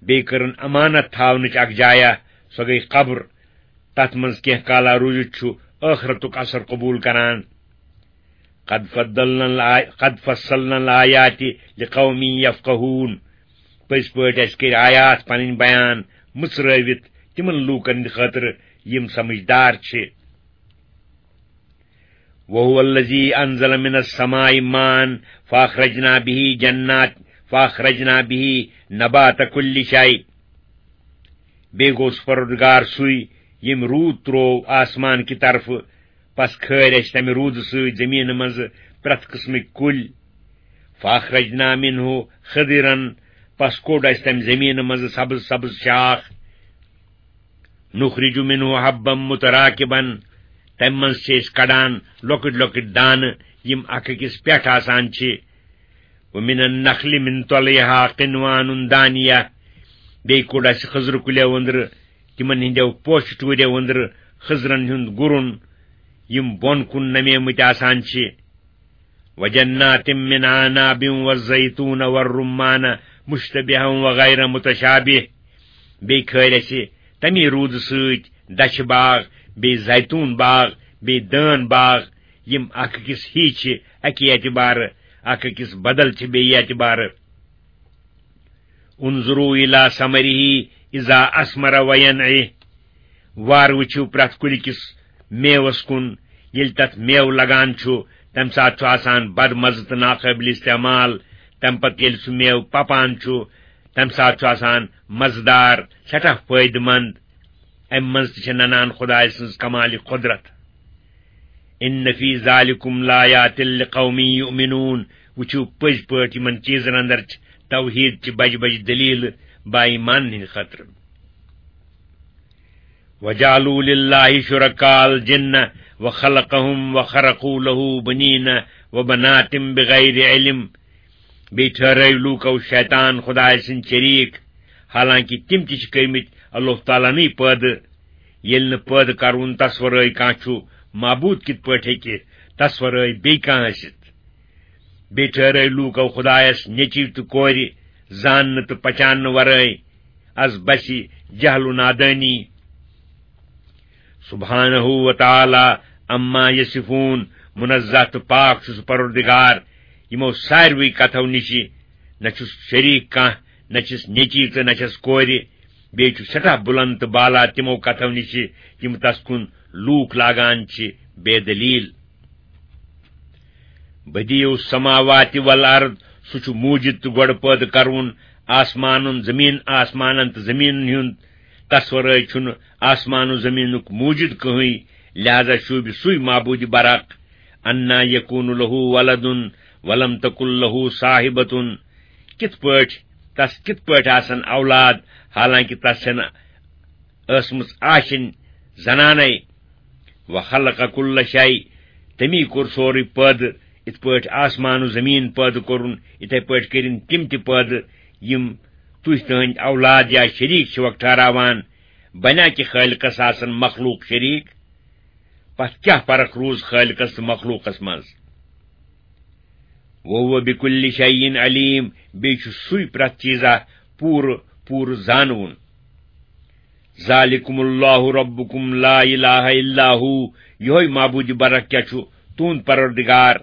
بیٚیہِ کٔرٕن امانت تھاونٕچ اکھ جایہ، سۄ گٔے قبر۔ تتھ منٛز کینٛہہ کالا روٗزِتھ چھُ ٲخرتُک اثر قبول کران۔ قد فضلنا الآ-، قد فصلنا الآيات لقوم يفقهون۔ پٔزۍ پٲٹھۍ اَسہِ کٔرۍ آیات پنٕنۍ بیان مٕژرٲوِتھ تِمن لوٗکن ہٕنٛدِ خٲطرٕ یِم سمجھدار چھِ۔ وهو الذي أنزل من السماء ماء فأخرجنا به جنات، فأخرجنا به نبات كل شيء۔ بیٚیہِ گوٚو سُہ پروردگار سُے، ییٚمۍ روٗد تروو آسمان کہِ طرفہٕ، پس کھٲرۍ اَسہِ تَمہِ روٗدٕ سۭتۍ زٔمیٖنہٕ منٛزٕ پرٛٮ۪تھ قٕسمٕکۍ کُلۍ۔ فأخرجنا منه خضرا، پس کوٚڑ اَسہِ تَمہِ زٔمیٖنہٕ منٛزٕ سبز سبز شاخ۔ نخرج منه حبا متراکبا، تَمہِ منٛز چھِ أسۍ کڑان لۄکٕٹۍ لۄکٕٹۍ دانہٕ، یِم اکھ أکِس پٮ۪ٹھ آسان چھِ۔ ومن النخل من طلعها قنوان دانیہ، بیٚیہِ کوٚڑ اَسہِ خٔزرٕ کُلیو أنٛدرٕ، تِمن ہٕنٛدیو پوشہٕ ٹوٗریو أنٛدرٕ خٔزرن ہُنٛد گُرُن، یِم بۄن کُن نمیمٕتۍ آسان چھِ۔ وجنات من أعناب والزيتون والرمان مشتبها وغير متشابه، بیٚیہِ کھٲلۍ اَسہِ تَمی روٗدٕ سۭتۍ دَچھِ باغ، بیٚیہِ زیتون باغ، بیٚیہِ دٲن باغ، یِم اکھ أکِس ہی چھِ اَکہِ اعتبارٕ، اکھ أکِس بدل چھِ بیٚیہِ اعتبارٕ۔ انظروا إلى ثمره إذا أثمر وينعه، وار وٕچھِو پرٛٮ۪تھ کُلہِ کِس میوَس کُن، ییٚلہِ تَتھ میوٕ لگان چھُ، تَمہِ ساتہٕ چھُ آسان بد مزٕ تہٕ ناقٲبلِ استعمال۔ تَمہِ پتہٕ ییٚلہِ سُہ میوٕ پَپان چھُ، تَمہِ ساتہٕ چھُ آسان مزٕدار، سٮ۪ٹھاہ فٲیدٕ مند۔ اَمہِ منٛز تہِ چھِ ننان خۄداے سٕنٛز کمالِ قۄدرت۔ إن في ذلكم لآيات لقوم يؤمنون، وٕچھِو پٔزۍ پٲٹھۍ یِمن چیٖزن اندر چھِ توحیٖد چہِ بجہِ بجہِ دٔلیٖلہٕ با ایمانن ہٕنٛدِ خٲطرٕ۔ وجعلوا لله شركاء الجن وخلقهم وخرقوا له بنين وبنات بغير علم۔ بیٚیہِ ٹھہرٲوۍ لوٗکو شیطان خۄدایہِ سٕنٛدۍ شریٖک، حالانکہِ تِم تہِ چھِ کٔرمٕتۍ اللہ تعالیٰ نٕے پٲدٕ۔ ییٚلہِ نہٕ پٲدٕ کرون تس ورٲے کانٛہہ چھُ، معبوٗد کِتھ پٲٹھۍ ہیٚکہِ تس ورٲے بیٚیہِ کانٛہہ ٲسِتھ؟ بیٚیہِ ٹھہرٲوۍ لوٗکو خۄدایس نیٚچِو تہٕ کورِ، زاننہٕ تہٕ پہچاننہٕ ورٲے۔ از بسہِ جہل و نادٲنی۔ سبحانہ و تعالیٰ عما یصفون، منزہ تہٕ پاک چھُ سُہ پروردگار یِمو ساروٕے کتھو نِشہِ، نہ چھُس شریٖک کانٛہہ، نہ چھِس نیٚچی تہٕ نہ چھَس کورِ، بیٚیہِ چھُ سٮ۪ٹھاہ بُلند تہٕ بالا تِمو کتھو نِشہِ یِم تس کُن لوٗکھ لاگان چھِ بے دلیل۔ بدیع السماوات والارض، سُہ چھُ موٗجِد تہٕ گۄڈٕ پٲدٕ کرون آسمانن، زمین، آسمانن تہٕ زمینن ہُنٛد۔ تس ورٲے چھُنہٕ آسمان و زمینُک موٗجِد کٕہٕنۍ، لہذا شوٗبہِ سُے معبوٗدِ برحق۔ انا یکون لہ ولد ولم تکن لہ صاحبۃ، کِتھ پٲٹھۍ، تس کِتھ پٲٹھۍ آسن اولاد، حالانکہ تس چھنہٕ ٲسمٕژ آشِنۍ زنانے۔ وخلق کل شیء، تٔمی کوٚر سورُے پٲدٕ، یِتھ پٲٹھۍ آسمان و زمیٖن پٲدٕ کوٚرُن، یِتھے پٲٹھۍ کٔرِن تِم تہِ پٲدٕ، یِم تُہۍ تٕہٕنٛدۍ اولاد یا شریٖک چھِوکھ ٹھہراوان۔ بنیا کہِ خٲلقس آسن مخلوق شریٖک؟ پتہٕ کیٛاہ فرق روٗز خٲلقس تہٕ مخلوقس منٛز؟ وهو بكل شيء عليم، بیٚیہِ چھُ سُے پرٛٮ۪تھ چیٖزا پوٗرٕ پوٗرٕ زانوُن۔ ذلكم الله ربكم لا إله إلا هو، یِہوٚے معبوٗدِ برحق کیٛاہ چھُ؟ تُہُنٛد پروردگار،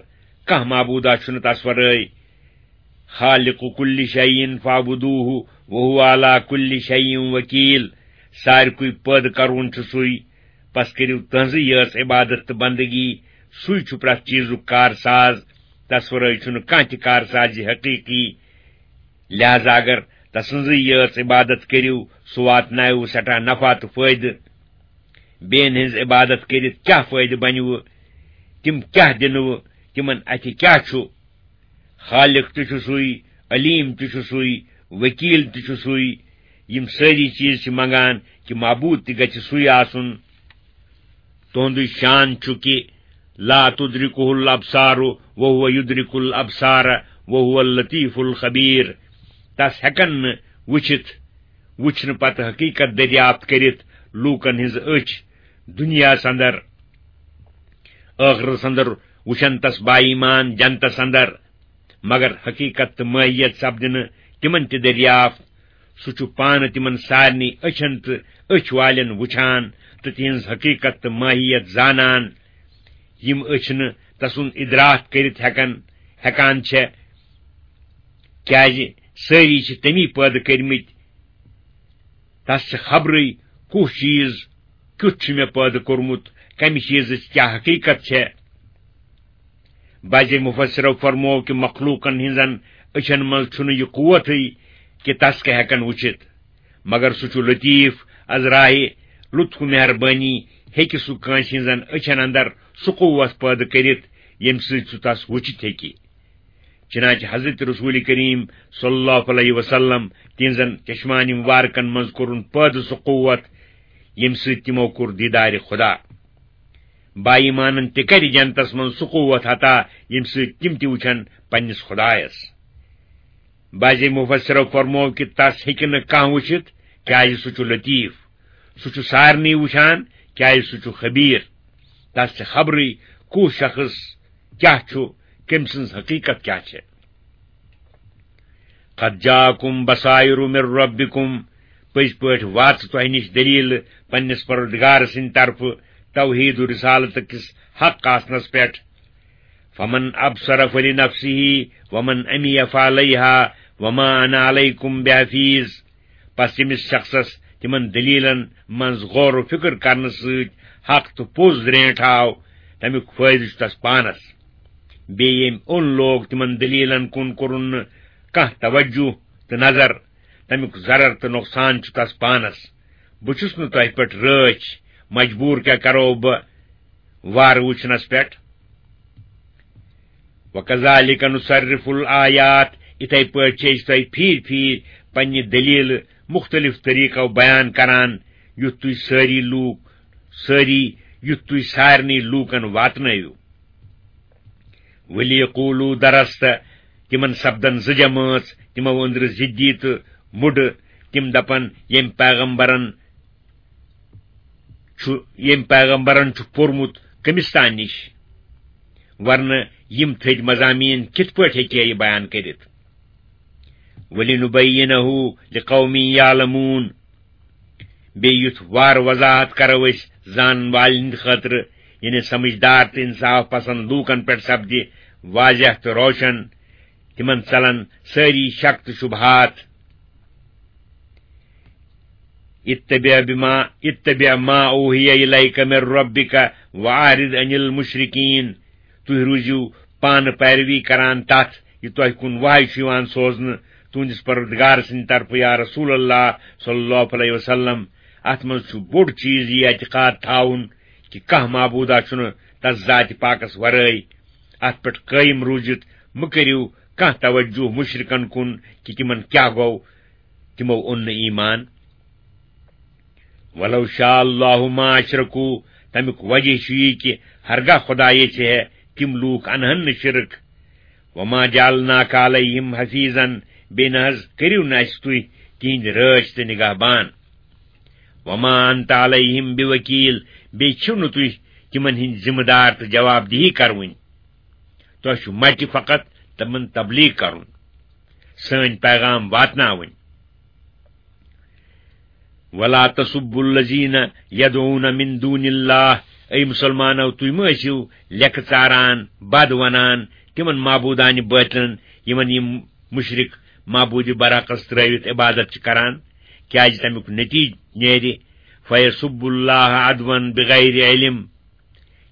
کانٛہہ معبوٗدا چھُنہٕ تس ورٲے۔ خالق كل شيء فاعبدوه وهو على كل شيء وكيل، سارِکُے پٲدٕ کرون چھُ سُے، پس کٔرِو تٕہٕنٛزٕے یٲژ عبادت تہٕ بندگی۔ سُے چھُ پرٛٮ۪تھ چیٖزُک کارساز، تس ورٲے چھُنہٕ کانٛہہ تہِ کارسازِ حقیٖقی۔ لہذا اگر تسٕنٛزٕے یٲژ عبادت کٔرِو، سُہ واتناوِ سٮ۪ٹھاہ نفع تہٕ فٲیدٕ۔ بیٚین ہٕنٛز عبادت کٔرِتھ کیٛاہ فٲیدٕ بنِوٕ؟ تِم کیٛاہ دِنوٕ؟ تِمن اَتھِ کیٛاہ چھُ؟ خالق تہِ چھُ سُے، علیم تہِ چھُ سُے، وکیل تہِ چھُ سُے۔ یِم سٲری چیٖز چھِ منگان کہِ معبوٗد تہِ گژھِ سُے آسُن۔ تُہُنٛدُے شان چھُ کہِ لا تدرکہ الابصار وہو یدرک الابصار وہو اللطیف الخبیر۔ تس ہیکن نہٕ وٕچھِتھ، وٕچھنہٕ پتہٕ حقیقت دریافت کٔرِتھ لوٗکن ہٕنٛز أچھ دُنیاہس اندر۔ ٲخرس اندر وٕچھن تس با ایمان جنتس اندر، مگر حقیقت تہٕ ماہیت سپدِ نہٕ تِمن تہِ دریافت۔ سُہ چھُ پانہٕ تِمن سارنٕے أچھن تہٕ أچھ والٮ۪ن وٕچھان تہٕ تِہنٛز حقیقت تہٕ ماہیت زانان، یِم أچھ نہٕ تسُنٛد ادراک کٔرِتھ ہٮ۪کن، ہٮ۪کان چھےٚ، کیازِ سٲری چھِ تٔمی پٲدٕ کٔرمٕتۍ۔ تس چھِ خبرٕے کُس چیز کیُتھ چھُ مےٚ پٲدٕ کوٚرمُت، کمہِ چیزٕچ کیاہ حقیقت چھےٚ۔ بعض مفسرو فرموو کہِ مخلوقن ہٕنٛزن أچھن منٛز چھُنہٕ یہِ قوتٕے کہِ تس کیاہ ہٮ۪کن وٕچھِتھ، مگر سُہ چھُ لطیف، از راہِ لطف و مہربٲنی ہیٚکہِ سُہ کٲنٛسہِ ہٕنٛزن أچھن اندر سُہ قوت پٲدٕ کٔرِتھ، ییٚمہِ سۭتۍ سُہ تس وٕچھِتھ ہیٚکہِ۔ چنانچہ حضرت رسول کریم صلی اللہ علیہ وسلم تہنٛزن چشمانِ مبارکن منٛز کوٚرُن پٲدٕ سُہ قوت، ییٚمہِ سۭتۍ تِمو کوٚر دیدارِ خدا۔ با ایمانن تہِ کرِ جنتس منٛز سُہ قوت عطا، ییٚمہِ سۭتۍ تِم تہِ وٕچھن پننِس خدایس۔ بعض مفسرو فرموو کہِ تس ہیٚکہِ نہٕ کانٛہہ وٕچھِتھ، کیازِ سُہ چھُ لطیف۔ سُہ چھُ سارنٕے وٕچھان، کیازِ سُہ چھُ خبیر۔ تس چھِ خبرٕے کُس شخص کیاہ چھُ، کٔمۍ سٕنٛز حقیقت کیاہ چھےٚ۔ قد جاءکم بصائر من ربکم، پٔزۍ پٲٹھۍ واژٕ تۄہہِ نِش دلیل پننِس پروردگار سٕنٛدِ طرفہٕ توحید و رسالت کِس حق آسنس پٮ۪ٹھ۔ فمن ابصر فلنفسه ومن عمی فعلیها وما انا علیکم بحفیظ۔ پس ییٚمِس شخصس تِمن دلیلن منٛز غور و فکر کرنہٕ سۭتۍ حق تہٕ پوٚز درینٹھ آو، تمیُک فٲیدٕ چھُ تس پانس۔ بیٚیہِ ییٚمۍ اوٚن لوگ تِمن دلیلن کُن کوٚرُن نہٕ کانٛہہ توجہ تہٕ نظر، تمیُک ضرر تہٕ نۄقصان چھُ تس پانس۔ بہٕ چھُس نہٕ تۄہہِ پٮ۪ٹھ رٲچھ، مجبوٗر کیٛاہ کرو بہٕ وارٕ وٕچھنس پٮ۪ٹھ؟ وَكَذَلِكَ نُصَرِّفُ الْآيَاتِ، اِتھے پٲٹھۍ چھِ أسۍ تۄہہِ پھیٖرۍ پھیٖرۍ پننہِ دٔلیٖلہٕ مُختٔلِف طریٖقو بیان کران، یُتھ تُہۍ سٲری لوٗکھ، سٲری، یُتھ تُہۍ سارنٕے لوٗکن واتنٲیِو۔ وَلِيَقُولُوا دَرَسْتَ، تِمن سپدن زٕ جمٲژ، تِمو أنٛدرٕ ضِدی تہٕ مُڈٕ، تِم دپن، ییٚمۍ پیغمبرن چھُ، ییٚمۍ پیغمبرن چھُ پوٚرمُت کٔمِس تام نِش، ورنہٕ یِم تھٔدۍ مضامین کِتھ پٲٹھۍ ہیٚکہِ ہے یہِ بیان کٔرِتھ؟ وَلِنُبَيِّنَهُ لِقَوْمٍ يَعْلَمُونَ۔ بیٚیہِ یُتھ وارٕ وضاحت کرو أسۍ زانن والٮ۪ن ہٕنٛدِ خٲطرٕ، یعنی سمجھدار تہٕ انصاف پسند لوٗکن پٮ۪ٹھ سپدِ واضح تہٕ روشن، تِمن ژلن سٲری شک تہٕ شبہات۔ اتبع بما، اتبع ما اوحی الیک من ربک واعرض عن المشرکین۔ تُہۍ روٗزِو پانہٕ پیروی کران تتھ، یہِ تۄہہِ کُن وحی چھُ یِوان سوزنہٕ تُہنٛدِس پروردگار سٕنٛدِ طرفہٕ، یا رسول اللہ صلی اللہ علیہ وسلم۔ اتھ منٛز چھُ بوٚڑ چیٖز یہِ اعتقاد تھاوُن کہِ کانٛہہ معبوٗدا چھُنہٕ تس ذاتِ پاکس ورٲے۔ اتھ پٮ۪ٹھ قٲیِم روٗزِتھ مہٕ کٔرِو کانٛہہ توجہ مُشرِکن کُن کہِ تِمن کیٛاہ گوٚو، تِمو اوٚن نہٕ ایمان۔ وَلَوْ شَاءَ اللَّهُ مَا أَشْرَكُوا، تَمیُک وجہ چھُ یہِ کہِ ہرگاہ خۄدا یژھِ ہے، تِم لوٗکھ اَنہَن نہٕ شِرک۔ وَمَا جَعَلْنَاكَ عَلَيْهِمْ حَفِيظًا، بیٚیہِ نہ حظ کٔرِو نہٕ اَسہِ تُہۍ تِہِنٛدۍ رٲچھ تہٕ نِگہبان۔ وَمَا أَنْتَ عَلَيْهِمْ بِوَكِيلٍ، بیٚیہِ چھِو نہٕ تُہۍ تِمَن ہٕنٛدۍ ذِمہٕ دار تہٕ جواب دِہی کَرٕوٕنۍ۔ تۄہہِ چھُ مَٹہِ فقط تِمَن تبلیغ کَرُن، سٲنۍ پیغام واتناوٕنۍ۔ وَلَا تَسُبُّوا الَّذِينَ يَدْعُونَ مِن دُونِ اللَّهِ، اے مُسلمانو، تُہۍ مہٕ ٲسِو لیٚکہٕ ژاران، بد وَنان تِمَن معبوٗدانِ بٲطِلَن، یِمَن یِم مُشرِک معبوٗدِ برحقَس ترٛٲوِتھ عبادت چھِ کران، کیٛازِ تَمیُک نتیٖجہٕ نیرِ، فَيَسُبُّوا اللَّهَ عَدْوًا بِغَيْرِ عِلْمٍ۔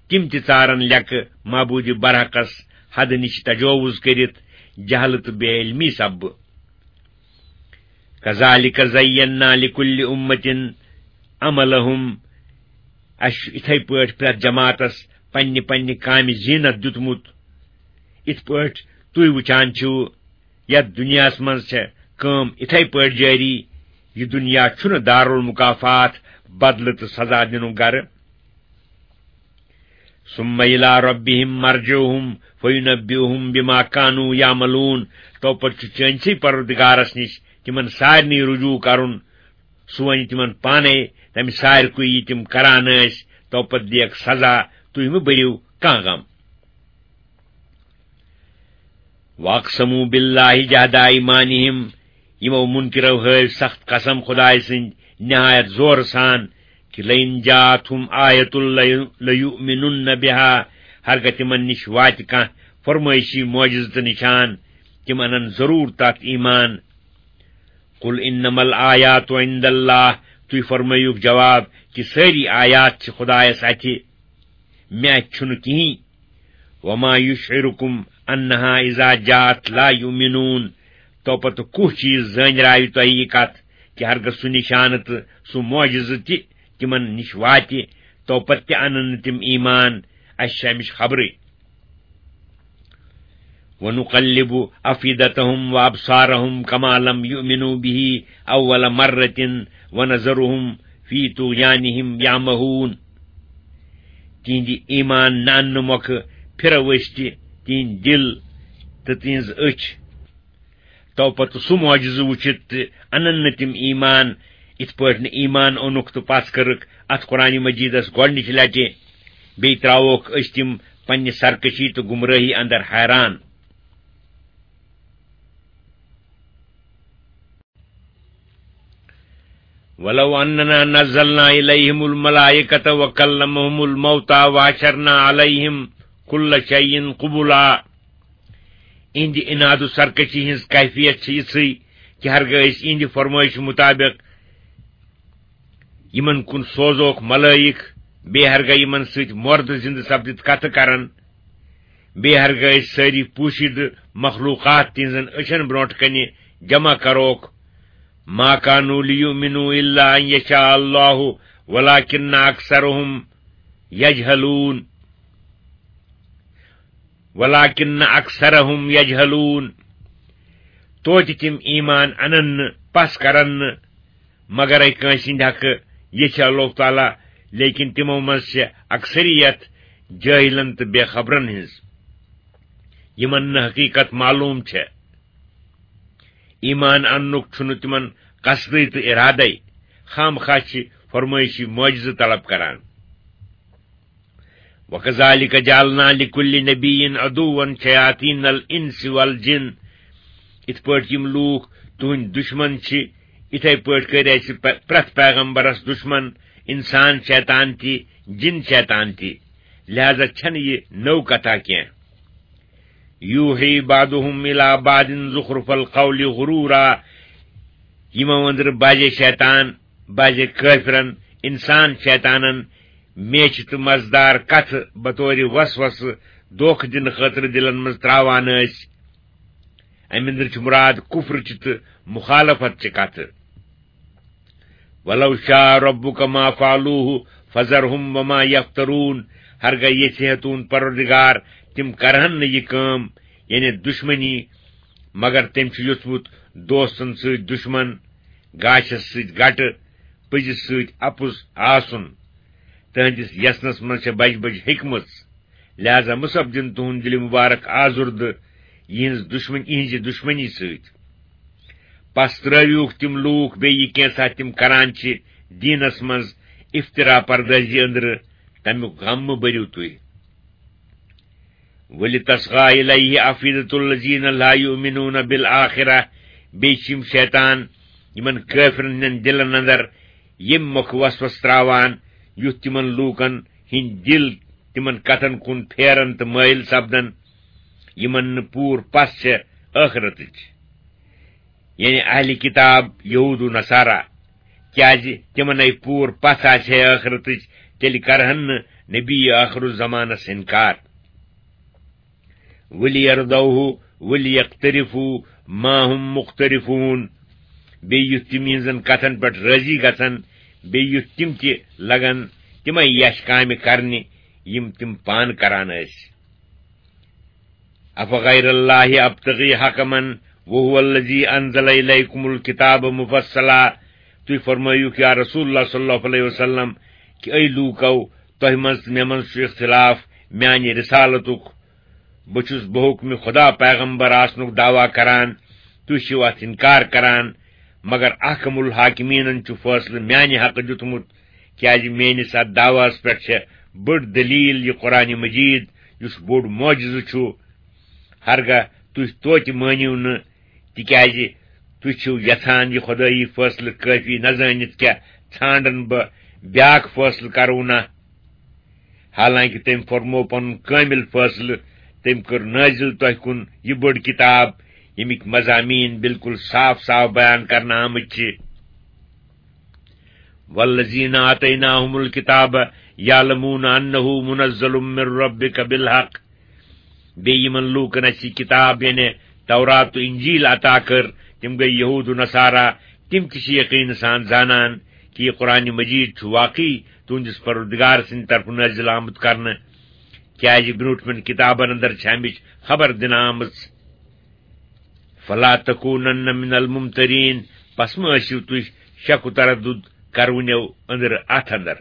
تِم تہِ ژارن لیٚکہٕ معبوٗدِ برحقس حدٕ نِش تجاوز کٔرِتھ، جہلہٕ تہٕ بے علمی سببہٕ۔ کذالک زینا لکل امة عملہم، اسہِ چھُ اِتھے پٲٹھۍ پرٛٮ۪تھ جماعتس پننہِ پننہِ کامہِ زینت دیُتمُت۔ اِتھ پٲٹھۍ تُہۍ وٕچھان چھِو، یتھ دُنیاہس منٛز چھےٚ کٲم اِتھے پٲٹھۍ جٲری۔ یہِ دُنیا چھُنہٕ دارالمکافات، بدلہٕ تہٕ سزا دِنُک گرٕ۔ ثم إلى ربهم مرجعهم فينبئهم بما كانوا يعملون۔ تو پتہٕ چھُ چٲنسٕے پروردگارس نِش تِمن سارنٕے رجوع کرُن، سُہ وَنہِ تِمن پانے تمہِ سارِکُے یہِ تِم کران ٲسۍ۔ تو پتہٕ دِیَکھ سزا، تُہۍ مہٕ بٔرِو کانٛہہ غم۔ وَأَقْسَمُوا بِاللَّهِ جَهْدَ أَيْمَانِهِمْ، یِمو مُنکِرو ہٲوۍ سخت قسم خدایہِ سٕنٛدۍ نہایت زورٕ سان، کہِ لَئِنْ جَاءَتْهُمْ آيَةٌ لَيُ-، لَيُؤْمِنُنَّ بِهَا، ہرگاہ تِمن نِش واتہِ کانٛہہ فرمٲیشی معجزٕ تہٕ نِشان، تِم اَنَن ضروٗر تَتھ ایمان۔ قُلْ إِنَّمَا الْآيَاتُ عِنْدَ اللَّهِ، تُہۍ فرمٲیِوکھ جواب کہِ سٲری آیات چھِ خدایس اَتھِ، مےٚ اَتھِ چھُنہٕ کِہیٖنۍ۔ وَمَا يُشْعِرُكُمْ أَنَّهَا إِذَا جَاءَتْ لَا يُؤْمِنُونَ۔ تو پتہٕ کُس چیٖز زٲنراوِ تۄہہِ یہِ کتھ کہِ ہرگاہ سُہ نِشانہٕ تہٕ سُہ معجزٕ تہِ تِمن نِش واتہِ، تو پتہٕ تہِ انن نہٕ تِم ایمان، اسہِ چھِ امِچ خبرٕے۔ وَنُقَلِّبُ أَفْئِدَتَهُمْ وَأَبْصَارَهُمْ كَمَا لَمْ يُؤْمِنُوا بِهِ أَوَّلَ مَرَّةٍ وَنَذَرُهُمْ فِي طُغْيَانِهِمْ يَعْمَهُونَ۔ تِہنٛدِ ایمان نہ اننہٕ مۄکھٕ پھِرو أسۍ تہِ تِہنٛدۍ دِل تہٕ تِہنٛز أچھ۔ تو پتہٕ سُہ معجزٕ وٕچھِتھ تہِ انن نہٕ تِم ایمان، یِتھ پٲٹھۍ نہٕ ایمان اوٚنُکھ تہٕ پژھ کٔرٕکھ اتھ قرآن مجیدس گۄڈنِچہِ لٹہِ، بیٚیہِ ترٛاووکھ أسۍ تِم پننہِ سرکشی تہٕ گمرٲہی اندر حیران۔ وَلَوْ أَنَّنَا نَزَّلْنَا إِلَيْهِمُ الْمَلَائِكَةَ وَكَلَّمَهُمُ الْمَوْتَى وَحَشَرْنَا عَلَيْهِمْ كُلَّ شَيْءٍ قُبُلًا۔ اِہِنٛدِ اِنادُ سرکشی ہٕنٛز کیفیت چھِ یِژھٕے کہِ ہرگاہ أسۍ اِہِنٛدِ فرمٲیشہِ مُطابِق یِمن کُن سوزوکھ ملٲیِک، بیٚیہِ ہرگاہ یِمن سۭتۍ مردٕ زِندٕ سپدِتھ کتھٕ کرن، بیٚیہِ ہرگاہ أسۍ سٲری پوٗشیدٕ مخلوقات تِہنٛزن أچھن برونٛٹھ کنہِ جمع کروکھ، ما كانوا ليؤمنوا إلا أن يشاء الله ولكن أكثرهم يجهلون۔ ولكن أكثرهم يجهلون۔ توتہِ تِم ایمان انن نہٕ، پژھ کرن نہٕ، مگرے کٲنٛسہِ ہٕنٛدِ حقہٕ ییٚژھِ اللہ تعالیٰ، لیکن تِمو منٛز چھِ اکثریت جٲہلن تہٕ بے خبرن ہٕنٛز، یِمن نہٕ حقیقت معلوم چھےٚ۔ ایمان اننُک چھُنہٕ تِمن قصدٕے تہٕ ارادے، خام خواہ چھِ فرمٲیشی معجزٕ طلب کران۔ وَكَذَلِكَ جَعَلْنَا لِكُلِّ نَبِيٍّ عَدُوًّا شَيَاطِينَ الْإِنسِ وَالْجِنِّ۔ یِتھ پٲٹھۍ یِم لوٗکھ تُہٕنٛدۍ دُشمن چھِ، یِتھے پٲٹھۍ کٔرۍ اَسہِ پرٛ-، پرٛٮ۪تھ پیغمبرس دُشمن اِنسان شیطان تہِ، جِن شیطان تہِ۔ لہذا چھنہٕ یہِ نٔو کتھا کینٛہہ۔ يُوحِي بَعْضُهُمْ إِلَى بَعْضٍ زُخْرُفَ الْقَوْلِ غُرُورًا۔ یِمو أنٛدرٕ بعضے شیطان، بعضے کٲفرن، اِنسان شیطانن میچھِ تہٕ مزٕدار کتھٕ بطورِ وسوسہٕ دھوکہٕ دِنہٕ خٲطرٕ دِلن منٛز ترٛاوان ٲسۍ۔ امہِ أنٛدرٕ چھُ مُراد کُفرٕچہِ تہٕ مُخالفتچہِ کتھٕ۔ وَلَوْ شَاءَ رَبُّكَ مَا فَعَلُوهُ فَذَرْهُمْ وَمَا يَفْتَرُونَ۔ ہرگاہ یژھِ ہے تُہُنٛد پروردگار، تِم کرہن نہٕ یہِ کٲم، یعنی دُشمنی، مگر تٔمۍ چھُ یوٚژھمُت دوستن سۭتۍ دُشمن، گاشس سۭتۍ گٹہٕ، پٔزِس سۭتۍ اپُز آسُن۔ تہنٛدِس یژھنس منٛز چھےٚ بجہِ بجہِ حکمژ۔ لہذا مہ سپدِن تُہُنٛد دِلہِ مُبارک آزُردٕ یِہٕنٛز دُشمن، یِہٕنٛزِ دُشمنی سۭتۍ۔ پس ترٲوِوکھ تِم لوٗکھ بیٚیہِ کینٛژھا تِم کران چھِ دیٖنس منٛز افترا پردٲزی أنٛدرٕ، تمیُک غم مہ بٔرِو تُہۍ۔ وَلِتَصْغَىٰ إِلَيْهِ أَفْئِدَةُ الَّذِينَ لَا يُؤْمِنُونَ بِالْآخِرَةِ۔ بیٚیہِ چھِ یِم شیطان یِمن کٲفرن ہٕنٛدٮ۪ن دِلن اندر ییٚمہِ مۄکھٕ وسوسہٕ ترٛاوان، یُتھ تِمن لوٗکن ہٕنٛدۍ دِل تِمن کتھن کُن پھیرن تہٕ مٲیِل سپدن، یِمن نہٕ پوٗرٕ پژھ چھےٚ ٲخرتٕچ۔ یعنی اہلِ کتاب، یہود و نصارہ، کیازِ تِمنے پوٗرٕ پژھ آسہِ ہے ٲخرتٕچ، تیٚلہِ کرہن نہٕ نبی ٲخر الزمانس انکار۔ وَلْيَرْضَوْهُ وَلْيَقْتَرِفُوا مَا هُمْ مُقْتَرِفُونَ۔ بیٚیہِ یُتھ تِم یِہنٛزن کتھن پٮ۪ٹھ رٲضی گژھن، بیٚیہِ یُتھ تِم تہِ لگن تِمے یش کامہِ کرنہِ، یِم تِم پانہٕ کران ٲسۍ۔ أَفَغَيْرَ اللَّهِ أَبْتَغِي حَكَمًا وَهُوَ الَّذِي أَنزَلَ إِلَيْكُمُ الْكِتَابَ مُفَصَّلًا۔ تُہۍ فرمٲیِو، یا رسول اللہ صلی اللہ علیہ وسلم، کہِ اے لوٗکو، تۄہہِ منٛز تہٕ مےٚ منٛز چھُ اختلاف، میانہِ رسالتُک، بہٕ چھُس بحکمِ خدا پیغمبر آسنُک دعویٰ کران، تُہۍ چھِو اتھ انکار کران، مگر احکم الحاکمینن چھُ فٲصلہٕ میانہِ حقہٕ دیُتمُت، کیازِ میٲنِس اتھ دعواہس پٮ۪ٹھ چھےٚ بٔڑ دلیل، یہِ قرآن مجید، یُس بوٚڑ معجزٕ چھُ۔ ہرگاہ تُہۍ توتہِ مٲنِو نہٕ، تِکیازِ تُہۍ چھِو یژھان یہِ خۄدٲیی فٲصلہٕ کٲفی نہ زٲنِتھ کیٛاہ ژھانڈن بہٕ بیاکھ فٲصلہٕ کرو نہ؟ حالانکہ تٔمۍ فرموو پنُن کٲمل فٲصلہٕ، تٔمۍ کٔر نٲزِل تۄہہِ کُن یہِ بٔڑ کتاب، ییٚمِکۍ مضامین بالکل صاف صاف بیان کرنہٕ آمٕتۍ چھِ۔ والذین آتیناہم الکتاب یعلمون انہ منزل من ربک بالحق۔ بیٚیہِ یِمن لوٗکن اَسہِ یہِ کِتاب، یعنی تورات تہٕ اِنجیٖل عطا کٔر، تِم گٔے یہوٗد و نصارا، تِم تہِ چھِ یقیٖن سان زانان کہِ یہِ قرآن مجیٖد چھُ واقعی تُہنٛدِس پروردگار سٕنٛدِ طرفہٕ نٲزِل آمُت کرنہٕ، کیازِ برٛونٛٹھمٮ۪ن کِتابن اندر چھِ اَمِچ خبر دِنہٕ آمٕژ۔ فلا تکونن من الممترین، پس مہ ٲسِو تُہۍ شک و تردد کرونیو أنٛدرٕ اتھ اندر۔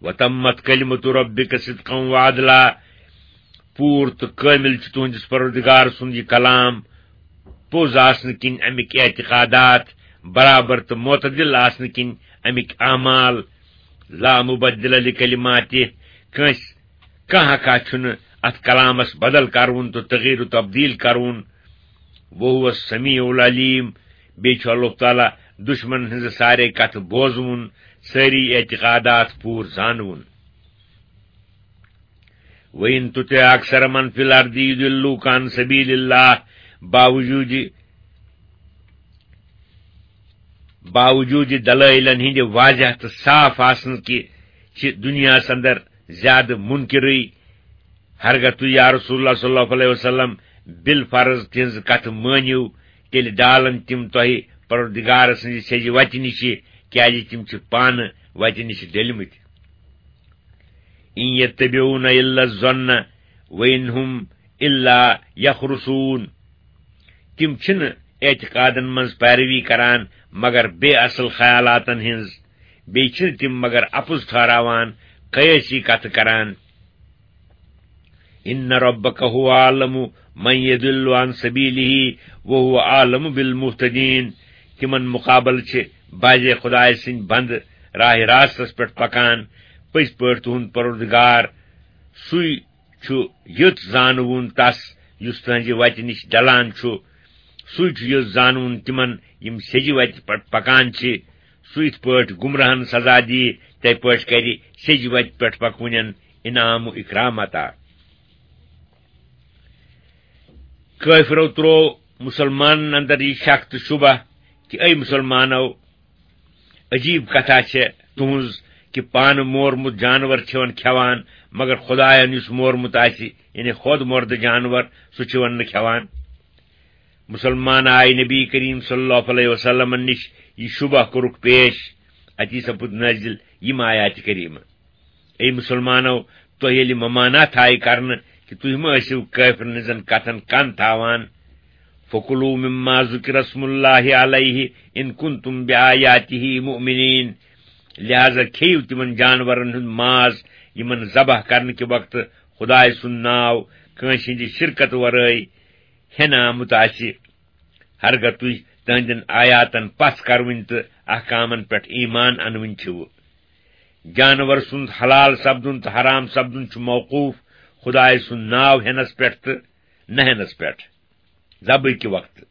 وتمت کلمت ربک صدقا وعدلا، پوٗر تہٕ کٲمِل چھُ تُہنٛدِس پروردگار سُنٛد یہِ کلام، پوٚز آسنہٕ کِنۍ اَمِکۍ اعتقادات، برابر تہٕ معتدل آسنہٕ کِنۍ اَمِکۍ اعمال۔ لا مبدل لکلماتہ، کٲنٛسہِ، کانٛہہ ہکا چھُنہٕ اتھ کلامس بدل کرُن تہٕ تغییر و تبدیل کرُن۔ وہو السمیع العلیم، بیٚیہِ چھُ اللہ تعالیٰ دشمنن ہٕنٛزٕ سارے کتھٕ بوزوُن، سٲری اعتقادات پوٗرٕ زانوُن۔ وَإِن تُطِعْ أَكْثَرَ مَنْ فِي الْأَرْضِ يُضِلُّوكَ عَنْ سَبِيلِ اللَّهِ، باوجوٗدِ، باوجوٗدِ دلٲیلن ہٕنٛدِ واضح تہٕ صاف آسنہٕ کہِ چھِ دُنیاہس اندر زیادٕ مُنکِرٕے۔ ہرگاہ تُہۍ، یا رسول اللہ صلی اللہ علیہ وسلم، بالفرض تِہنٛز کتھ مٲنِو، تیٚلہِ ڈالن تِم تۄہہِ پروردگار سٕنٛزِ سیٚزِ وتہِ نِشہِ، کیازِ تِم چھِ پانہٕ وتہِ نِشہِ ڈٔلمٕتۍ۔ ان یتبعون الا الظن وان هم الا یخرصون۔ تِم چھِنہٕ اعتقادن منٛز پیروی کران مگر بے اصل خیالاتن ہٕنٛز، بیٚیہِ چھِنہٕ تِم مگر اپُز ٹھہراوان، قیٲسی کتھٕ کران۔ ان ربک هو اعلم من یضل عن سبیلہ وهو اعلم بالمہتدین۔ تِمن مقابلہٕ چھِ بعضے خدایہِ سٕنٛدۍ بندٕ راہ راستس پٮ۪ٹھ پکان۔ پٔزۍ پٲٹھۍ تُہُنٛد پروردگار، سُے چھُ یُتھ زانوُن تس یُس تُہنٛزِ وتہِ نِش ڈلان چھُ۔ سُے چھُ یُتھ زانوُن تِمن یِم سیٚزِ وتہِ پٮ۪ٹھ پکان چھِ۔ سُہ یِتھ پٲٹھۍ گمراہن سزا دِیہِ، تِتھے پٲٹھۍ کرِ سیٚزِ وتہِ پٮ۪ٹھ پکوٕنٮ۪ن انعام و اکرام عطا۔ کٲفرو تروو مسلمانن اندر یہِ شک تہٕ شبہ کہِ اے مسلمانو، عجیب کتھا چھےٚ تُہنٛز کہِ پانہٕ مورمُت جانور چھِون کھٮ۪وان، مگر خداین یُس مورمُت آسہِ، یعنی خود مردٕ جانور، سُہ چھِون نہٕ کھٮ۪وان۔ مسلمان آے نبی کریم صلی اللہ علیہ وسلمن نِش، یہِ شبہ کوٚرُکھ پیش، اتی سپُد نٲزِل یِم آیاتِ کریمہٕ۔ اے مسلمانو، تۄہہِ ییٚلہِ ممانعت آیہِ کرنہٕ کہِ تُہۍ مہ ٲسِو کٲفرن ہٕنٛزن کتھن کن تھاوان، فکلوا مما ذکر اسم اللہ علیہ ان کنتم بآیاتہ مؤمنین، لہذا کھیٚیِو تِمن جانورن ہُنٛد ماز یِمن ذبح کرنہٕ کہِ وقتہٕ خدایہِ سُنٛد ناو کٲنٛسہِ ہٕنٛدِ شرکت ورٲے ہٮ۪نہٕ آمُت آسہِ، ہرگاہ تُہۍ تِہنٛدٮ۪ن آیاتن پژھ کرٕوٕنۍ تہٕ احکامن پٮ۪ٹھ ایمان انوٕنۍ چھِو۔ جانور سُنٛد حلال سپدُن تہٕ حرام سپدُن چھُ موقوف خدایہِ سُنٛد ناو ہٮ۪نس پٮ۪ٹھ تہٕ نہ ہٮ۪نس پٮ۪ٹھ، ذبحہٕ کہِ وقتہٕ۔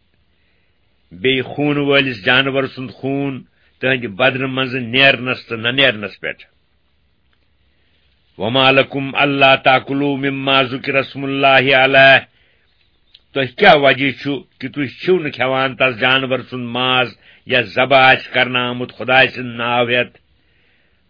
بیٚیہِ خوٗن وٲلِس جانور سُنٛد خوٗن تِہنٛدِ بدنہٕ منٛزٕ نیرنس تہٕ نہ نیرنس پٮ۪ٹھ۔ وما لکم الا تاکلوا مما ذکر اسم اللہ علیہ، تۄہہِ کیٛاہ وجہ چھُ کہِ تُہۍ چھِو نہٕ کھٮ۪وان تس جانور سُنٛد ماز یا ذبح آسہِ کرنہٕ آمُت خدایہِ سُنٛد ناو ہٮ۪تھ؟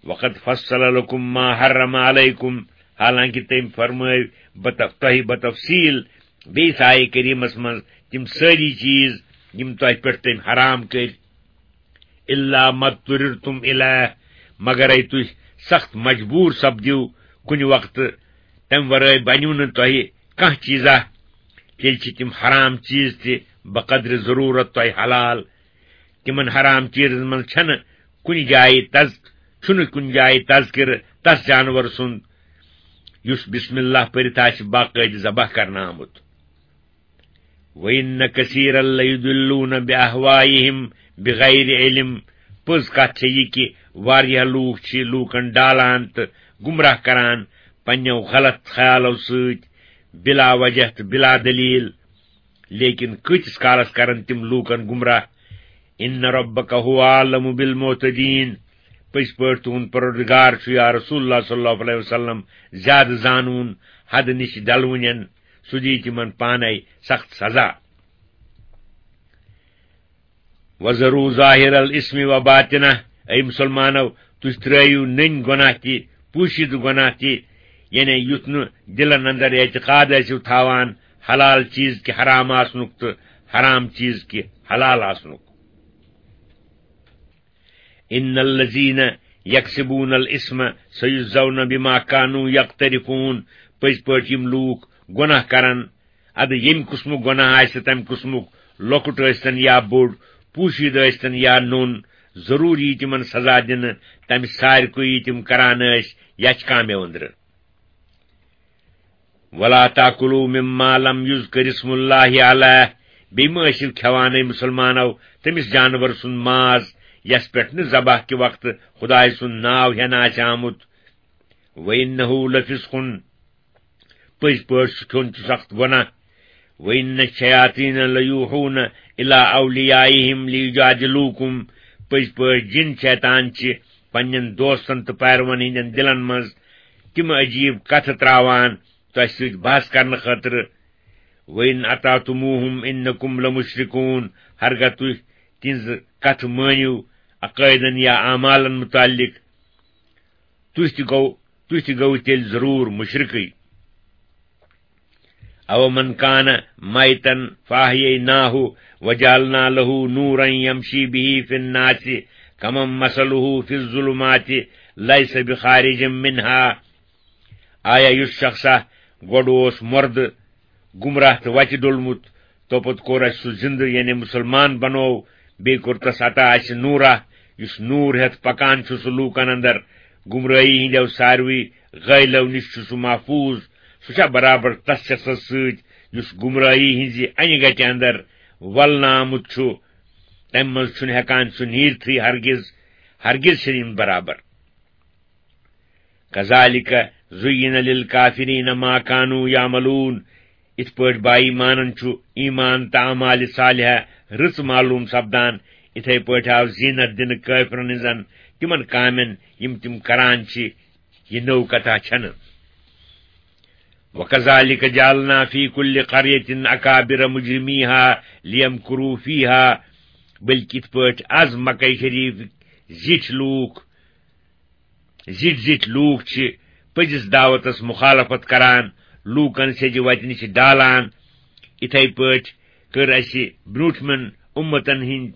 وقد فصل لکم ما حرم علیکم، حالانکہِ تٔمۍ فرمٲوۍ بت-، تۄہہِ بتفصیل بیٚیِس آیہِ کریٖمس منٛز تِم سٲری چیٖز یِم تۄہہِ پٮ۪ٹھ تٔمۍ حرام کٔرۍ۔ الا ما اضطررتم الیہ، مگر اے تُہۍ سخت مجبوٗر سپدِو کُنہِ وقتہٕ، تمہِ ورٲے بنیو نہٕ تۄہہِ کانٛہہ چیٖزا، تیٚلہِ چھِ تِم حرام چیٖز تہِ بقدر ضروٗرت تۄہہِ حلال۔ تِمن حرام چیٖزن منٛز چھنہٕ کُنہِ جایہِ تذ-، چھُنہٕ کُنہِ جایہِ تذکرٕ تس جانور سُنٛد یُس بسم اللہ پٔرِتھ آسہِ باقٲعدٕ ذبح کرنہٕ آمُت۔ وَإِنَّ كَثِيرًا لَيُضِلُّونَ بِأَهْوَائِهِمْ بِغَيْرِ عِلْمٍ۔ پوٚز کتھ چھےٚ یہِ کہِ واریاہ لوٗکھ چھِ لوٗکن ڈالان تہٕ گمراہ کران پننیو غلط خیالو سۭتۍ، بلا وجہ تہٕ بلا دلیل۔ لیکن کۭتِس کالس کرن تِم لوٗکن گمراہ؟ ان ربک هو اعلم بالمعتدین۔ پٔزۍ پٲٹھۍ تُہُنٛد پروردگار چھُ، یا رسول اللہ صلی اللہ علیہ وسلم، زیادٕ زانوُن حد نِش ڈلوٕنٮ۪ن، سُہ دِیہِ تِمن پانے سخت سزا۔ وذروا ظاہر الاسم و باطنہ، اے مسلمانو، تُہۍ ترٲیِو نٔنۍ گۄناہ تہِ، پوٗشِدٕ گۄناہ تہِ، یعنی یُتھ نہٕ دِلن اندر اعتقاد ٲسِو تھاوان حلال چیز کہِ حرام آسنُک تہٕ حرام چیز کہِ حلال آسنُک۔ ان الذین یکسبون الاسم سیجزون بما کانوا یقترفون۔ پٔزۍ پٲٹھۍ یِم لوٗکھ گۄناہ کرن، ادٕ ییٚمہِ قٕسمُک گۄناہ آسہِ، تمہِ قٕسمُک، لۄکُٹ ٲسۍتن یا بوٚڑ، پوٗشیٖدٕ ٲسۍتن یا نوٚن، ضروٗر یی تِمن سزا دِنہٕ تمہِ سارِ کُے یہِ تِم کران ٲسۍ یچھ کامٮ۪و أنٛدرٕ۔ ولا تاکلوا مما لم یذکر اسم اللہ علیہ، بیٚیہِ مہ ٲسِو کھٮ۪وان، اے مسلمانو، تٔمِس جانور سُنٛد ماز یس پٮ۪ٹھ نہٕ ذبح کہِ وقتہٕ خدایہِ سُنٛد ناو ہٮ۪نہٕ آسہِ آمُت۔ وانہ لفسق، پٔزۍ پٲٹھۍ سُہ کھیوٚن چھُ سخت گۄناہ۔ وان الشیاطین لیوحون الی اولیائہم لیجادلوکم، پٔزۍ پٲٹھۍ جِن شیطان چھِ پننٮ۪ن دوستن تہٕ پیروَن ہٕنٛدٮ۪ن دِلن منٛز تِم عجیٖب کتھٕ تراوان تۄہہِ سۭتۍ بحث کرنہٕ خٲطرٕ۔ وان اطعتموہم انکم لمشرکون، ہرگاہ تُہۍ تِہنٛزٕ کتھٕ مٲنِو عقٲیدن یا اعمالن متعلق، تُہۍ تہِ گوٚو، تُہۍ تہِ گوٚو تیٚلہِ ضروٗر مُشرِکٕے۔ أَوَمَنْ كَانَ مَيْتًا فَأَحْيَيْنَاهُ وَجَعَلْنَا لَهُ نُورًا يَمْشِي بِهِ فِي النَّاسِ كَمَنْ مَثَلُهُ فِي الظُّلُمَاتِ لَيْسَ بِخَارِجٍ مِنْهَا۔ آیا یُس شخصا گۄڈٕ اوس مردٕ، گمراہ تہٕ وتہِ ڈوٚلمُت، توپتہٕ کوٚر اسہِ سُہ زندٕ، یعنی مسلمان بنوو، بیٚیہِ کوٚر تس عطا اسہِ نورا، یُس نور ہٮ۪تھ پکان چھُ سُہ لوٗکن اندر۔ گمرٲہی ہٕنٛدیو ساروٕے غٲیلو نِش چھُ سُہ محفوظ۔ سُہ چھا برابر تس شخصس سۭتۍ یُس گمرٲہی ہٕنٛزِ انہِ گٹہِ اندر ولنہٕ آمُت چھُ؟ تمہِ منٛز چھُنہٕ ہٮ۪کان سُہ نیٖرتھٕے ہرگز، ہرگز چھِنہٕ یِم برابر۔ کذالک زین للکافرین ما کانوا یعملون۔ یِتھ پٲٹھۍ با ایمانن چھُ ایمان تہٕ اعمال صالحہ رٕژ معلوم سپدان، یِتھے پٲٹھۍ آو زینت دِنہٕ کٲفرن ہٕنٛزن تِمن کامٮ۪ن یِم تِم کران چھِ۔ یہِ نٔو کتھا چھنہٕ۔ وکذالک جعلنا فی کل قریۃ اکابر مجرمیہا لیمکروا فیہا۔ بلکہ یِتھ پٲٹھۍ از مکہ شریف زِٹھۍ لوٗکھ زِٹھۍ زِٹھۍ لوٗکھ چھِ پٔزِس دعوتس مخالفت کران، لوٗکن سیٚزِ وتہِ نِش ڈالان۔ یِتھے پٲٹھۍ کٔر اسہِ برٛونٛٹھمٮ۪ن اُمتن ہٕنٛدۍ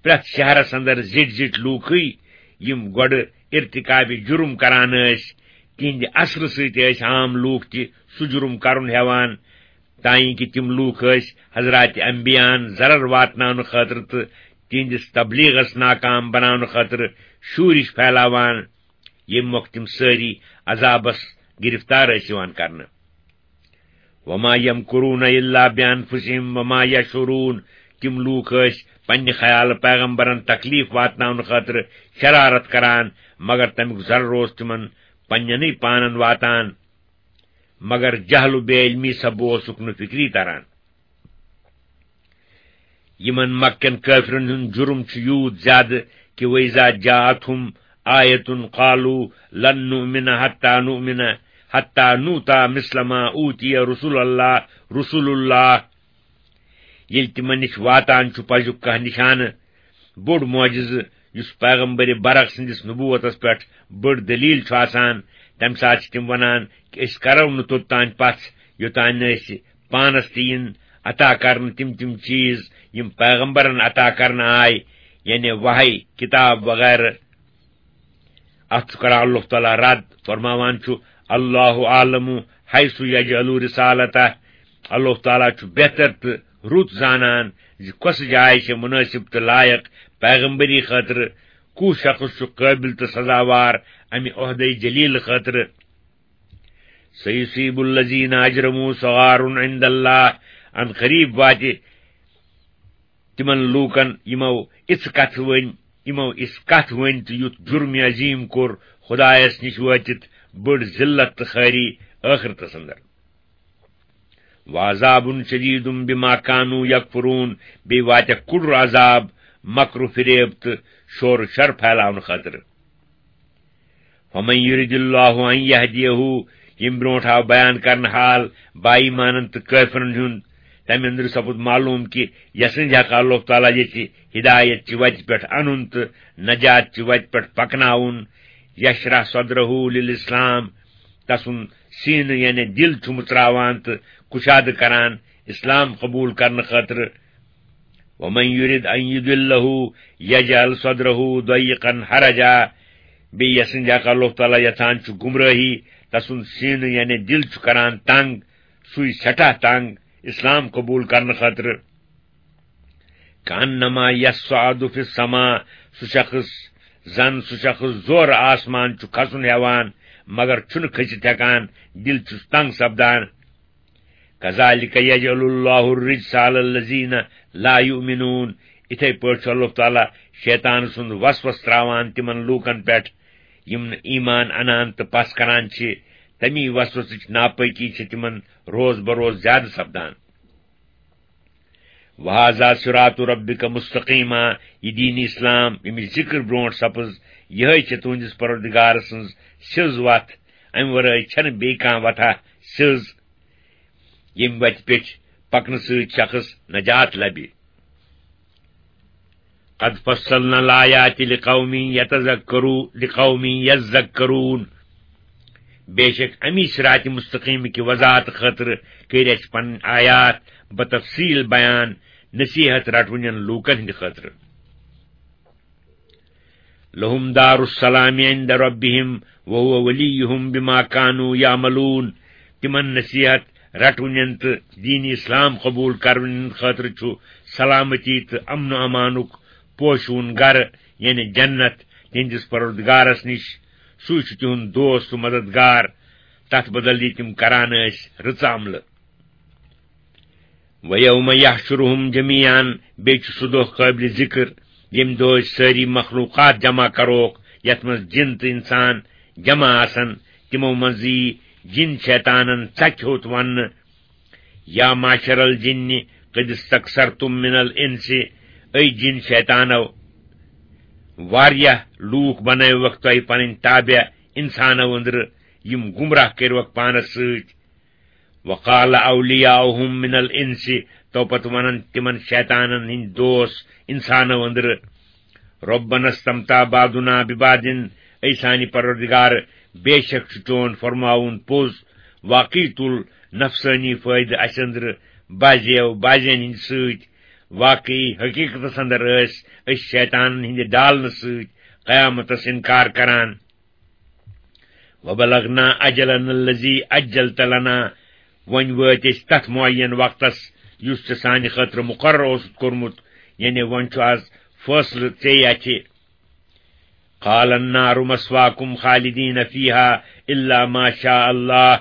پرٛٮ۪تھ شہرس اندر زِٹھۍ زِٹھۍ لوٗکھٕے، یِم گۄڈٕ ارتکابِ جُرم کران ٲسۍ، تِہنٛدِ اثرٕ سۭتۍ ٲسۍ عام لوٗکھ تہِ سُہ جُرم کرُن ہٮ۪وان۔ تانۍ کہِ تِم لوٗکھ ٲسۍ حضرات انبیاہن ضرر واتناونہٕ خٲطرٕ تہٕ تِہنٛدِس تبلیغس ناکام بناونہٕ خٲطرٕ شورش پھیلاوان، ییٚمہِ مۄکھٕ تِم سٲری عذابس گرفتار ٲسۍ یِوان کرنہٕ۔ وما یمکرون الا بانفسہم وما یشعرون۔ تِم لوٗکھ ٲسۍ پننہِ خیالہٕ پیغمبرن تکلیف واتناونہٕ خٲطرٕ شرارت کران، مگر تمیُک ضرر اوس تِمن پننٮ۪نٕے پانن واتان۔ مگر جہل و بے علمی سببہٕ اوسُکھ نہٕ فکری تران۔ یِمن مکہ کٮ۪ن کٲفرن ہُنٛد جُرم چھُ یوٗت زیادٕ کہِ وَإِذَا جَاءَتْهُمْ آيَةٌ قَالُوا لَنْ نُؤْمِنَ حَتَّى نُؤْمِنَ حَتَّى نُؤْتَى مِثْلَ مَا أُوتِيَ رُسُلُ اللَّهِ، رُسُلُ اللَّهِ۔ ییٚلہِ تِمن نِش واتان چھُ پزیُک کانٛہہ نِشانہٕ، بوٚڑ معجزٕ، یُس پیغمبر برق سٕنٛدِس نبوتس پٮ۪ٹھ بٔڑ دلیل چھُ آسان، تمہِ ساتہٕ چھِ تِم ونان کہِ أسۍ کرو نہٕ توٚتام پژھ یوٚتام نہٕ أسۍ پانس تہِ یِن عطا کرنہٕ تِم تِم چیز یِم پیغمبرن عطا کرنہٕ آے، یعنی وحی، کتاب وغیرہ۔ اتھ چھُ کران اللہ تعالیٰ رد، فرماوان چھُ، "اللہ عالم حیث یجعل رسالتہ"۔ اللہ تعالیٰ چھُ بہتر تہٕ رُت زانان زِ کۄس جاے چھِ مناسب تہٕ لائق پیغمبری خٲطرٕ، کُس شخص چھُ قٲبل تہٕ سزاوار امہِ عہدے جلیل خٲطرٕ۔ سیصیب الذین اجرموا صغار عند اللہ، ان قریب واتہِ تِمن لوٗکن یِمو اِژھ کتھ ؤنۍ، یِمو اِژھ کتھ ؤنۍ تہٕ یُتھ جُرمِ عظیٖم کوٚر خۄدایس نِش وٲتِتھ بٔڑ ذلت تہٕ خٲری ٲخرتس اندر۔ وعذاب شدید بما كانوا يكفرون، بیٚیہِ واتٮ۪کھ کُڑُر عذاب مکر و فریب تہٕ شور و شر پھیلاونہٕ خٲطرٕ۔ فمن یرد اللہ ان یہدیہ، ییٚمہِ برونٛٹھ آو بیان کرنہٕ حال با ایمانن تہٕ کٲفرن ہُنٛد، تمہِ اندرٕ سپُد معلوم کہِ یسٕنٛدِ حق اللہ تعالیٰ یژھِ ہدایت چہِ وتہِ پٮ۪ٹھ انُن تہٕ نجات چہِ وتہِ پٮ۪ٹھ پکناوُن، یشرح صدرہ للاسلام، تسُنٛد سینہٕ یعنی دل چھُ مُژراوان تہٕ کُشادٕ کران اسلام قبول کرنہٕ خٲطرٕ۔ ومن یرد ان یضلہ یجعل صدرہ ضیقا حرجا، بیٚیہِ یسٕنٛدِ حق اللہ تعالیٰ یژھان چھُ گمرٲہی، تسُنٛد سینہٕ یعنی دل چھُ کران تنگ، سُے سٮ۪ٹھاہ تنگ اسلام قبول کرنہٕ خٲطرٕ۔ کانما یصعد فی السماء، سُہ شخص زن سُہ شخص زورٕ آسمان چھُ کھسُن ہٮ۪وان، مگر چھُنہٕ کھٔسِتھ ہٮ۪کان، دل چھُس تنگ سپدان۔ کذالک یجعل اللہ الرجس علی الذین لا یؤمنون، اِتھے پٲٹھۍ چھُ اللہ تعالیٰ شیطان سُنٛد وسوس تراوان تِمن لوٗکن پٮ۪ٹھ یِم نہٕ ایمان انان تہٕ پس کران چھِ، تمی وسوسٕچ ناپٲکی چھِ تِمن روز بروز زیادٕ سپدان۔ وہذا صراط ربک مستقیما، یہِ دین اسلام ییٚمِچ ذکر برونٛٹھ سپٕز، یِہے چھِ تُہنٛدِس پروردگار سٕنٛز سیٚز وتھ، امہِ ورٲے چھنہٕ بیٚیہِ کانٛہہ وتھا سیٚز، ییٚمہِ وتہِ پٮ۪ٹھ پکنہٕ سۭتۍ شخص نجات لبہِ۔ قد فصلنا الآیات لقوم یتذکرو-، لقوم یذکرون۔ بے شک امی صراط مستقیم کہِ وضاحت خٲطرٕ کٔرۍ اَسہِ پنٕنۍ آیات بتفصیل بیان نصیحت رٹوٕنٮ۪ن لوٗکن ہٕنٛدِ خٲطرٕ۔ لہم دار السلام عند ربہم وہو ولیہم بما کانوا یعملون۔ تِمن نصیحت رٹوٕنٮ۪ن تہٕ دین اسلام قبول کرنہٕ خٲطرٕ چھُ سلامتی تہٕ امن و امانُک پوشوٗن گرٕ، یعنی جنت، تِہنٛدِس پروردگارس نِش۔ سُے چھُ تِہُنٛد دوست تہٕ مددگار، تتھ بدل یہِ تِم کران ٲسۍ رٕژ عملہٕ۔ وَيَوْمَ يَحْشُرُهُمْ جَمِيعًا، بیٚیہِ چھُ سُہ دۄہ قٲبلِ ذِکر، ییٚمہِ دۄہ أسۍ سٲری مخلوقات جمع کروکھ، یتھ منٛز جِن تہٕ اِنسان جمع آسن۔ تِمو منٛز یی جِن شیطانن ژکہِ ہوٚت وننہٕ، یا معشر الجن قد استكثرتم من الانس، اے جِن شیطانو، واریاہ لوٗکھ بنٲوکھ تۄہہِ پنٕنۍ تابع اِنسانو أنٛدرٕ، یِم گمراہ کٔرِوکھ پانس سۭتۍ۔ وقال اولیاؤہم من الانس، تو پتہٕ ونن تِمن شیطانن ہٕنٛدۍ دوس انسانو أنٛدرٕ، ربنا استمتع بعضنا ببعض، اے سانہِ پروردگار، بے شک چھُ چون فرماوُن پوٚز، واقعی تُل نفسٲنی فٲیدٕ اسہِ أنٛدرٕ بعضیو بعضین ہٕنٛدِ سۭتۍ، واقعی حقیقتس اندر ٲسۍ أسۍ شیطانن ہٕنٛدِ ڈالنہٕ سۭتۍ قیامتس انکار کران۔ وبلغنا اجلنا الذي عجلت لنا، وۄنۍ وٲتۍ أسۍ تتھ معین وقتس یُس ژےٚ سانہِ خٲطرٕ مقرر اوسُتھ کوٚرمُت، یعنی وۄنۍ چھُ از فٲصلہٕ ژےٚ اَتھِ۔ قال النار مثواكم خالدين فيها إلا ما شاء الله۔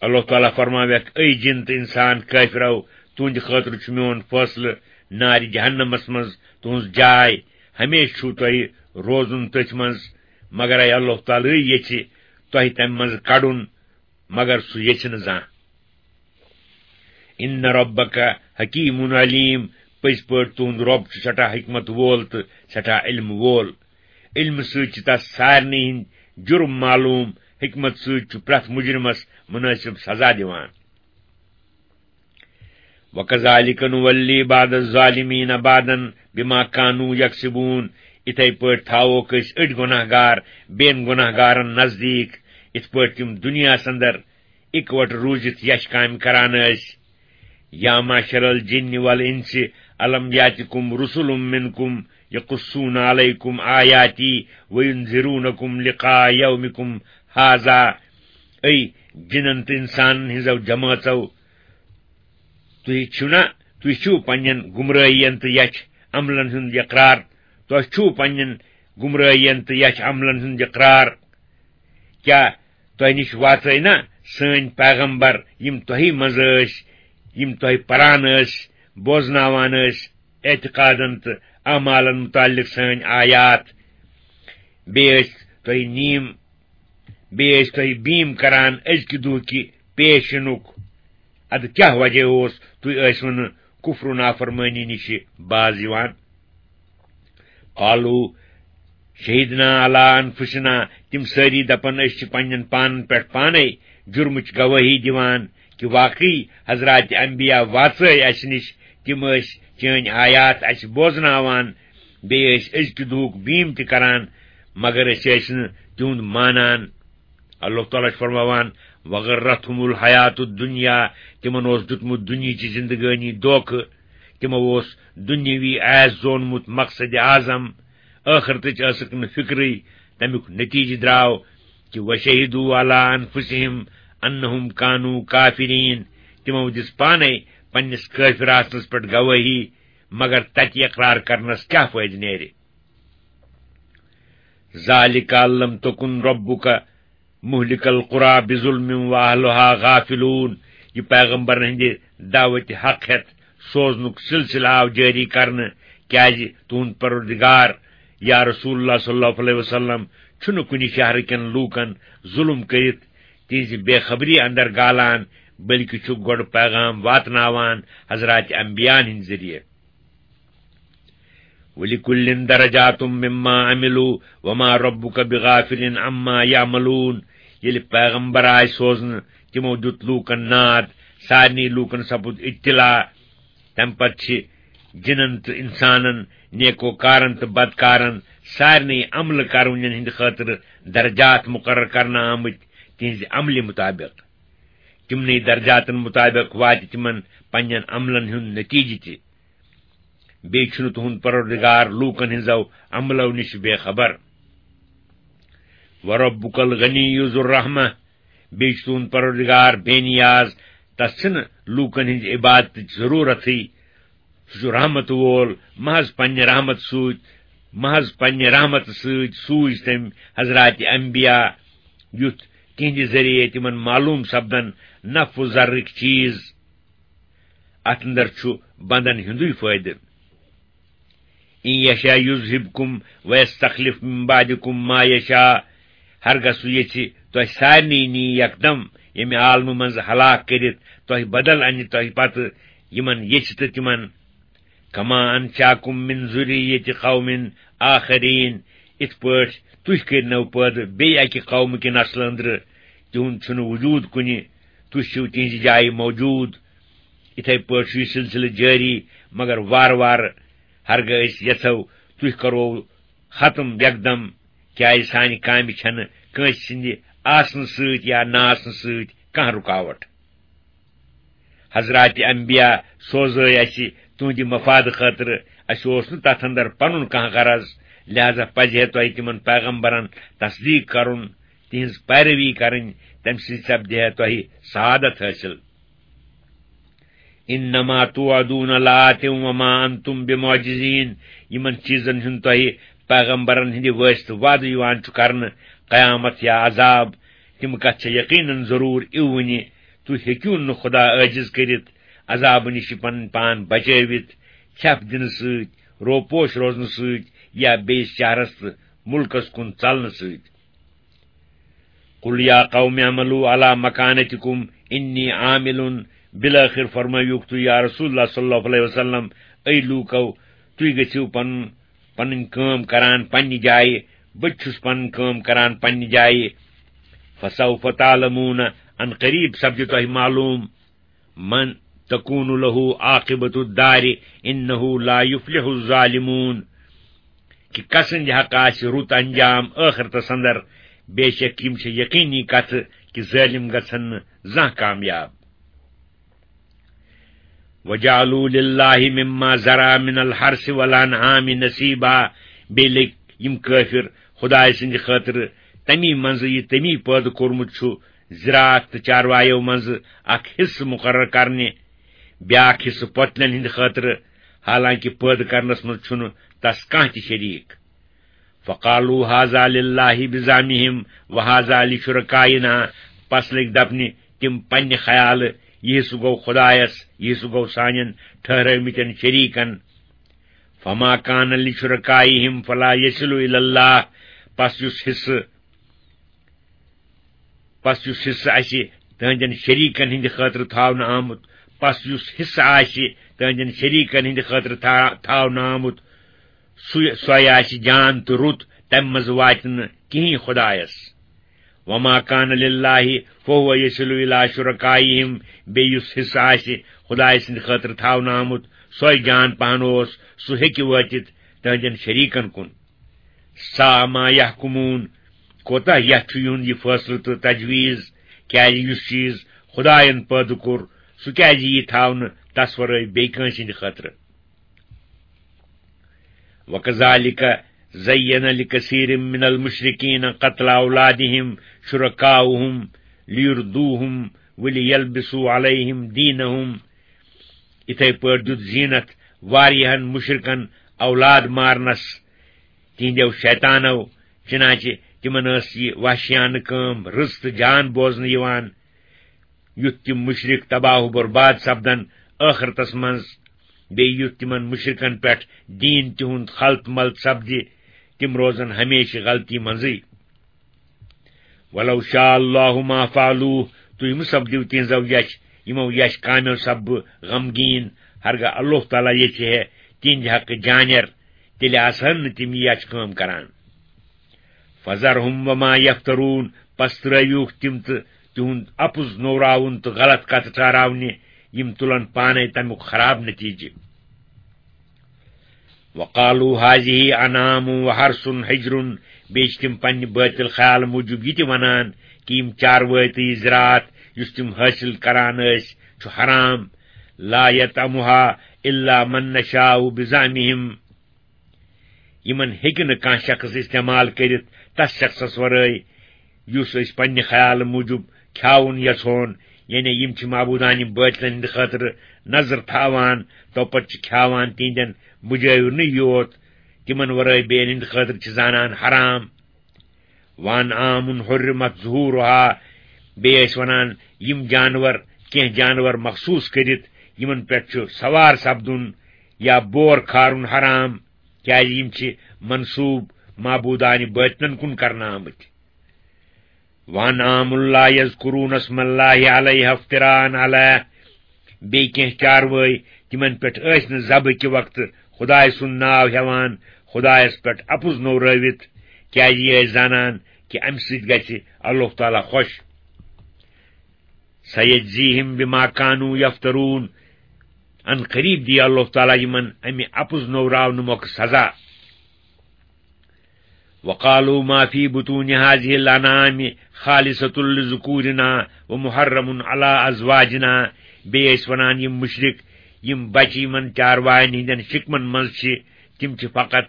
اللہ تعالیٰ فرماویکھ، اے جِن تہٕ اِنسان کٲفرو، تُہنٛدِ خٲطرٕ چھُ میون فٲصلہٕ نارِ جہنمس منٛز تُہنٛز جاے، ہمیشہٕ چھُو تۄہہِ روزُن تٔتھۍ منٛز، مگر اے اللہ تعالیٰ یژھِ تۄہہِ تمہِ منٛز کڑُن، مگر سُہ یژھِ نہٕ زانٛہہ۔ ان ربک حکیم علیم، پٔزۍ پٲٹھۍ تُہنٛد رۄب چھُ سٮ۪ٹھاہ حکمت وول تہٕ سٮ۪ٹھاہ علم وول۔ علمہٕ سۭتۍ چھِ تس سارنٕے ہٕنٛدۍ جُرم معلوم، حکمت سۭتۍ چھُ پرٛٮ۪تھ مُجرمس مُنٲسِب سزا دِوان۔ وَكَذَلِكَ نُوَلِّي بَعْضَ الظَّالِمِينَ بَعْضًا بِمَا كَانُوا يَكْسِبُونَ۔ اِتھے پٲٹھۍ تھاووکھ أسۍ أڑۍ گۄناہ گار بیٚین گۄناہ گارن نزدیٖک، اِتھ پٲٹھۍ تِم دُنیاہس اندر اِکوٹہٕ روٗزِتھ یچھ کامہِ کران ٲسۍ۔ يَا مَعْشَرَ الْجِنِّ وَالْإِنسِ أَلَمْ يَأْتِكُمْ رُسُلٌ مِّنْكُمْ يَقُصُّونَ عَلَيْكُمْ آيَاتِي وَيُنذِرُونَكُمْ لِقَاءَ يَوْمِكُمْ هَذَا۔ اے جِنن تہٕ اِنسانن ہٕنٛزو جمٲژو، تُہۍ چھِو نا، تُہۍ چھِو پننٮ۪ن گمرٲہین تہٕ یچھ عملن ہُنٛد اقرار، تۄہہِ چھُو پننٮ۪ن گمرٲہین تہٕ یچھ عملن ہُنٛد اقرار۔ کیٛاہ تۄہہِ نِش واژے نا سٲنۍ پیغمبر، یِم تۄہہِ منٛز ٲسۍ، یِم تۄہہِ پران ٲسۍ، بوزناوان ٲسۍ، اعتقادن تہٕ اعمالن متعلق سٲنۍ آیات؟ بیٚیہِ ٲسۍ تۄہہِ نیٖم، بیٚیہِ ٲسۍ تۄہہِ بیٖم کران أزکہِ دۄہکہِ پیش یِنُک۔ ادٕ کیٛاہ وجہ اوس تُہۍ ٲسوٕ نہٕ کفر و نافرمٲنی نِش باز یِوان؟ قالوا شہدنا علی انفسنا، تِم سٲری دپن، أسۍ چھِ پننٮ۪ن پانن پٮ۪ٹھ پانے جرمٕچ گوٲہی دِوان کہِ واقعی حضرات انبیاء واژٲے اسہِ نِش، تِم ٲسۍ چٲنۍ آیات اسہِ بوزناوان، بیٚیہِ ٲسۍ أزکہِ دُہُک بیٖم تہِ کران، مگر أسۍ ٲسۍ نہٕ تِہُنٛد مانان۔ اللہ تعالیٰ چھُ فرماوان، "وغرتهم الحیات الدنیا"، تِمن اوس دیُتمُت دُنیہٕچ زندگٲنی دھوکہٕ، تِمو اوس دُنیاوی عیش زونمُت مقصد اعظم، ٲخرتٕچ ٲسٕکھ نہٕ فکرٕے۔ تمیُک نتیجہٕ درٛاو کہِ "وشہدوا علی انفسہم انہم کانوا کافرین"، تِمو دِژ پانے پننِس کٲفر آسنس پٮ۪ٹھ گوٲہی، مگر تتہِ اقرار کرنس کیٛاہ فٲیدٕ نیرِ؟ ذالک ان لم تکن ربک مہلک القری بظلم واہلہا غافلون۔ یہِ پیغمبرن ہٕنٛدِ دعوتِ حق ہٮ۪تھ سوزنُک سلسلہٕ آو جٲری کرنہٕ، کیازِ تُہُنٛد پروردگار، یا رسول اللہ صلی اللہ علیہ وسلم، چھُنہٕ کُنہِ شہرٕ کٮ۪ن لوٗکن ظُلم کٔرِتھ تِہنٛزِ بے خبری اندر گالان، بلکہِ چھُ گۄڈٕ پیغام واتناوان حضرات انبیاءن ہٕنٛدِ ذٔریعہٕ۔ وَلِكُلٍّ دَرَجَاتٌ مِّمَّا عَمِلُوا وَمَا رَبُّكَ بِغَافِلٍ عَمَّا يَعْمَلُونَ۔ ییٚلہِ پیغمبر آے سوزنہٕ، تِمو دیُت لوٗکن ناد، سارنٕے لوٗکن سپُد اطلاع۔ تَمہِ پتہٕ چھِ جِنن تہٕ اِنسانن، نیکوکارن تہٕ بدکارن، سارنٕے عملہٕ کرونٮ۪ن ہٕنٛدِ خٲطرٕ درجات مُقرر کرنہٕ آمٕتۍ تِہنٛزِ عملہِ مُطابق۔ تِمنٕے درجاتن مُطابق واتہِ تِمن پننٮ۪ن عملن ہُنٛد نتیجہٕ تہِ۔ بیٚیہِ چھُنہٕ تُہُنٛد پروردگار لوٗکن ہٕنٛزو عملو نِش بے خبر۔ وَرَبُّكَ الْغَنِيُّ ذُو الرَّحْمَةِ، بیٚیہِ چھُ تُہُنٛد پروردگار بے نیاز، تس چھِنہٕ لوٗکن ہٕنٛزِ عبادتٕچ ضروٗرتھٕے۔ سُہ چھُ رحمت وول، محض پننہِ رحمت سۭتۍ، محض پننہِ رحمت سۭتۍ سوٗزۍ تٔمۍ حضرات انبیاء، یُتھ تِہنٛدِ ذٔریعہٕ تِمن معلوم سپدن نفع و ضرٕکۍ چیٖز۔ اتھ اندر چھُ بندن ہُنٛدُے فٲیدٕ۔ ان یشاء یذہبکم ویستخلف من بعدکم ما یشاء، ہرگاہ سُہ یژھِ تۄہہِ سارنٕے نی یکدم ییٚمہِ عالمہٕ منٛز ہلاک کٔرِتھ، تۄہہِ بدل انہِ تۄہہِ پتہٕ یِمن یژھِ تہٕ تِمن۔ کما انشاکم من ذریت قوم آخرین، اِتھ پٲٹھۍ تُہۍ کٔرنو پٲدٕ بیٚیہِ اکہِ قومہٕ کہِ نسلہٕ أنٛدرٕ، تِہُنٛد چھُنہٕ وجوٗد کُنہِ، تُہۍ چھِو تِہنٛزِ جایہِ موجوٗد۔ اِتھے پٲٹھۍ چھُ یہِ سلسلہٕ جٲری، مگر وارٕ وارٕ ہرگاہ أسۍ یژھو، تُہۍ کرو ختم یکدم، کیازِ سانہِ کامہِ چھنہٕ کٲنٛسہِ سٕنٛدِ آسنہٕ سۭتۍ یا نہ آسنہٕ سۭتۍ کانٛہہ رُکاوٹ۔ حضرات انبیاء سوزے اسہِ تُہنٛدِ مفاد خٲطرٕ، اسہِ اوس نہٕ تتھ اندر پنُن کانٛہہ غرض، لہذا پزِ ہے تۄہہِ تِمن پیغمبرن تصدیق کرُن، تِہنٛز پیروی کرٕنۍ، تمہِ سۭتۍ سپدِ ہے تۄہہِ سعادت حٲصِل۔ انما توعدون لآت وما انتم بمعجزین، یِمن چیٖزن ہُنٛد تۄہہِ پیغمبرن ہٕنٛدِ وٲسطہٕ وعدٕ یِوان چھُ کرنہٕ، قیامت یا عذاب، تِم کتھ چھےٚ یقیناً ضروٗر یِوٕنہِ۔ تُہۍ ہیٚکِو نہٕ خدا عٲجِز کٔرِتھ، عذابہٕ نِش پنٕنۍ پان بچٲوِتھ، ژھٮ۪پھ دِنہٕ سۭتۍ، روپوش روزنہٕ سۭتۍ یا بیٚیِس شہرس تہٕ مُلکس کُن ژلنہٕ سۭتۍ۔ قل یا قوم اعملوا علی مکانتکم انی عامل، بالآخر فرمٲیوکھ تُہۍ یا رسول اللہ صلی اللہ علیہ وسلم، اے لوٗکو، تُہۍ گٔژھِو پنُن، پنٕنۍ کٲم کران پننہِ جایہِ، بہٕ تہِ چھُس پنٕنۍ کٲم کران پننہِ جایہِ۔ فسوف تعلمون، ان قریب سپدِ تۄہہِ معلوم، من تکون لہ عاقبۃ الدار انہ لا یفلح الظالمون، کہ کسٕنٛدِ حق آسہِ رُت انجام ٲخرتس اندر، بے شک یِم چھِ یقینی کتھٕ کہ ظٲلم گژھن نہٕ زانٛہہ کامیاب۔ وجعلوا للہ مما ذرا من الحرث والانعام نصیبا، بیٚیہِ لٔگۍ یِم کٲفِر خدایہِ سٕنٛدِ خٲطرٕ تمی منٛزٕ یہِ تٔمی پٲدٕ کوٚرمُت چھُ زراعت تہٕ چاروایو منٛزٕ اکھ حصہٕ مُقرر کرنہِ، بیاکھ حصہٕ پۄتلٮ۪ن ہٕنٛدِ خٲطرٕ، حالانکہ پٲدٕ کرنس منٛز چھُنہٕ تس کانٛہہ تہِ شریٖک۔ فقالوا هذا لله بزعمهم وهذا لشركائنا، پس لٔگۍ دپنہِ تِم پننہِ خیالہٕ، یہِ حصہٕ گوٚو خدایس، یہِ حصہٕ گوٚو سانٮ۪ن ٹھہرٲومٕتٮ۪ن شریٖکن۔ فما كان لشركائهم فلا يصل إلى الله، پس یُس حصہٕ پس یُس حصہٕ آسہِ تہنٛدٮ۪ن شریٖکن ہٕنٛدِ خٲطرٕ تھاونہٕ آمُت، پس یُس حصہٕ آسہِ تہنٛدٮ۪ن شریٖکن ہٕنٛدِ خٲطرٕ تھا-، تھاونہٕ آمُت، سُے، سۄے آسہِ جان تہٕ رُت، تمہِ منٛز واتہِ نہٕ کِہیٖنۍ خۄدایس۔ وما كان لله فهو يصل إلى شركائهم، بیٚیہِ یُس حصہٕ آسہِ خۄدایہِ سٕنٛدِ خٲطرٕ تھاونہٕ آمُت، سۄے جان پہن اوس، سُہ ہیٚکہِ وٲتِتھ تہنٛدٮ۪ن شریٖکن کُن۔ ساء ما يحكمون، کوتاہ یتھ چھُ یِہُنٛد یہِ فٲصلہٕ تہٕ تجویٖز، کیازِ یُس چیٖز خدایَن پٲدٕ کوٚر، سُہ کیازِ یی تھاونہٕ تس ورٲے بیٚیہِ کٲنٛسہِ ہٕنٛدِ خٲطرٕ؟ وكذلك زين لكثير من المشركين قتل أولادهم شركاؤهم ليردوهم وليلبسوا عليهم دينهم۔ یِتھے پٲٹھۍ دیُت زینت واریاہن مشرکن اولاد مارنس تِہنٛدیو شیطانو، چنانچہ تِمن ٲس یہِ وحشیانہٕ کٲم رٕژ تہٕ جان بوزنہٕ یِوان، یُتھ تِم مشرک تباہ و برباد سپدن ٲخرتس منٛز، بیٚیہِ یُتھ تِمن مشرکن پٮ۪ٹھ دیٖن تِہُنٛد خلط ملط سپدِ، تِم روزن ہمیشہٕ غلطی منٛزٕے۔ ولو شاء الله ما فعلوه، تُہۍ مہٕ سپدِو تِہنٛزو یچھ، یِمو یچھ کامیو سپدٕ غمگیٖن، ہرگاہ اللہ تعالیٰ یژھِ ہے تِہنٛدِ حقہٕ جانیر، تیٚلہِ آسہٕ ہن نہٕ تِم یہِ یچھ کٲم کران۔ فذرهم وما يفترون، پس ترٲوِوکھ تِم تہٕ تِہُنٛد اپُز نوراوُن تہٕ غلط کتھٕ ٹھہراونہِ، یِم تُلن پانے تمیُک خراب نتیجہٕ۔ وقالوا هذه أنعام وحرث حجر، بیٚیہِ چھِ تِم پننہِ باطل خیال موٗجوٗب یہِ تہِ ونان کہِ یِم چاروٲے تہٕ یہِ زِراعت یُس تِم حٲصِل کران ٲسۍ چھُ حرام۔ لا يطعمها إلا من نشاء بزعمهم، یِمن ہیٚکہِ نہٕ کانٛہہ شخص استعمال کٔرِتھ تس شخصس ورٲے یُس أسۍ پننہِ خیال موٗجوٗب کھیاوُن یژھون، یعنی یِم چھِ معبوٗدانہِ بٲطلن ہٕنٛدِ خٲطرٕ نظر تھاوان، توپتہٕ چھِ کھیاوان تِہنٛدٮ۪ن مُجٲوِرنٕے یوت، تِمن ورٲے بیٚین ہٕنٛدِ خٲطرٕ چھِ زانان حرام۔ وأنعام حرمت ظهورها، بیٚیہِ ٲسۍ ونان یِم جانور، کینٛہہ جانور مخصوٗص کٔرِتھ یِمن پٮ۪ٹھ چھُ سوار سپدُن یا بور کھارُن حرام، کیازِ یِم چھِ منسوٗب معبوٗدانہِ بٲطلن کُن کرنہٕ آمٕتۍ۔ وأنعام لا يذكرون اسم الله عليها افتراء عليه، بیٚیہِ کینٛہہ چاروٲے، تِمن پٮ۪ٹھ ٲسۍ نہٕ ذبح کہِ وقتہٕ خدایہِ سُنٛد ناو ہٮ۪وان، خدایس پٮ۪ٹھ اپُز نوٚورٲوِتھ، کیازِ یہِ ٲسۍ زانان کہِ امہِ سۭتۍ گژھِ اللہ تعالیٰ خۄش۔ سيجزيهم بما كانوا يفترون، ان قریب دِیہِ اللہ تعالیٰ یِمن امہِ اپُز نوٚوراونہٕ مۄکھٕ سزا۔ وقالوا ما في بطون هذه الأنعام خالصة لذكورنا ومحرم على أزواجنا۔ بیٚیہِ ٲسۍ ونان یِم مُشرِک، یِم بچہِ یِمن چارواین ہٕنٛدٮ۪ن شِکمن منٛز چھِ، تِم چھِ فقط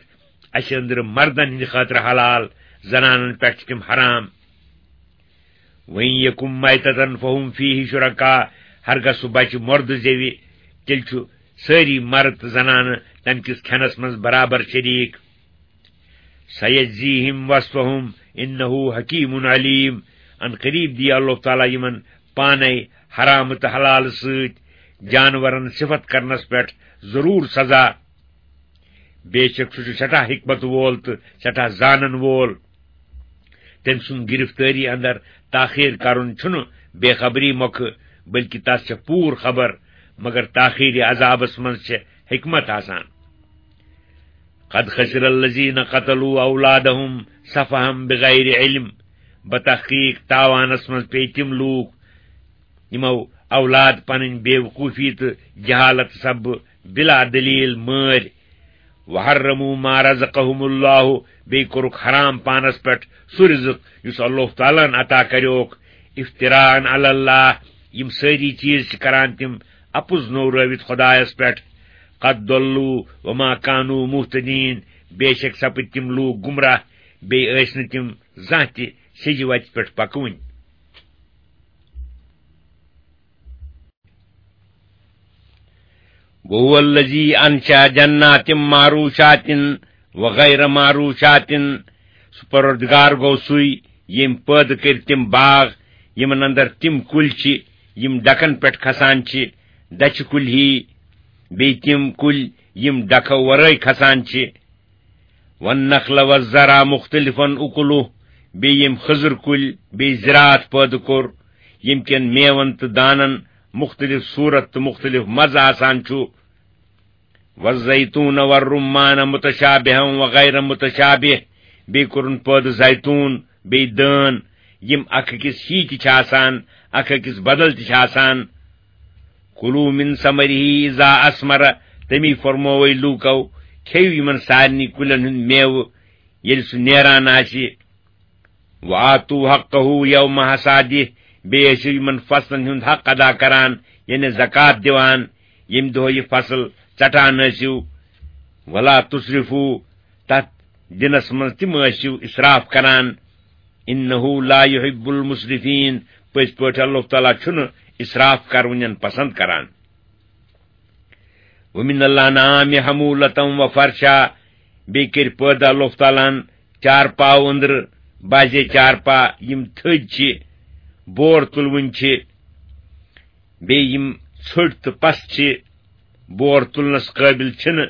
اسہِ أنٛدرٕ مردن ہٕنٛدِ خٲطرٕ حلال، زنانن پٮ۪ٹھ چھِ تِم حرام۔ وإن يكن ميتة فهم فيه شركاء، ہرگاہ سُہ بچہِ مۄردٕ زیوِ، تیٚلہِ چھُ سٲری مرد تہٕ زنانہٕ تمہِ کِس کھٮ۪نس منٛز برابر شریٖک۔ سيجزيهم وصفهم إنه حكيم عليم، ان قریب دِیہِ اللہ تعالیٰ یِمن پانے حرام تہٕ حلال سۭتۍ جانورن صفت کرنس پٮ۪ٹھ ضروٗر سزا۔ بے شک سُہ چھُ سٮ۪ٹھاہ حکمت وول تہٕ سٮ۪ٹھاہ زانن وول۔ تٔمۍ سُنٛد گرفتٲری اندر تاخیر کرُن چھُنہٕ بے خبری مۄکھٕ، بلکہِ تس چھےٚ پوٗرٕ خبر، مگر تاخیری عذابس منٛز چھےٚ حکمت آسان۔ قد خسر الذين قتلوا أولادهم سفها بغير علم، بتحقیق تاوانس منٛز پیٚیہِ تِم لوٗکھ، یِمو اولاد پنٕنۍ بے وقوفی تہٕ جہالت سببہٕ بلا دلیل مٲرۍ۔ وحرموا ما رزقهم الله، بیٚیہِ کوٚرُکھ حرام پانس پٮ۪ٹھ سُہ رزق یُس اللہ تعالیٰ ہن عطا کریوکھ۔ افتراء على الله، یِم سٲری چیٖز چھِ کران تِم اپُز نوٚورٲوِتھ خدایس پٮ۪ٹھ۔ قد ضلوا وما كانوا مهتدين، بے شک سپٕدۍ تِم لوٗکھ گمراہ، بیٚیہِ ٲسۍ نہٕ تِم زانٛہہ تہِ سیٚزِ وتہِ پٮ۪ٹھ پکوٕنۍ۔ وهو الذي أنشأ جنات معروشات وغیر معروشاتن، سُہ پروردگار گوٚو سُے، ییٚمۍ پٲدٕ کٔرۍ تِم باغ، یِمن اندر تِم کُلۍ چھِ، یِم ڈکن پٮ۪ٹھ کھسان چھِ، دچھِ کُلۍ ہی، بیٚیہِ تِم کُلۍ، یِم ڈکھو ورٲے کھسان چھِ۔ والنخل والزرع مختلفا اکلہ، بیٚیہِ یِم خٔزٕر کُلۍ، بیٚیہِ زِراعت پٲدٕ کوٚر، ییٚمہِ کٮ۪ن میوَن تہٕ دانَن مُختٔلِف صوٗرت تہٕ مُختٔلِف مَزٕ آسان چھُ۔ والزیتون والرمان متشابہا وغیر متشابہ، بیٚیہِ کوٚرُن پٲدٕ زیتون، بیٚیہِ دٲن، یِم اکھ أکِس ہی تہِ چھِ آسان، اکھ أکِس بدل تہِ چھِ آسان۔ کلوا من ثمره اذا اثمر، تٔمی فرمووے لوٗکو، کھیٚیِو یِمن سارنٕے کُلٮ۪ن ہُنٛد میوٕ، ییٚلہِ سُہ نیران آسہِ۔ وآتوا حقه یوم حصاده، بیٚیہِ ٲسِو یِمن فصلن ہُنٛد حق ادا کران، یعنی زکوٰۃ دِوان، ییٚمہِ دۄہ یہِ فصل ژٹان ٲسِو۔ ولا تسرفوا، تتھ دِنس منٛز تہِ مہ ٲسِو اسراف کران۔ انه لا يحب المسرفين، پٔزۍ پٲٹھۍ اللہ تعالیٰ چھُنہٕ اسراف کرونٮ۪ن پسند کران۔ ومن الانعام حمولة وفرشا، بیٚیہِ کٔرۍ پٲدٕ اللہ تعالیٰ ہن چارپاو أنٛدرٕ، بعضے چارپا یِم تھٔدۍ چھِ، بور تُلوٕنۍ چھِ، بیٚیہِ یِم ژھٔٹۍ تہٕ پَس چھِ، بور تُلنَس قٲبِل چھِنہٕ۔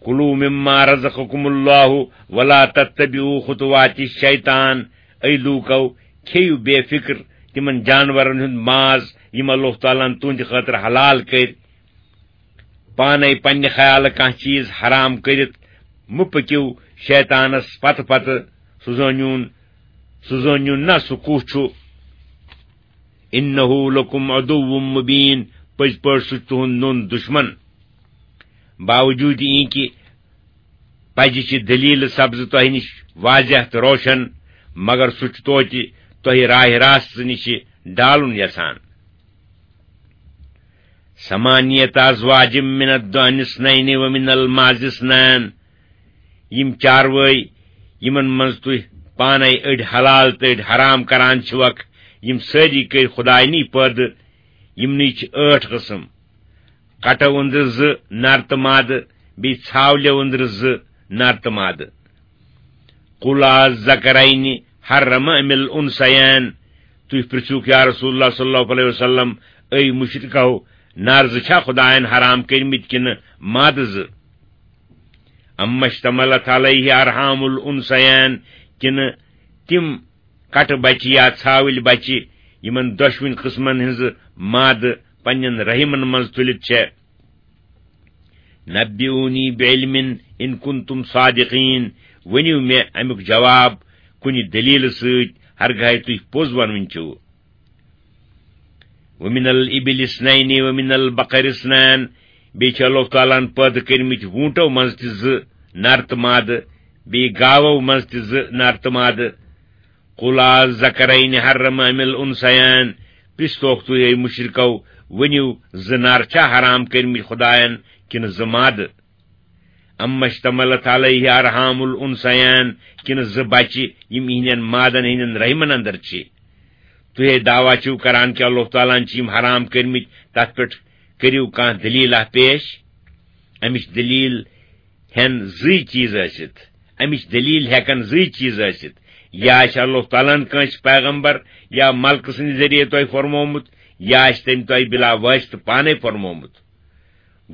کلوا مما رزقکم اللہ ولا تتبعوا خطوات الشیطان، اے لوٗکو، کھیٚیِو بے فِکر تِمن جانورن ہُنٛد ماز یِم اللہ تعالیٰ ہن تُہنٛدِ خٲطرٕ حلال کٔرۍ۔ پانے پننہِ خیالہٕ کانٛہہ چیٖز حرام کٔرِتھ مہٕ پٔکِو شیطانس پتہٕ پتہٕ، سُہ زٲنِوُن، سُہ زٲنِو نہ سُہ کُس چھُ۔ انہ لکم عدو مبین، پٔزۍ پٲٹھۍ سُہ چھُ تُہُنٛد نوٚن دُشمن۔ باوجوٗد یہِ کہِ پزِ چھِ دلیل سبزٕ تۄہہِ نِش واضح تہٕ روشن، مگر سُہ چھُ توتہِ تۄہہِ راہِ راستہٕ نِش ڈالُن یژھان۔ ثمانیت ازواج من الضأن اثنین ومن المعز اثنین، یِم چاروٲے یِمن منٛز تُہۍ پانے أڑۍ حلال تہٕ أڑۍ حرام کران چھِوکھ، یِم سٲری کٔرۍ خداینی پٲدٕ۔ یِمنٕے چھِ ٲٹھ قٕسم۔ کٹو أنٛدرٕ زٕ نر تہٕ مادٕ، بیٚیہِ ژھاولٮ۪و أنٛدرٕ زٕ نر تہٕ مادٕ۔ قل الذکرین حرم ام الانثیین، تُہۍ پرژھِوکھ یا رسول اللہ صلی اللہ علیہ وسلم، اے مشرکو، نر زٕ چھا خداین حرام کٔرمٕتۍ کِنہٕ مادٕ زٕ؟ اما اشتملت علیہ ارحام الانثیین، کِنہٕ تِم کٹہٕ بچہِ یا ژھاوٕلۍ بچہِ، یِمن دۄشوٕنۍ قٕسمن ہٕنٛزٕ مادٕ پننٮ۪ن رحمن منٛز تُلِتھ چھےٚ۔ نبئونی بعلم ان کنتم صادقین، ؤنِو مےٚ امیُک جواب کُنہِ دلیلہٕ سۭتۍ، ہرگاہے تُہۍ پوٚز ونوٕنۍ چھِو۔ ومن الابل اثنین ومن البقر اثنین، بیٚیہِ چھِ اللہ تعالیٰ ہن پٲدٕ کٔرمٕتۍ ووٗنٹو منٛز تہِ زٕ نر تہٕ مادٕ، بیٚیہِ گاوو منٛز تہِ زٕ نر تہٕ مادٕ۔ قل الذکرین حرم ام الانثیین، پرژھتوکھ تُہۍ اے مشرکو، ؤنِو، زٕ نر چھا حرام کٔرمٕتۍ خداین کِنہٕ زٕ مادٕ؟ اما اشتملت علیہ ارحام الانثیین، کِنہٕ زٕ بچہِ یِم یِہنٛدٮ۪ن مادن ہٕنٛدٮ۪ن رحمن اندر چھِ؟ تُہۍ ہے دعویٰ چھِو کران کہِ اللہ تعالیٰ ہن چھِ یِم حرام کٔرمٕتۍ، تتھ پٮ۪ٹھ کٔرِو کانٛہہ دلیٖلہ پیش۔ امِچ دلیٖل ہٮ۪ن زٕے چیٖز ٲسِتھ، امِچ دلیٖل ہٮ۪کن زٕے چیٖز ٲسِتھ، یا آسہِ اللہ تعالیٰ ہن کٲنٛسہِ پیغمبر یا ملکہٕ سٕنٛدِ ذٔریعہٕ تۄہہِ فرمومُت، یا آسہِ تٔمۍ تۄہہِ بلا واسطہٕ پانے فرمومُت۔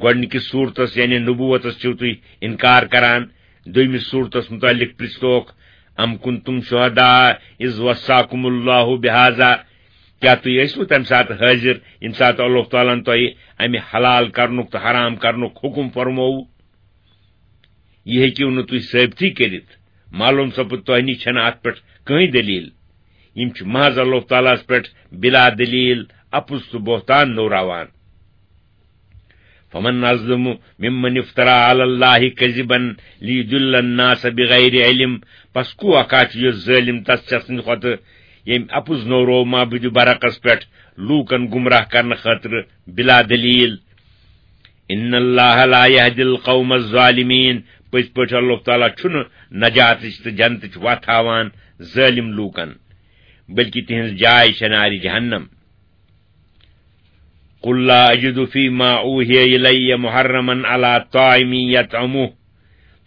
گۄڈنِکِس صورتس یعنی نبوتس چھِو تُہۍ انکار کران۔ دوٚیمِس صورتس متعلق پرژھتوکھ، ام کنتم شہداء اذ وصاکم اللہ بہذا، کیٛاہ تُہۍ ٲسوٕ تمہِ ساتہٕ حٲضِر ییٚمہِ ساتہٕ اللہ تعالیٰ ہن تۄہہِ امہِ حلال کرنُک تہٕ حرام کرنُک حکم فرمووُ؟ یہِ ہیٚکِو نہٕ تُہۍ ثٲبتٕے کٔرِتھ۔ معلوم سپُد تۄہہِ نِش چھنہٕ اتھ پٮ۪ٹھ کٕہٕنۍ دلیٖل۔ یِم چھِ محض اللہ تعالیٰ ہس پٮ۪ٹھ بلا دلیٖل اپُز تہٕ بہتان نوٚوراوان۔ فمن اظلم ممن افترى على الله كذبا ليضل الناس بغير علم، پس کُس اکھ چھُ یُس ظٲلم تس شخص سٕنٛدِ کھۄتہٕ، ییٚمۍ اپُز نوٚوروو معبودِ برحقس پٮ۪ٹھ لوٗکن گمراہ کرنہٕ خٲطرٕ بلا دلیٖل؟ ان اللہ لا يهدي القوم الظالمين، پٔزۍ پٲٹھۍ اللہ تعالیٰ چھُنہٕ نجاتٕچ تہٕ جنتٕچ وتھ ہاوان ظٲلم لوٗکن، بلکہِ تِہنٛز جاے چھےٚ نارِ جہنم۔ قل لا أجد فيما أوحي إلي محرما على طاعم يطعمه،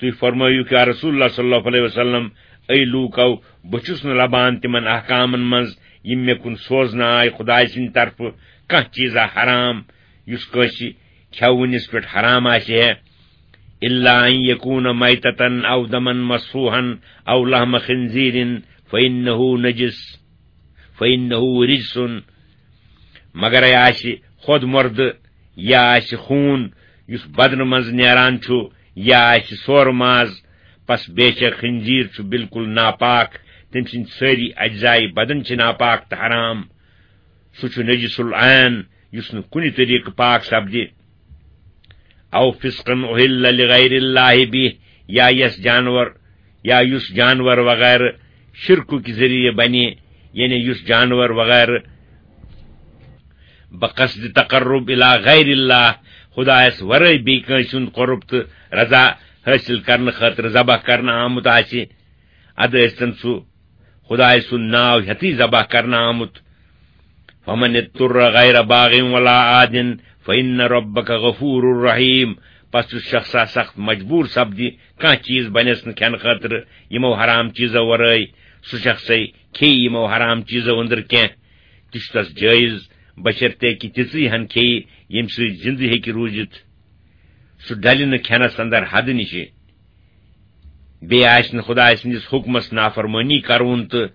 تُہۍ فرمٲیِو، یا رسول اللہ صلی اللہ علیہ وسلم، اے لوٗکو، بہٕ چھُس نہٕ لبان تِمن احکامن منٛز یِم مےٚ کُن سوزنہٕ آے خدایہِ سٕنٛدِ طرفہٕ کانٛہہ چیٖزا حرام یُس کٲنٛسہِ کھٮ۪وٕنِس پٮ۪ٹھ حرام آسہِ ہے، الا ان یکون میتة او دما مسفوحا او لحم خنزیر فانہ نجس، فانہ رجس، مگرے آسہِ خۄد مردٕ یا آسہِ خوٗن یُس بدنہٕ منٛز نیران چھُ یا آسہِ سورٕ ماز، پس بے شک خنزیر چھُ بالکل ناپاک، تٔمۍ سٕنٛدۍ سٲری اجزائے بدن چھِ ناپاک تہٕ حرام۔ سُہ چھُ نجس العین، یُس نہٕ کُنہِ طریقہٕ پاک سپدِ۔ او فسقا اہل لغیر اللہ بہ، یا یس جانور، یا یُس جانور وغیرہ شرکُک ذٔریعہٕ بنہِ، یعنی یُس جانور وغیرہ بقصد تقرب الی غیر اللہ، خدایس ورٲے بیٚیہِ کٲنٛسہِ ہُنٛد قرب تہٕ رضا حٲصِل کرنہٕ خٲطرٕ ذبح کرنہٕ آمُت آسہِ، ادٕ ٲسۍتن سُہ خدایہِ سُنٛد ناو ہیٚتھٕے ذبح کرنہٕ آمُت۔ فمن اضطر غیر باغ ولا عاد فان ربک غفور رحیم۔ پس یُس شخصا سخت مجبوٗر سپدِ، کانٛہہ چیٖز بنٮ۪س نہٕ کھٮ۪نہٕ خٲطرٕ یِمو حرام چیٖزو ورٲے، سُہ شخصے کھیٚیہِ یِمو حرام چیٖزو أنٛدرٕ کینٛہہ، تہِ چھُ تس جٲیز، بشرطیکہِ تِژٕے ہن کھیٚیہِ، ییٚمہِ سۭتۍ زِندٕ ہیٚکہِ روٗزِتھ۔ سُہ ڈلہِ نہٕ کھٮ۪نس اندر حدٕ نِشہِ۔ بیٚیہِ آسہِ نہٕ خدایہِ سٕنٛدِس حُکمس نافرمٲنی کرُن تہٕ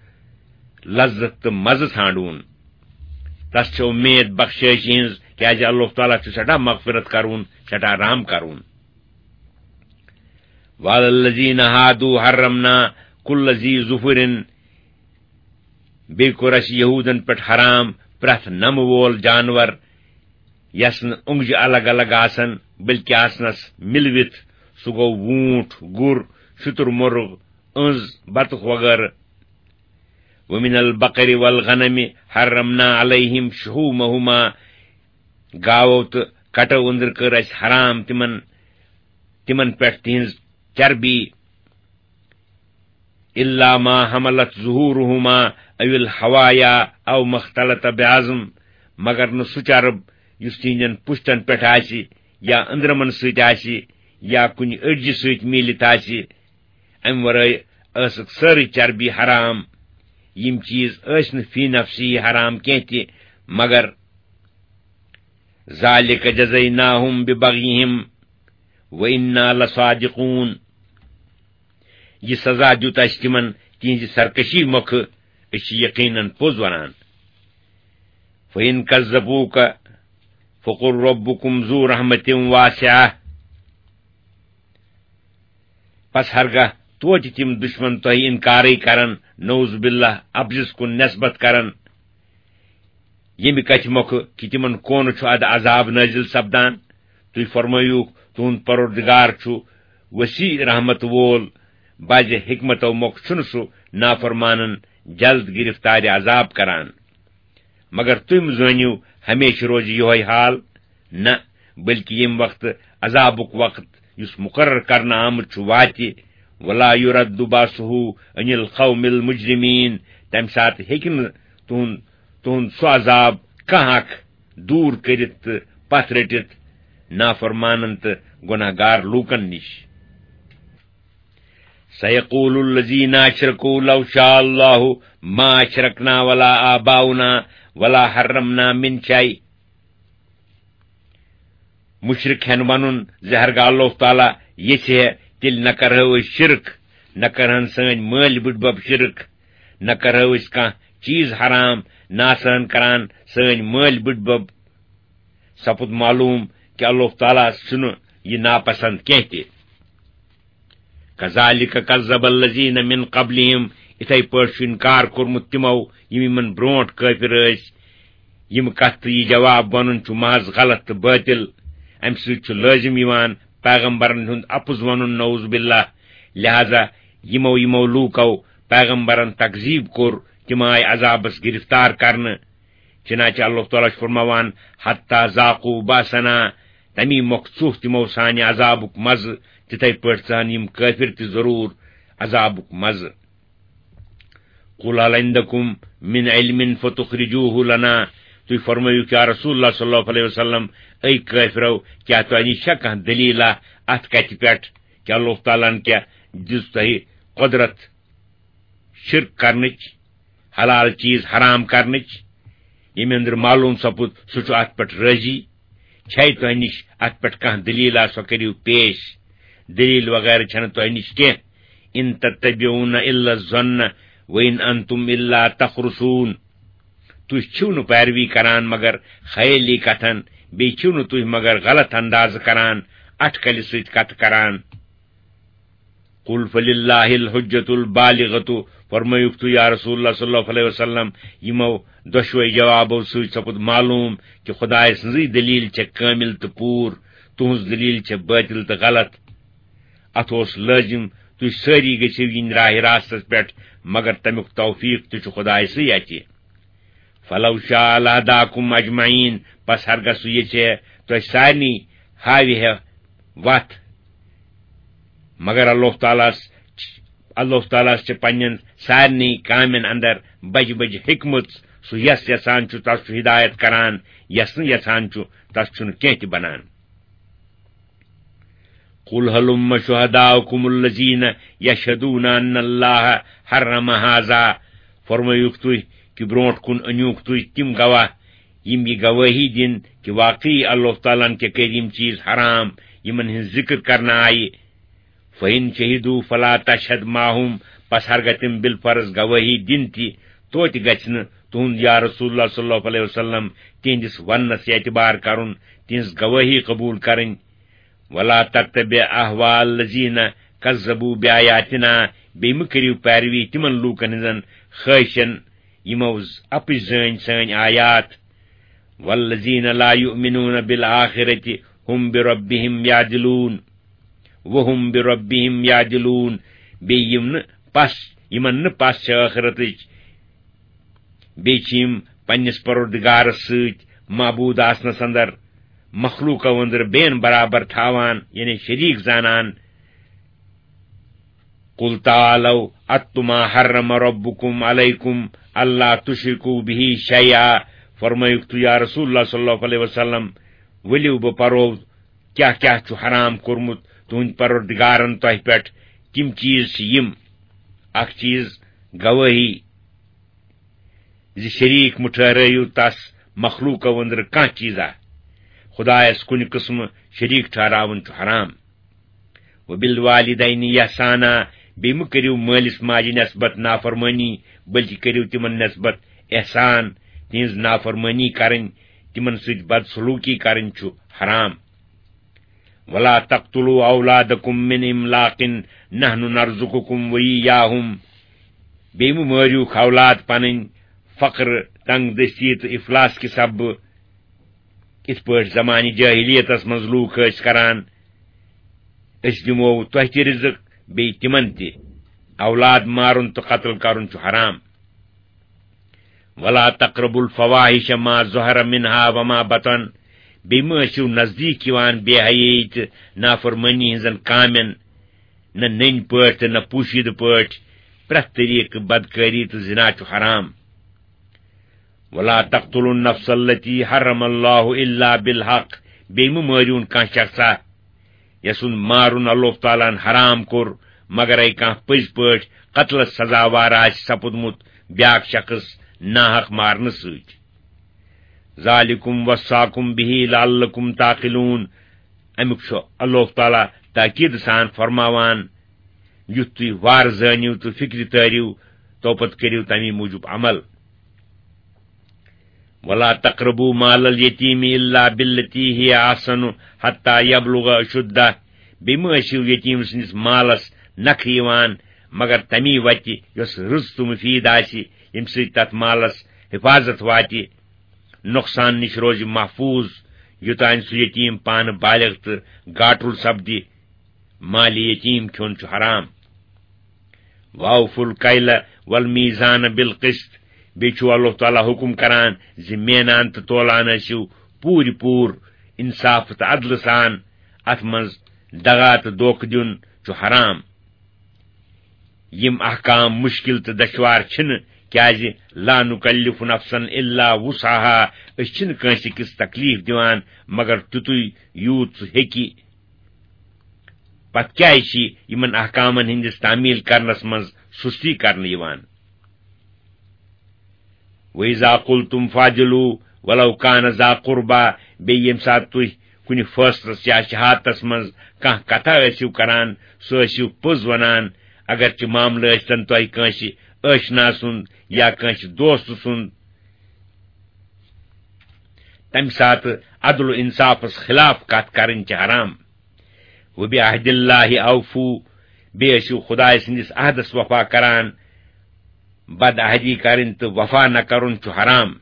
لذت تہٕ مزٕ ژھانٛڈُن۔ تس چھِ اُمید بخشٲیشہِ ہٕنٛز، کیازِ اللہ تعالیٰ چھُ سٮ۪ٹھاہ مغفرت کرُن، سٮ۪ٹھاہ رحم کرُن۔ وعلی الذین ہادوا حرمنا کل ذی ظفر، بیٚیہِ کوٚر اَسہِ یہوٗدن پٮ۪ٹھ حرام پرٛٮ۪تھ نَمہٕ وول جانور، یَس نہٕ اونٛگجہِ الگ الگ آسن، بلکہِ آسنَس مِلوِتھ، سُہ گوٚو ووٗنٛٹھ، گُر، شُتُر مرغ، أنٛز، بطخ وغٲرٕ۔ ومن البقر والغنم حرمنا علیہم شحومہما، گاوو تہٕ کٹو أنٛدرٕ کٔر اَسہِ حرام تِمن، تِمن پٮ۪ٹھ تِہنٛز چربی۔ الا ما حملت ظہورہما او الحوایا او مختلط بعظم، مگر نہٕ سُہ چرب یُس تِہنٛدٮ۪ن پُشتن پٮ۪ٹھ آسہِ یا أنٛدرمن سۭتۍ آسہِ یا کُنہِ أڈجہِ سۭتۍ میٖلِتھ آسہِ۔ امہِ ورٲے ٲسٕکھ سٲرٕے چربی حرام۔ یِم چیٖز ٲسۍ نہٕ فی نفسی حرام کینٛہہ تہِ، مگر ذالک جزیناہم ببغیہم و انا لصادقون۔ یہِ سزا دیُت اَسہِ تِمن تِہنٛزِ سرکشی مۄکھٕ، أسۍ چھِ یقیناً پوٚز وَنان۔ فَإِن كَذَّبُوكَ فَقُل رَّبُّكُمْ ذُو رَحْمَةٍ وَاسِعَةٍ۔ پس ہرگاہ توتہِ تِم دُشمن تۄہہِ اِنکارٕے کرن، نعوذ باللہ، اپزِس کُن نٮ۪سبت کرن، ییٚمہِ کتھِ مۄکھٕ کہِ تِمن کونہٕ چھُ ادٕ عذاب نٲزِل سپدان۔ تُہۍ فرمٲیِوکھ، تُہُنٛد پروردگار چھُ وسیع رحمت وول، بعضِ حکمتو مۄکھٕ چھُنہٕ سُہ نافرمانن جلد گرفتارِ عذاب کران۔ مگر تُہۍ مہٕ زٲنِو ہمیشہِ روزِ یِہوٚے حال، نہ، بلکہِ ییٚمہِ وقتہٕ عذابُک وقت یُس مقرر کرنہٕ آمُت چھُ واتہِ، ولا یرد باسہ عن القوم المجرمین، تمہِ ساتہٕ ہیٚکہِ نہٕ تُہُنٛد، تُہُنٛد سُہ عذاب کانٛہہ اکھ دوٗر کٔرِتھ تہٕ پتھ رٔٹِتھ نافرمانن تہٕ گۄناہ گار لوٗکن نِش۔ سیقول الذین اشرکوا لو شاء اللہ ما اشرکنا ولا آباؤنا ولا حرمنا من شیء۔ مشرک ہٮ۪ن ونُن زِ ہرگاہ اللہ تعالیٰ یژھِ ہے، تیٚلہِ نہ کرہو أسۍ شرک، نہ کرہن سٲنۍ مٲلۍ بٕڈبب شرک، نہ کرہو أسۍ کانٛہہ چیٖز حرام، نہ آسہن کران سٲنۍ مٲلۍ بٕڈبب۔ سپُد معلوم کہِ اللہ تعالیٰ ہس چھُنہٕ یہِ ناپسند کینٛہہ تہِ۔ کذالک کذب الذین من قبلہم، اِتھے پٲٹھۍ چھُ انکار کوٚرمُت تِمو، یِم یِمن برونٛٹھ کٲفِر ٲسۍ۔ یِم کتھ تہٕ یہِ جواب ونُن چھُ محض غلط تہٕ باطل۔ امہِ سۭتۍ چھُ لٲزم یِوان پیغمبرن ہُنٛد اپُز ونُن، نعوذ باللہ۔ لہذا یِمو یِمو لوٗکو پیغمبرن تکذیب کوٚر، تِم آے عذابس گرفتار کرنہٕ۔ چنانچہ اللہ تعالیٰ چھُ فرماوان، حتی ذاقوا بأسنا، تمی مۄکھ ژوٚہ تِمو سانہِ عذابُک مزٕ، تِتھے پٲٹھۍ ژہن یِم کٲفِر تہِ ضروٗر عذابُک مزٕ۔ قل هل عندكم من علم فتخرجوه لنا، تُہۍ فرمٲیِو، یا رسول اللہ صلی اللہ علیہ وسلم، اے کٲفرو، کیٛاہ تۄہہِ نِش چھا کانٛہہ دٔلیٖلہ اتھ کتھِ پٮ۪ٹھ؟ کہِ اللہ تعالیٰ ہن کیٛاہ دِژ تۄہہِ قۄدرت شرک کرنٕچ، حلال چیز حرام کرنٕچ؟ ییٚمہِ أنٛدرٕ معلوم سپُد، سُہ چھُ اتھ پٮ۪ٹھ رٲضی۔ چھے تۄہہِ نِش اتھ پٮ۪ٹھ کانٛہہ دٔلیٖلہ، سۄ کٔرِو پیش۔ دٔلیٖل وغٲرٕ چھنہٕ تۄہہِ نِش کینٛہہ۔ ان تتبعون الا الظن وان انتم الا تخرصون۔ تُہۍ چھِو نہٕ پیروی کران مگر خیٲلی کتھن، بیٚیہِ چھِو نہٕ تُہۍ مگر غلط اندازٕ کران، اٹھ کلہِ سۭتۍ کتھٕ کران۔ قل فللہ الحجۃ البالغۃ، فرمٲیُکھ تُہۍ یا رسول اللہ صلی اللہ علیہ وسلم، یِمو دۄشوے جوابو سۭتۍ سپُد معلوم کہِ خدایہِ سٕنٛزٕے دٔلیٖل چھےٚ کٲمِل تہٕ پوٗر، تُہٕنٛز دٔلیٖل چھےٚ بٲطِل تہٕ غلط۔ اتھ اوس لٲزِم تُہۍ سٲری گٔژھِو یِنۍ راہِ راستس پٮ۪ٹھ، مگر تمیُک توفیق تہِ چھُ خدایہِ سٕے اَتھِ۔ فلو شاء لہداکم اجمعین، پس ہرگاہ سُہ یژھِ ہے تۄہہِ سارنٕے ہاوِ ہے وتھ۔ مگر اللہ تعالیٰ ہس، اللہ تعالیٰ ہس چھِ پننٮ۪ن سارنٕے کامٮ۪ن اندر بجہِ بجہِ حکمت۔ سُہ یس یژھان چھُ، تس چھُ ہدایت کران، یس نہٕ یژھان چھُ، تس چھُنہٕ کینٛہہ تہِ بنان۔ قل هلم شهداءكم الذين يشهدون أن الله حرم هذا، فرمٲیِو تُہۍ کہِ برونٛٹھ کُن أنِو تُہۍ تِم گواہ، یِم یہِ گوٲہی دِن کہِ واقعی اللہ تعالیٰ ہن کیٛاہ کٔرۍ یِم چیٖز حرام، یِمن ہٕنٛز ذِکر کرنہٕ آیہِ۔ فإن شهدوا فلا تشهد معهم، پس ہرگاہ تِم بالفرض گوٲہی دِن تہِ، توتہِ گژھِ نہٕ تُہُنٛد یا رسول اللہ صلی اللہ علیہ وسلم تِہنٛدِس وننس اعتبار کرُن، تِہنٛز گوٲہی قبول کرٕنۍ۔ ولا تتبع اهواء الذين كذبوا بآياتنا، بیٚیہِ مہٕ کٔرِو پیروی تِمن لوٗکن ہٕنٛزن خٲہِشن، یِمو ز-، اپٕز زٲنۍ سٲنۍ آیات۔ والذين لا يؤمنون بالآخرة هم بربهم يعدلون، وهم بربهم يعدلون، بیٚیہِ یِم نہٕ پس، یِمن نہٕ پس چھِ ٲخرتٕچ، بیٚیہِ چھِ یِم پننِس پروردگارس سۭتۍ معبوٗد آسنس اندر مخلوقو أنٛدرٕ بین برابر تھاوان، یعنی شریٖک زانان۔ قل تعالوا اتل ما حرم ربكم عليكم الا تشركوا به شيئا، فرمٲیِو تُہۍ یا رسول اللہ صلی اللہ علیہ وسلم، ؤلِو بہٕ پرو کیٛاہ کیٛاہ چھُ حرام کوٚرمُت تُہنٛدِ پروردگارن تۄہہِ پٮ۪ٹھ۔ تِم چیٖز چھِ یِم، اکھ چیٖز گوٲہی، زِ شریٖک مہٕ ٹھہرٲیِو تس مخلوقو أنٛدرٕ کانٛہہ چیٖزا۔ خدایس کُنہِ قٕسمہٕ شریٖک ٹھہراوُن چھُ حرام۔ وبالوالدین احسانا، بیٚیہِ مہٕ کٔرِو مٲلِس ماجہِ نسبت نافرمٲنی، بلکہِ کٔرِو تِمن نسبت احسان۔ تِہنٛز نافرمٲنی کرٕنۍ، تِمن سۭتۍ بدسلوٗکی کرٕنۍ چھُ حرام۔ ولا تقتلوا اولادکم من املاق نحن نرزقکم وایاہم، بیٚیہِ مہٕ مٲرِو اولاد پنٕنۍ فقر، تنگ دستی تہٕ افلاس کہِ سببہٕ، یِتھ پٲٹھۍ زمانہِ جاہلیتس منٛز لوٗکھ ٲسۍ کران، أسۍ دِمو تۄہہِ تہِ رزق، بیٚیہِ تِمن تہِ۔ اولاد مارُن تہٕ قتل کرُن چھُ حرام۔ ولا تقربوا الفواحش ما ظهر منها وما بطن، بیٚیہِ مہٕ ٲسِو نزدیٖک یِوان بے حیٲیی تہٕ نافرمٲنی ہٕنٛزن کامٮ۪ن، نہ نٔنۍ پٲٹھۍ تہٕ نہ پوشیدٕ پٲٹھۍ۔ پرٛٮ۪تھ طریٖقہٕ بدکٲری تہٕ زنا چھُ حرام۔ ولا تقتلوا النفس التي حرم الله الا بالحق، بیٚیہِ مہٕ مٲرِوُن کانٛہہ شخصا، یسُنٛد مارُن اللہ تعالیٰ ہن حرام کوٚر، مگر اے کانٛہہ پٔزۍ پٲٹھۍ قتلس سزاوار آسہِ سپُدمُت بیاکھ شخص ناحق مارنہٕ سۭتۍ۔ ذالکم وصاکم به لعلکم تعقلون، امیُک چھُ اللہ تعالیٰ تاکید سان فرماوان، یُتھ تُہۍ وارٕ زٲنِو تہٕ فکرِ تٲرِو، تو پتہٕ کٔرِو تمی موٗجوٗب عمل۔ ولا تقربوا مال اليتيم الا بالتي هي احسن حتى يبلغ اشده، بیٚیہِ مہٕ ٲسِو یتیٖم سٕنٛدِس مالس نکھٕ یِوان مگر تمی وتہِ یۄس رٕژ تہٕ مفید آسہِ، ییٚمہِ سۭتۍ تتھ مالس حفاظت واتہِ، نۄقصان نِش روزِ محفوظ، یوٚتانۍ سُہ یتیٖم پانہٕ بالغ تہٕ گاٹُل سپدِ۔ مالِ یتیٖم کھیوٚن چھُ حرام۔ واوفوا الکیل والمیزان بالقسط، بیٚیہِ چھُ اللہ تعالیٰ حکم کران زِ مینان تہٕ تولان ٲسِو پوٗرِ پوٗر انصاف تہٕ عدلہٕ سان۔ اتھ منٛز دغا تہٕ دھوکہٕ دیُن چھُ حرام۔ یِم احکام مشکل تہٕ دشوار چھِنہٕ، کیازِ لا نکلف نفسا الا وسعها، أسۍ چھِنہٕ کٲنٛسہِ کِس تکلیف دِوان مگر تیُتُے یوٗت سُہ ہیٚکہِ۔ پتہٕ کیازِ چھِ یِمن احکامن ہٕنٛدِس تعمیل کرنس منٛز سُستی کرنہٕ یِوان؟ وَإِذَا قُلْتُمْ فَاعْدِلُوا وَلَوْ كَانَ ذَا قُرْبَىٰ، بیٚیہِ ییٚمہِ ساتہٕ تُہۍ کُنہِ فٲصلس یا شہادتس منٛز کانٛہہ کتھا ٲسِو کران، سُہ ٲسِو پوٚز ونان، اگرچہِ معاملہٕ ٲسۍتن تۄہہِ کٲنٛسہِ ٲشنا سُنٛد یا کٲنٛسہِ دوست سُنٛد۔ تمہِ ساتہٕ عدل و انصافس خلاف کتھ کرٕنۍ چھِ حرام۔ وَبِعَهْدِ اللَّهِ أَوْفُوا، بیٚیہِ ٲسِو خدایہِ سٕنٛدِس عہدس وفا کران۔ بد عہدی کرٕنۍ تہٕ وفا نہ کرُن چھُ حرام۔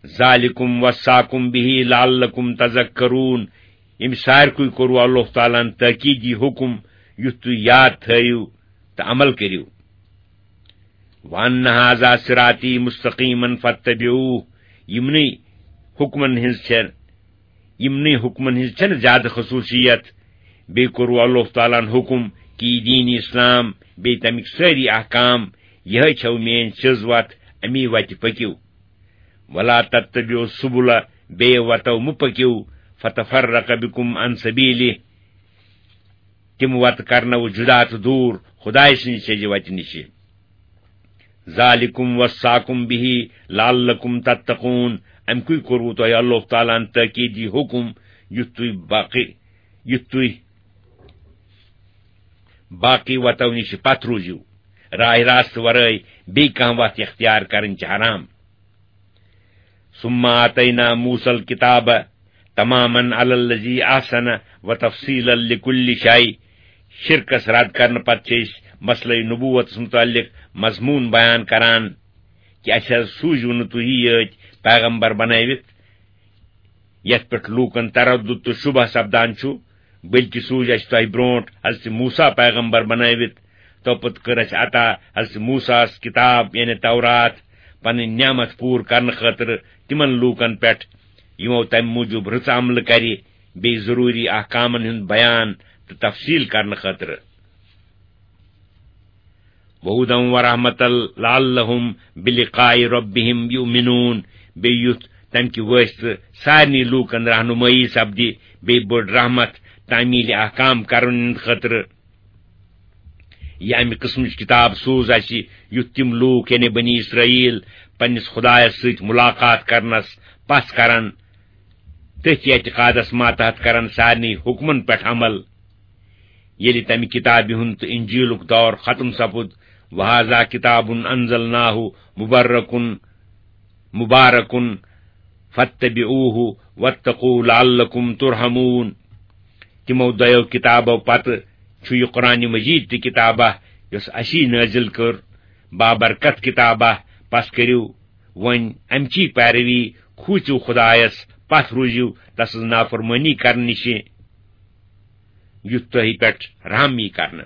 ذَٰلِكُمْ وَصَّاكُمْ بِهِ لَعَلَّكُمْ تَذَكَّرُونَ، ییٚمہِ سارِکُے کوٚروٕ اللہ تعالیٰ ہن تٲکیٖدی حُکم، یُتھ تُہۍ یاد تھٲیِو تہٕ عمل کٔرِو۔ وَأَنَّ هَٰذَا صِرَاطِي مُسْتَقِيمًا فَاتَّبِعُوهُ، یِمنٕے حُکمن ہٕنٛز چھےٚ یِمنٕے حُکمن ہٕنٛز چھَنہٕ زیادٕ خصوٗصیت۔ بیٚیہِ کوٚروٕ اللہ تعالیٰ ہن حُکم کہِ یہِ دیٖن اسلام، بیٚیہِ تَمِکۍ سٲری احکام، یِہوٚے چھَو میٛٲنۍ سیٚز وَتھ، اَمی وَتہِ پٔکِو۔ وَلَا تَتَّبِعُوا السُّبُلَ، بیٚیہِ وَتو مہٕ پٔکِو، فَتَفَرَّقَ بِكُمْ عَن سَبِيلِهِ، تِم وَتہٕ کرنو جُدا تہٕ دوٗر خدایہِ سٕنٛزِ سیٚزِ وَتہِ نِشہِ۔ ذَٰلِكُمْ وَصَّاكُمْ بِهِ لَعَلَّكُمْ تَتَّقُونَ، اَمہِ کُے کوٚروٕ تۄہہِ اللہ تعالیٰ ہن تٲکیٖدی حُکم، یُتھ تُہۍ باقٕے، یُتھ تُہۍ باقٕے وَتو نِشہِ پتھ روٗزِو۔ راہِ راستہٕ ورٲے بیٚیہِ کانٛہہ وَتھ اختیار کرٕنۍ چھِ حرام۔ ثُمَّ آتَيْنَا مُوسَى الْكِتَابَ تَمَامًا عَلَى الَّذِي أَحْسَنَ وَتَفْصِيلًا لِكُلِّ شَيْءٍ۔ شرکس رد کرنہٕ پتہٕ چھِ أسۍ مسلہٕ نبوتس متعلق مضموٗن بیان کران کہِ اَسہِ حظ سوٗزِو نہٕ تُہی یٲتۍ پیغمبر بنٲوِتھ، یتھ پٮ۪ٹھ لوٗکن تردد تہٕ شبہ سپدان چھُ، بلکہِ سوٗزۍ اَسہِ تۄہہِ برونٛٹھ حضرت موسیٰ پیغمبر بنٲوِتھ۔ توپتہٕ کٔر اَسہِ عطا حضرت موسیٰ ہس کتاب، یعنی تورات، پنٕنۍ نعمت پوٗرٕ کرنہٕ خٲطرٕ تِمن لوٗکن پٮ۪ٹھ، یِمو تمہِ موٗجوٗب رٕژ عملہٕ کرِ، بیٚیہِ ضروٗری احکامن ہُنٛد بیان تہٕ تفصیٖل کرنہٕ خٲطرٕ۔ وَهُدًى وَرَحْمَةً لَعَلَّهُمْ بِلِقَاءِ رَبِّهِمْ يُؤْمِنُونَ، بیٚیہِ یُتھ تَمہِ کہِ وٲسطہٕ سارنٕے لوٗکَن رہنُمٲیی سپدِ، بیٚیہِ بٔڑ رحمت، تعمیٖلِ احکام کرن ہٕنٛدِ خٲطرٕ۔ یہِ اَمہِ قٕسمٕچ کِتاب سوٗز اَسہِ، یُتھ تِم لوٗکھ، یعنی بنی اسرائیل، پننِس خدایَس سۭتۍ مُلاقات کرنَس پَژھ کرن، تٔتھۍ اعتقادَس ماتحت کرن سارنٕے حُکمَن پٮ۪ٹھ عمل۔ ییٚلہِ تَمہِ کِتابہِ ہُنٛد تہٕ اِنجیٖلُک دور ختم سپُد، وَهَٰذَا كِتَابٌ أَنزَلْنَاهُ مُبَارَكٌ، مُبَارَكٌ فَاتَّبِعُوهُ وَاتَّقُوا لَعَلَّكُمْ تُرْحَمُونَ۔ تِمو دۄیو کِتابو پتہٕ چھُ یہِ قرآنِ مجیٖد تہِ کِتابہ، یۄس اَسی نٲزِل کٔر، بابرکت کِتابہ، پس کٔرِو وۄنۍ اَمچی پیروی، کھوٗژِو خدایس، پتھ روٗزِو تسٕنز نافرمٲنی کرنہٕ نِشہِ، یُتھ تۄہہِ پٮ۪ٹھ رحم یی کرنہٕ۔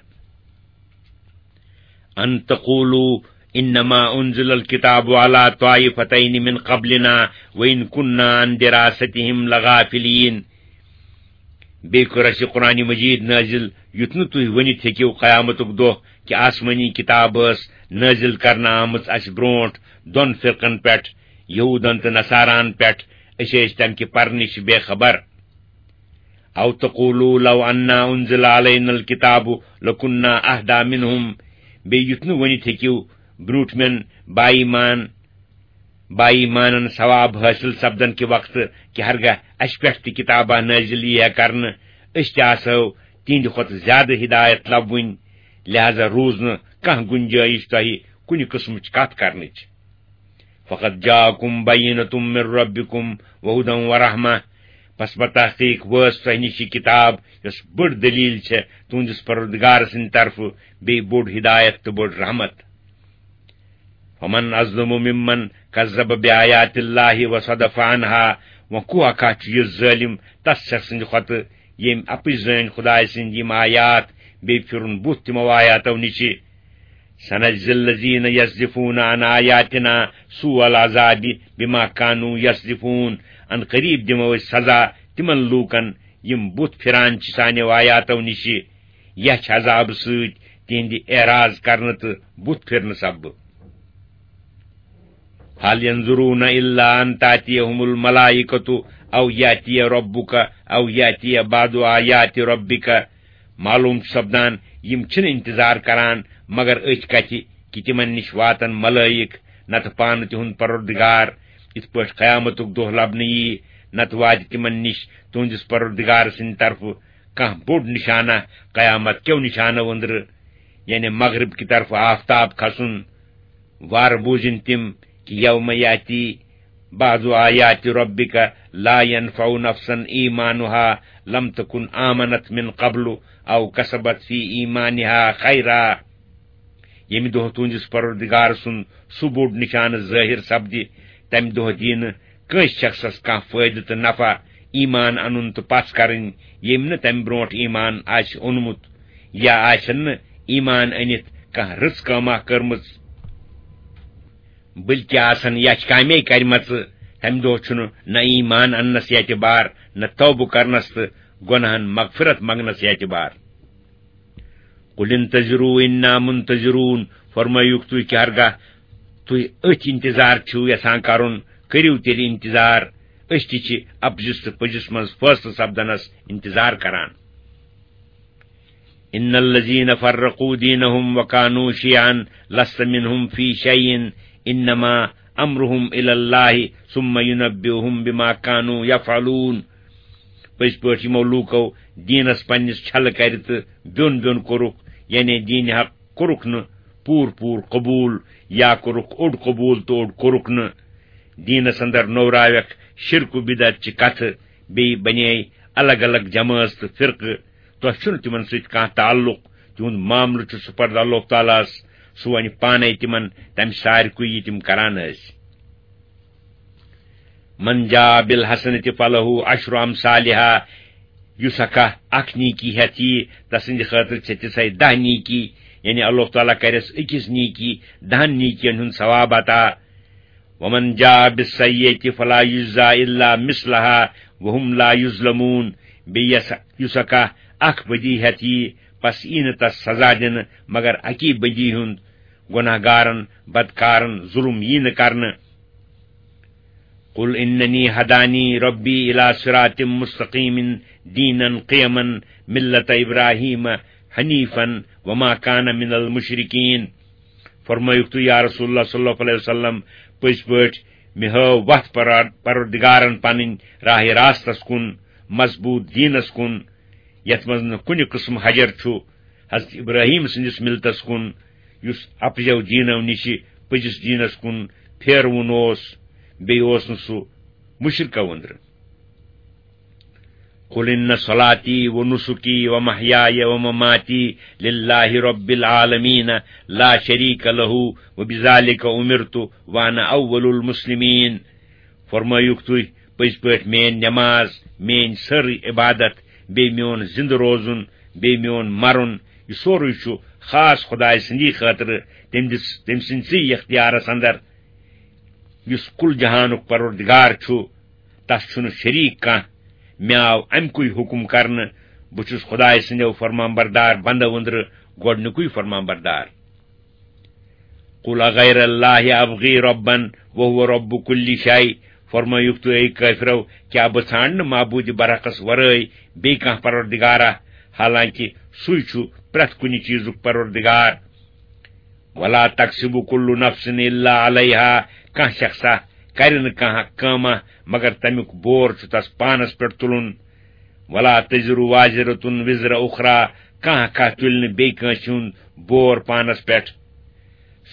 أَن تَقُولُوا إِنَّمَا أُنزِلَ الْكِتَابُ عَلَىٰ طَائِفَتَيْنِ مِنْ قَبْلِنَا وَإِنْ كُنَّا عَن دِرَاسَتِهِمْ لَغَافِلِينَ۔ بیٚیہِ کوٚر اَسہِ یہِ قرآنِ مجیٖد نٲزِل، یُتھ نہٕ تُہۍ ؤنِتھ ہیٚکِو قیامتُک دۄہ کہِ آسمٲنی کِتاب ٲس نٲزِل کرنہٕ آمٕژ اَسہِ برٛونٛٹھ دۄن فرقن پٮ۪ٹھ، یہوٗدن تہٕ نصاراہن پٮ۪ٹھ، أسۍ ٲسۍ تَمہِ کہِ پرنٕچ بے خبر۔ أَوْ تَقُولُوا لَوْ أَنَّا أُنزِلَ عَلَيْنَا الْكِتَابُ لَكُنَّا أَهْدَىٰ مِنْهُمْ۔ بیٚیہِ یُتھ نہٕ ؤنِتھ ہیٚکِو برٛوٗنٛٹھمٮ۪ن با ایٖمان، با ایٖمانن ثواب حٲصِل سپدن کہِ وقتہٕ کہِ ہرگاہ اَسہِ پٮ۪ٹھ تہِ کِتابہ نٲزِل ییہِ ہا کرنہٕ، أسۍ تہِ آسہو تِہنٛدِ کھۄتہٕ زیادٕ ہدایت لبوٕنۍ، لہذا روٗز نہٕ کانٛہہ گُنجٲیِش تۄہہِ کُنہِ قٕسمٕچ کتھ کرنٕچ۔ فَقَدْ جَاءَكُمْ بَيِّنَةٌ مِّن رَبِّكُمْ وَهُدًى وَرَحْمَةٌ، پس بتحقیق وٲژ تۄہہِ نِش یہِ کِتاب، یۄس بٔڑ دٔلیٖل چھےٚ تُہنٛدِس پروردگار سٕنٛدِ طرفہٕ، بیٚیہِ بوٚڑ ہدایت تہٕ بٔڑ رحمت۔ فَمَنْ أَظْلَمُ مِمَّنْ كَذَّبَ بِآيَاتِ اللَّهِ وَصَدَفَ عَنْهَا، وۄنۍ کُس اکھ چھُ یُتھ ظٲلِم تس شخص سٕنٛدِ کھۄتہٕ، ییٚمۍ اپٕز زٲنۍ خدایہِ سٕنٛدۍ یِم آیات، بیٚیہِ پھِرُن بُتھ تِمو آیاتو نِشہِ۔ سَنَجْزِي الَّذِينَ يَصْدِفُونَ عَنْ آيَاتِنَا سُوءَ الْعَذَابِ بِمَا كَانُوا يَصْدِفُونَ۔ ان قریب دِمو أسۍ سزا تِمن لوٗکن، یِم بُتھ پھِران چھِ سانیو آیاتو نِشہِ، یَچھِ عذابہٕ سۭتۍ تِہنٛدِ اعراض کرنہٕ تہٕ بُتھ پھِرنہٕ سببہٕ۔ هَلْ يَنظُرُونَ إِلَّا أَنْ تَأْتِيَهُمُ الْمَلَائِكَةُ أَوْ يَأْتِيَ رَبُّكَ أَوْ يَأْتِيَ بَعْضُ آيَاتِ رَبِّكَ۔ معلوم چھُ سپدان، یِم چھِنہٕ انتظار کران مگر أتھۍ کتھِ کہِ تِمن نِش واتن ملٲیِک، نتہٕ پانہٕ تِہُنٛد پروردگار، یِتھ پٲٹھۍ قیامتُک دۄہ لبنہٕ یِیہِ، نتہٕ واتہِ تِمن نِش تُہنٛدِس پروردگار سٕنٛدِ طرفہٕ کانٛہہ بوٚڑ نشانہ، قیامت کیو نشانو أنٛدرٕ، یعنی مغرب کہِ طرفہٕ آفتاب کھسُن۔ وارٕ بوٗزِن تِم کہِ یوم یاتی بعض آیات ربک لا ينفع نفسا ایمانها لم تکن آمنت من قبل او کسبت فی ایمانها خیرا۔ ییٚمہِ دۄہ تُہنٛدِس پروردگار سُنٛد سُہ بوٚڑ نشانہٕ ظٲہِر سپدِ، تمہِ دۄہ دِیہِ نہٕ کٲنٛسہِ شخصس کانٛہہ فٲیدٕ تہٕ نفع ایمان انُن تہٕ پژھ کرٕنۍ، ییٚمۍ نہٕ تمہِ برونٛٹھ ایمان آسہِ اوٚنمُت یا آسن نہٕ ایمان أنِتھ کانٛہہ رٕژ کٲمہ کٔرمٕژ۔ بلکہ آسن یچھ کامے کرِمژٕ، تمہِ دۄہ چھُنہٕ نہ ایمان اننس اعتبار، نہ توبہٕ کرنس تہٕ گۄناہن مغفرت منگنس اعتبار۔ قل انتظروا انا منتظرون، فرمٲیُکھ تُہۍ کہِ ہرگاہ تُہۍ أتھۍ انتظار چھِو یژھان کرُن، کٔرِو تیٚلہِ انتظار، أسۍ تہِ چھِ اپزِس تہٕ پٔزِس منٛز فٲصلہٕ سپدنس انتظار کران۔ ان الذين فرقوا دينهم وكانوا شيعا لست منهم في شيء انما امرهم الى الله ثم ينبئهم بما كانوا يفعلون۔ پٔزۍ پٲٹھۍ یِمو لوٗکو دیٖنس پننِس چھلہٕ کرِ تہٕ بیوٚن بیوٚن کوٚرُکھ، یعنی دیٖن حق کوٚرُکھ نہٕ پوٗرٕ پوٗرٕ قبوٗل، یا کوٚرُکھ اوٚڑ قبوٗل تہٕ اوٚڑ کوٚرُکھ نہٕ۔ دیٖنس اندر نوراوکھ شرک و بدعت چہِ کتھٕ، بیٚیہِ بنے الگ الگ جمٲژ تہٕ فرقہٕ۔ تۄہہِ چھُنہٕ تِمن سۭتۍ کانٛہہ تعلق، تِہُنٛد معاملہٕ چھُ سپرد اللہ تعالیٰ ہس، سُہ ونہِ پانے تِمن تمہِ سارِ کُے یہِ تِم کران ٲسۍ۔ من جاء بالحسنة فله عشر امثالها، یُس اکھ اکھ نیکی ہٮ۪تھ یی، تسٕنٛدِ خٲطرٕ چھِ تِژھے دَہ نیکی، یعنی اللہ تعالیٰ کرٮ۪س أکِس نیکی دَہن نیکین ہُنٛد ثواب عطا۔ ومن جاء بالسیئة فلا يجزى الا مثلها وهم لا يظلمون۔ بیٚیہِ یس، یُس اکھ اکھ بدی ہٮ۪تھ یی، پس یی نہٕ تس سزا دِنہٕ مگر اکی بدی ہُنٛد، گۄناہ گارن، بدکارن ظلم یی نہٕ کرنہٕ۔ قل انني هداني ربي الى صراط مستقيم دينا قيما ملة ابراهيم حنيفا وما كان من المشركين۔ فرمٲیُکھ تُہۍ یا رسول اللہ صلی اللہ علیہ وسلم، پٔزۍ پٲٹھۍ مےٚ ہٲو وتھ پرار-، پروردگارن پنٕنۍ راہِ راستس کُن، مضبوٗط دیٖنس کُن، یتھ منٛز نہٕ کُنہِ قٕسمہٕ حجر چھُ، حضرت ابراہیم سٕنٛدِس مِلتس کُن، یُس اپزیو دیٖنو نِشہِ پٔزِس دیٖنس کُن پھیروُن اوس، بیٚیہِ اوس نہٕ سُہ مُشرکو أنٛدرٕ۔ قل ان صلاتي ونسكي ومحياي ومماتي لله رب العالمين لا شريك له وبذلك امرت وانا اول المسلمين۔ فرمٲیِو تُہۍ، پٔزۍ پٲٹھۍ میٲنۍ نماز، میٲنۍ سٲرٕے عبادت، بیٚیہِ میون زِندٕ روزُن، بیٚیہِ میون مرُن، یہِ سورُے چھُ خاص خۄداے سٕنٛدی خٲطرٕ، تٔمۍ دِژ-، تٔمۍ سٕنٛدسٕے اختیارس اندر، یُس کُل جہانُک پروردگار چھُ، تس چھُنہٕ شریٖک کانٛہہ۔ مےٚ آو امہِ کُے حُکم کرنہٕ، بہٕ چھُس خۄداے سٕنٛدیو فرمان بردار بندو أنٛدرٕ گۄڈٕنیُکُے فرمان بردار۔ قل اغیر اللہ ابغی ربا وهو رب کل شیء۔ فرمٲیِو تُہۍ، اے کٲفرو، کیٛاہ بہٕ ژھانٛڈٕ نہٕ معبوٗدِ برحقس ورٲے بیٚیہِ کانٛہہ پروردگارا، حالانکہِ سُے چھُ پرٛٮ۪تھ کُنہِ چیٖزُک پروردگار؟ ولا تکسب کل نفس الا علیہا، کانٛہہ شخصا کرِ نہٕ کانٛہہ کٲمہ مگر تمیُک بور چھُ تس پانس پٮ۪ٹھ تُلُن۔ ولا تزر وازرة وزر اخرى، کانٛہہ کانٛہہ تُلہِ نہٕ بیٚیہِ کٲنٛسہِ ہُنٛد بور پانس پٮ۪ٹھ۔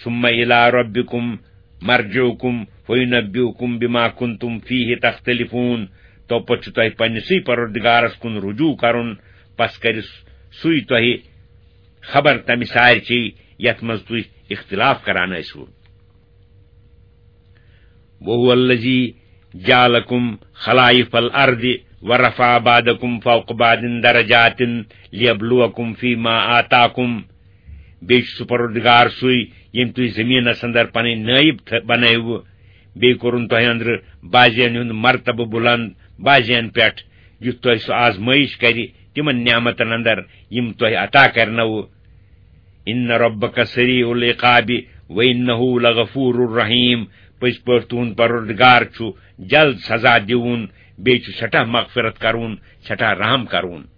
ثم الى ربكم مرجعكم فينبئكم بما كنتم فيه تختلفون۔ توپتہٕ چھُ تۄہہِ پننِسٕے پروردگارس کُن رجوع کرُن، پس کرِ سُے تۄہہِ خبر تمہِ سارِ چی یتھ منٛز تُہۍ اختلاف کران ٲسِو۔ وهو الذي جعلكم خلائف الأرض ورفع بعضكم فوق بعض درجات ليبلوكم فيما آتاكم۔ بیٚیہِ چھُ سُہ پروردگار سُے، ییٚمۍ تُہۍ زٔمیٖنس اندر پنٕنۍ نٲیِب تھٲ-، بنٲوٕ، بیٚیہِ کوٚرُن تۄہہِ اندرٕ بعضین ہُنٛد مرتبہٕ بُلند بعضین پٮ۪ٹھ، یُتھ تۄہہِ سُہ آزمٲیِش کرِ تِمن نعمتن اندر، یِم تۄہہِ عطا کرنوٕ۔ ان ربک سریع العقاب وانہ لغفور الرحیم، پٔزۍ پٲٹھۍ تُہُنٛد پروردگار چھُ جلد سزا دِوُن، بیٚیہِ چھُ سٮ۪ٹھاہ مغفرت کرُن، سٮ۪ٹھاہ رحم کرُن۔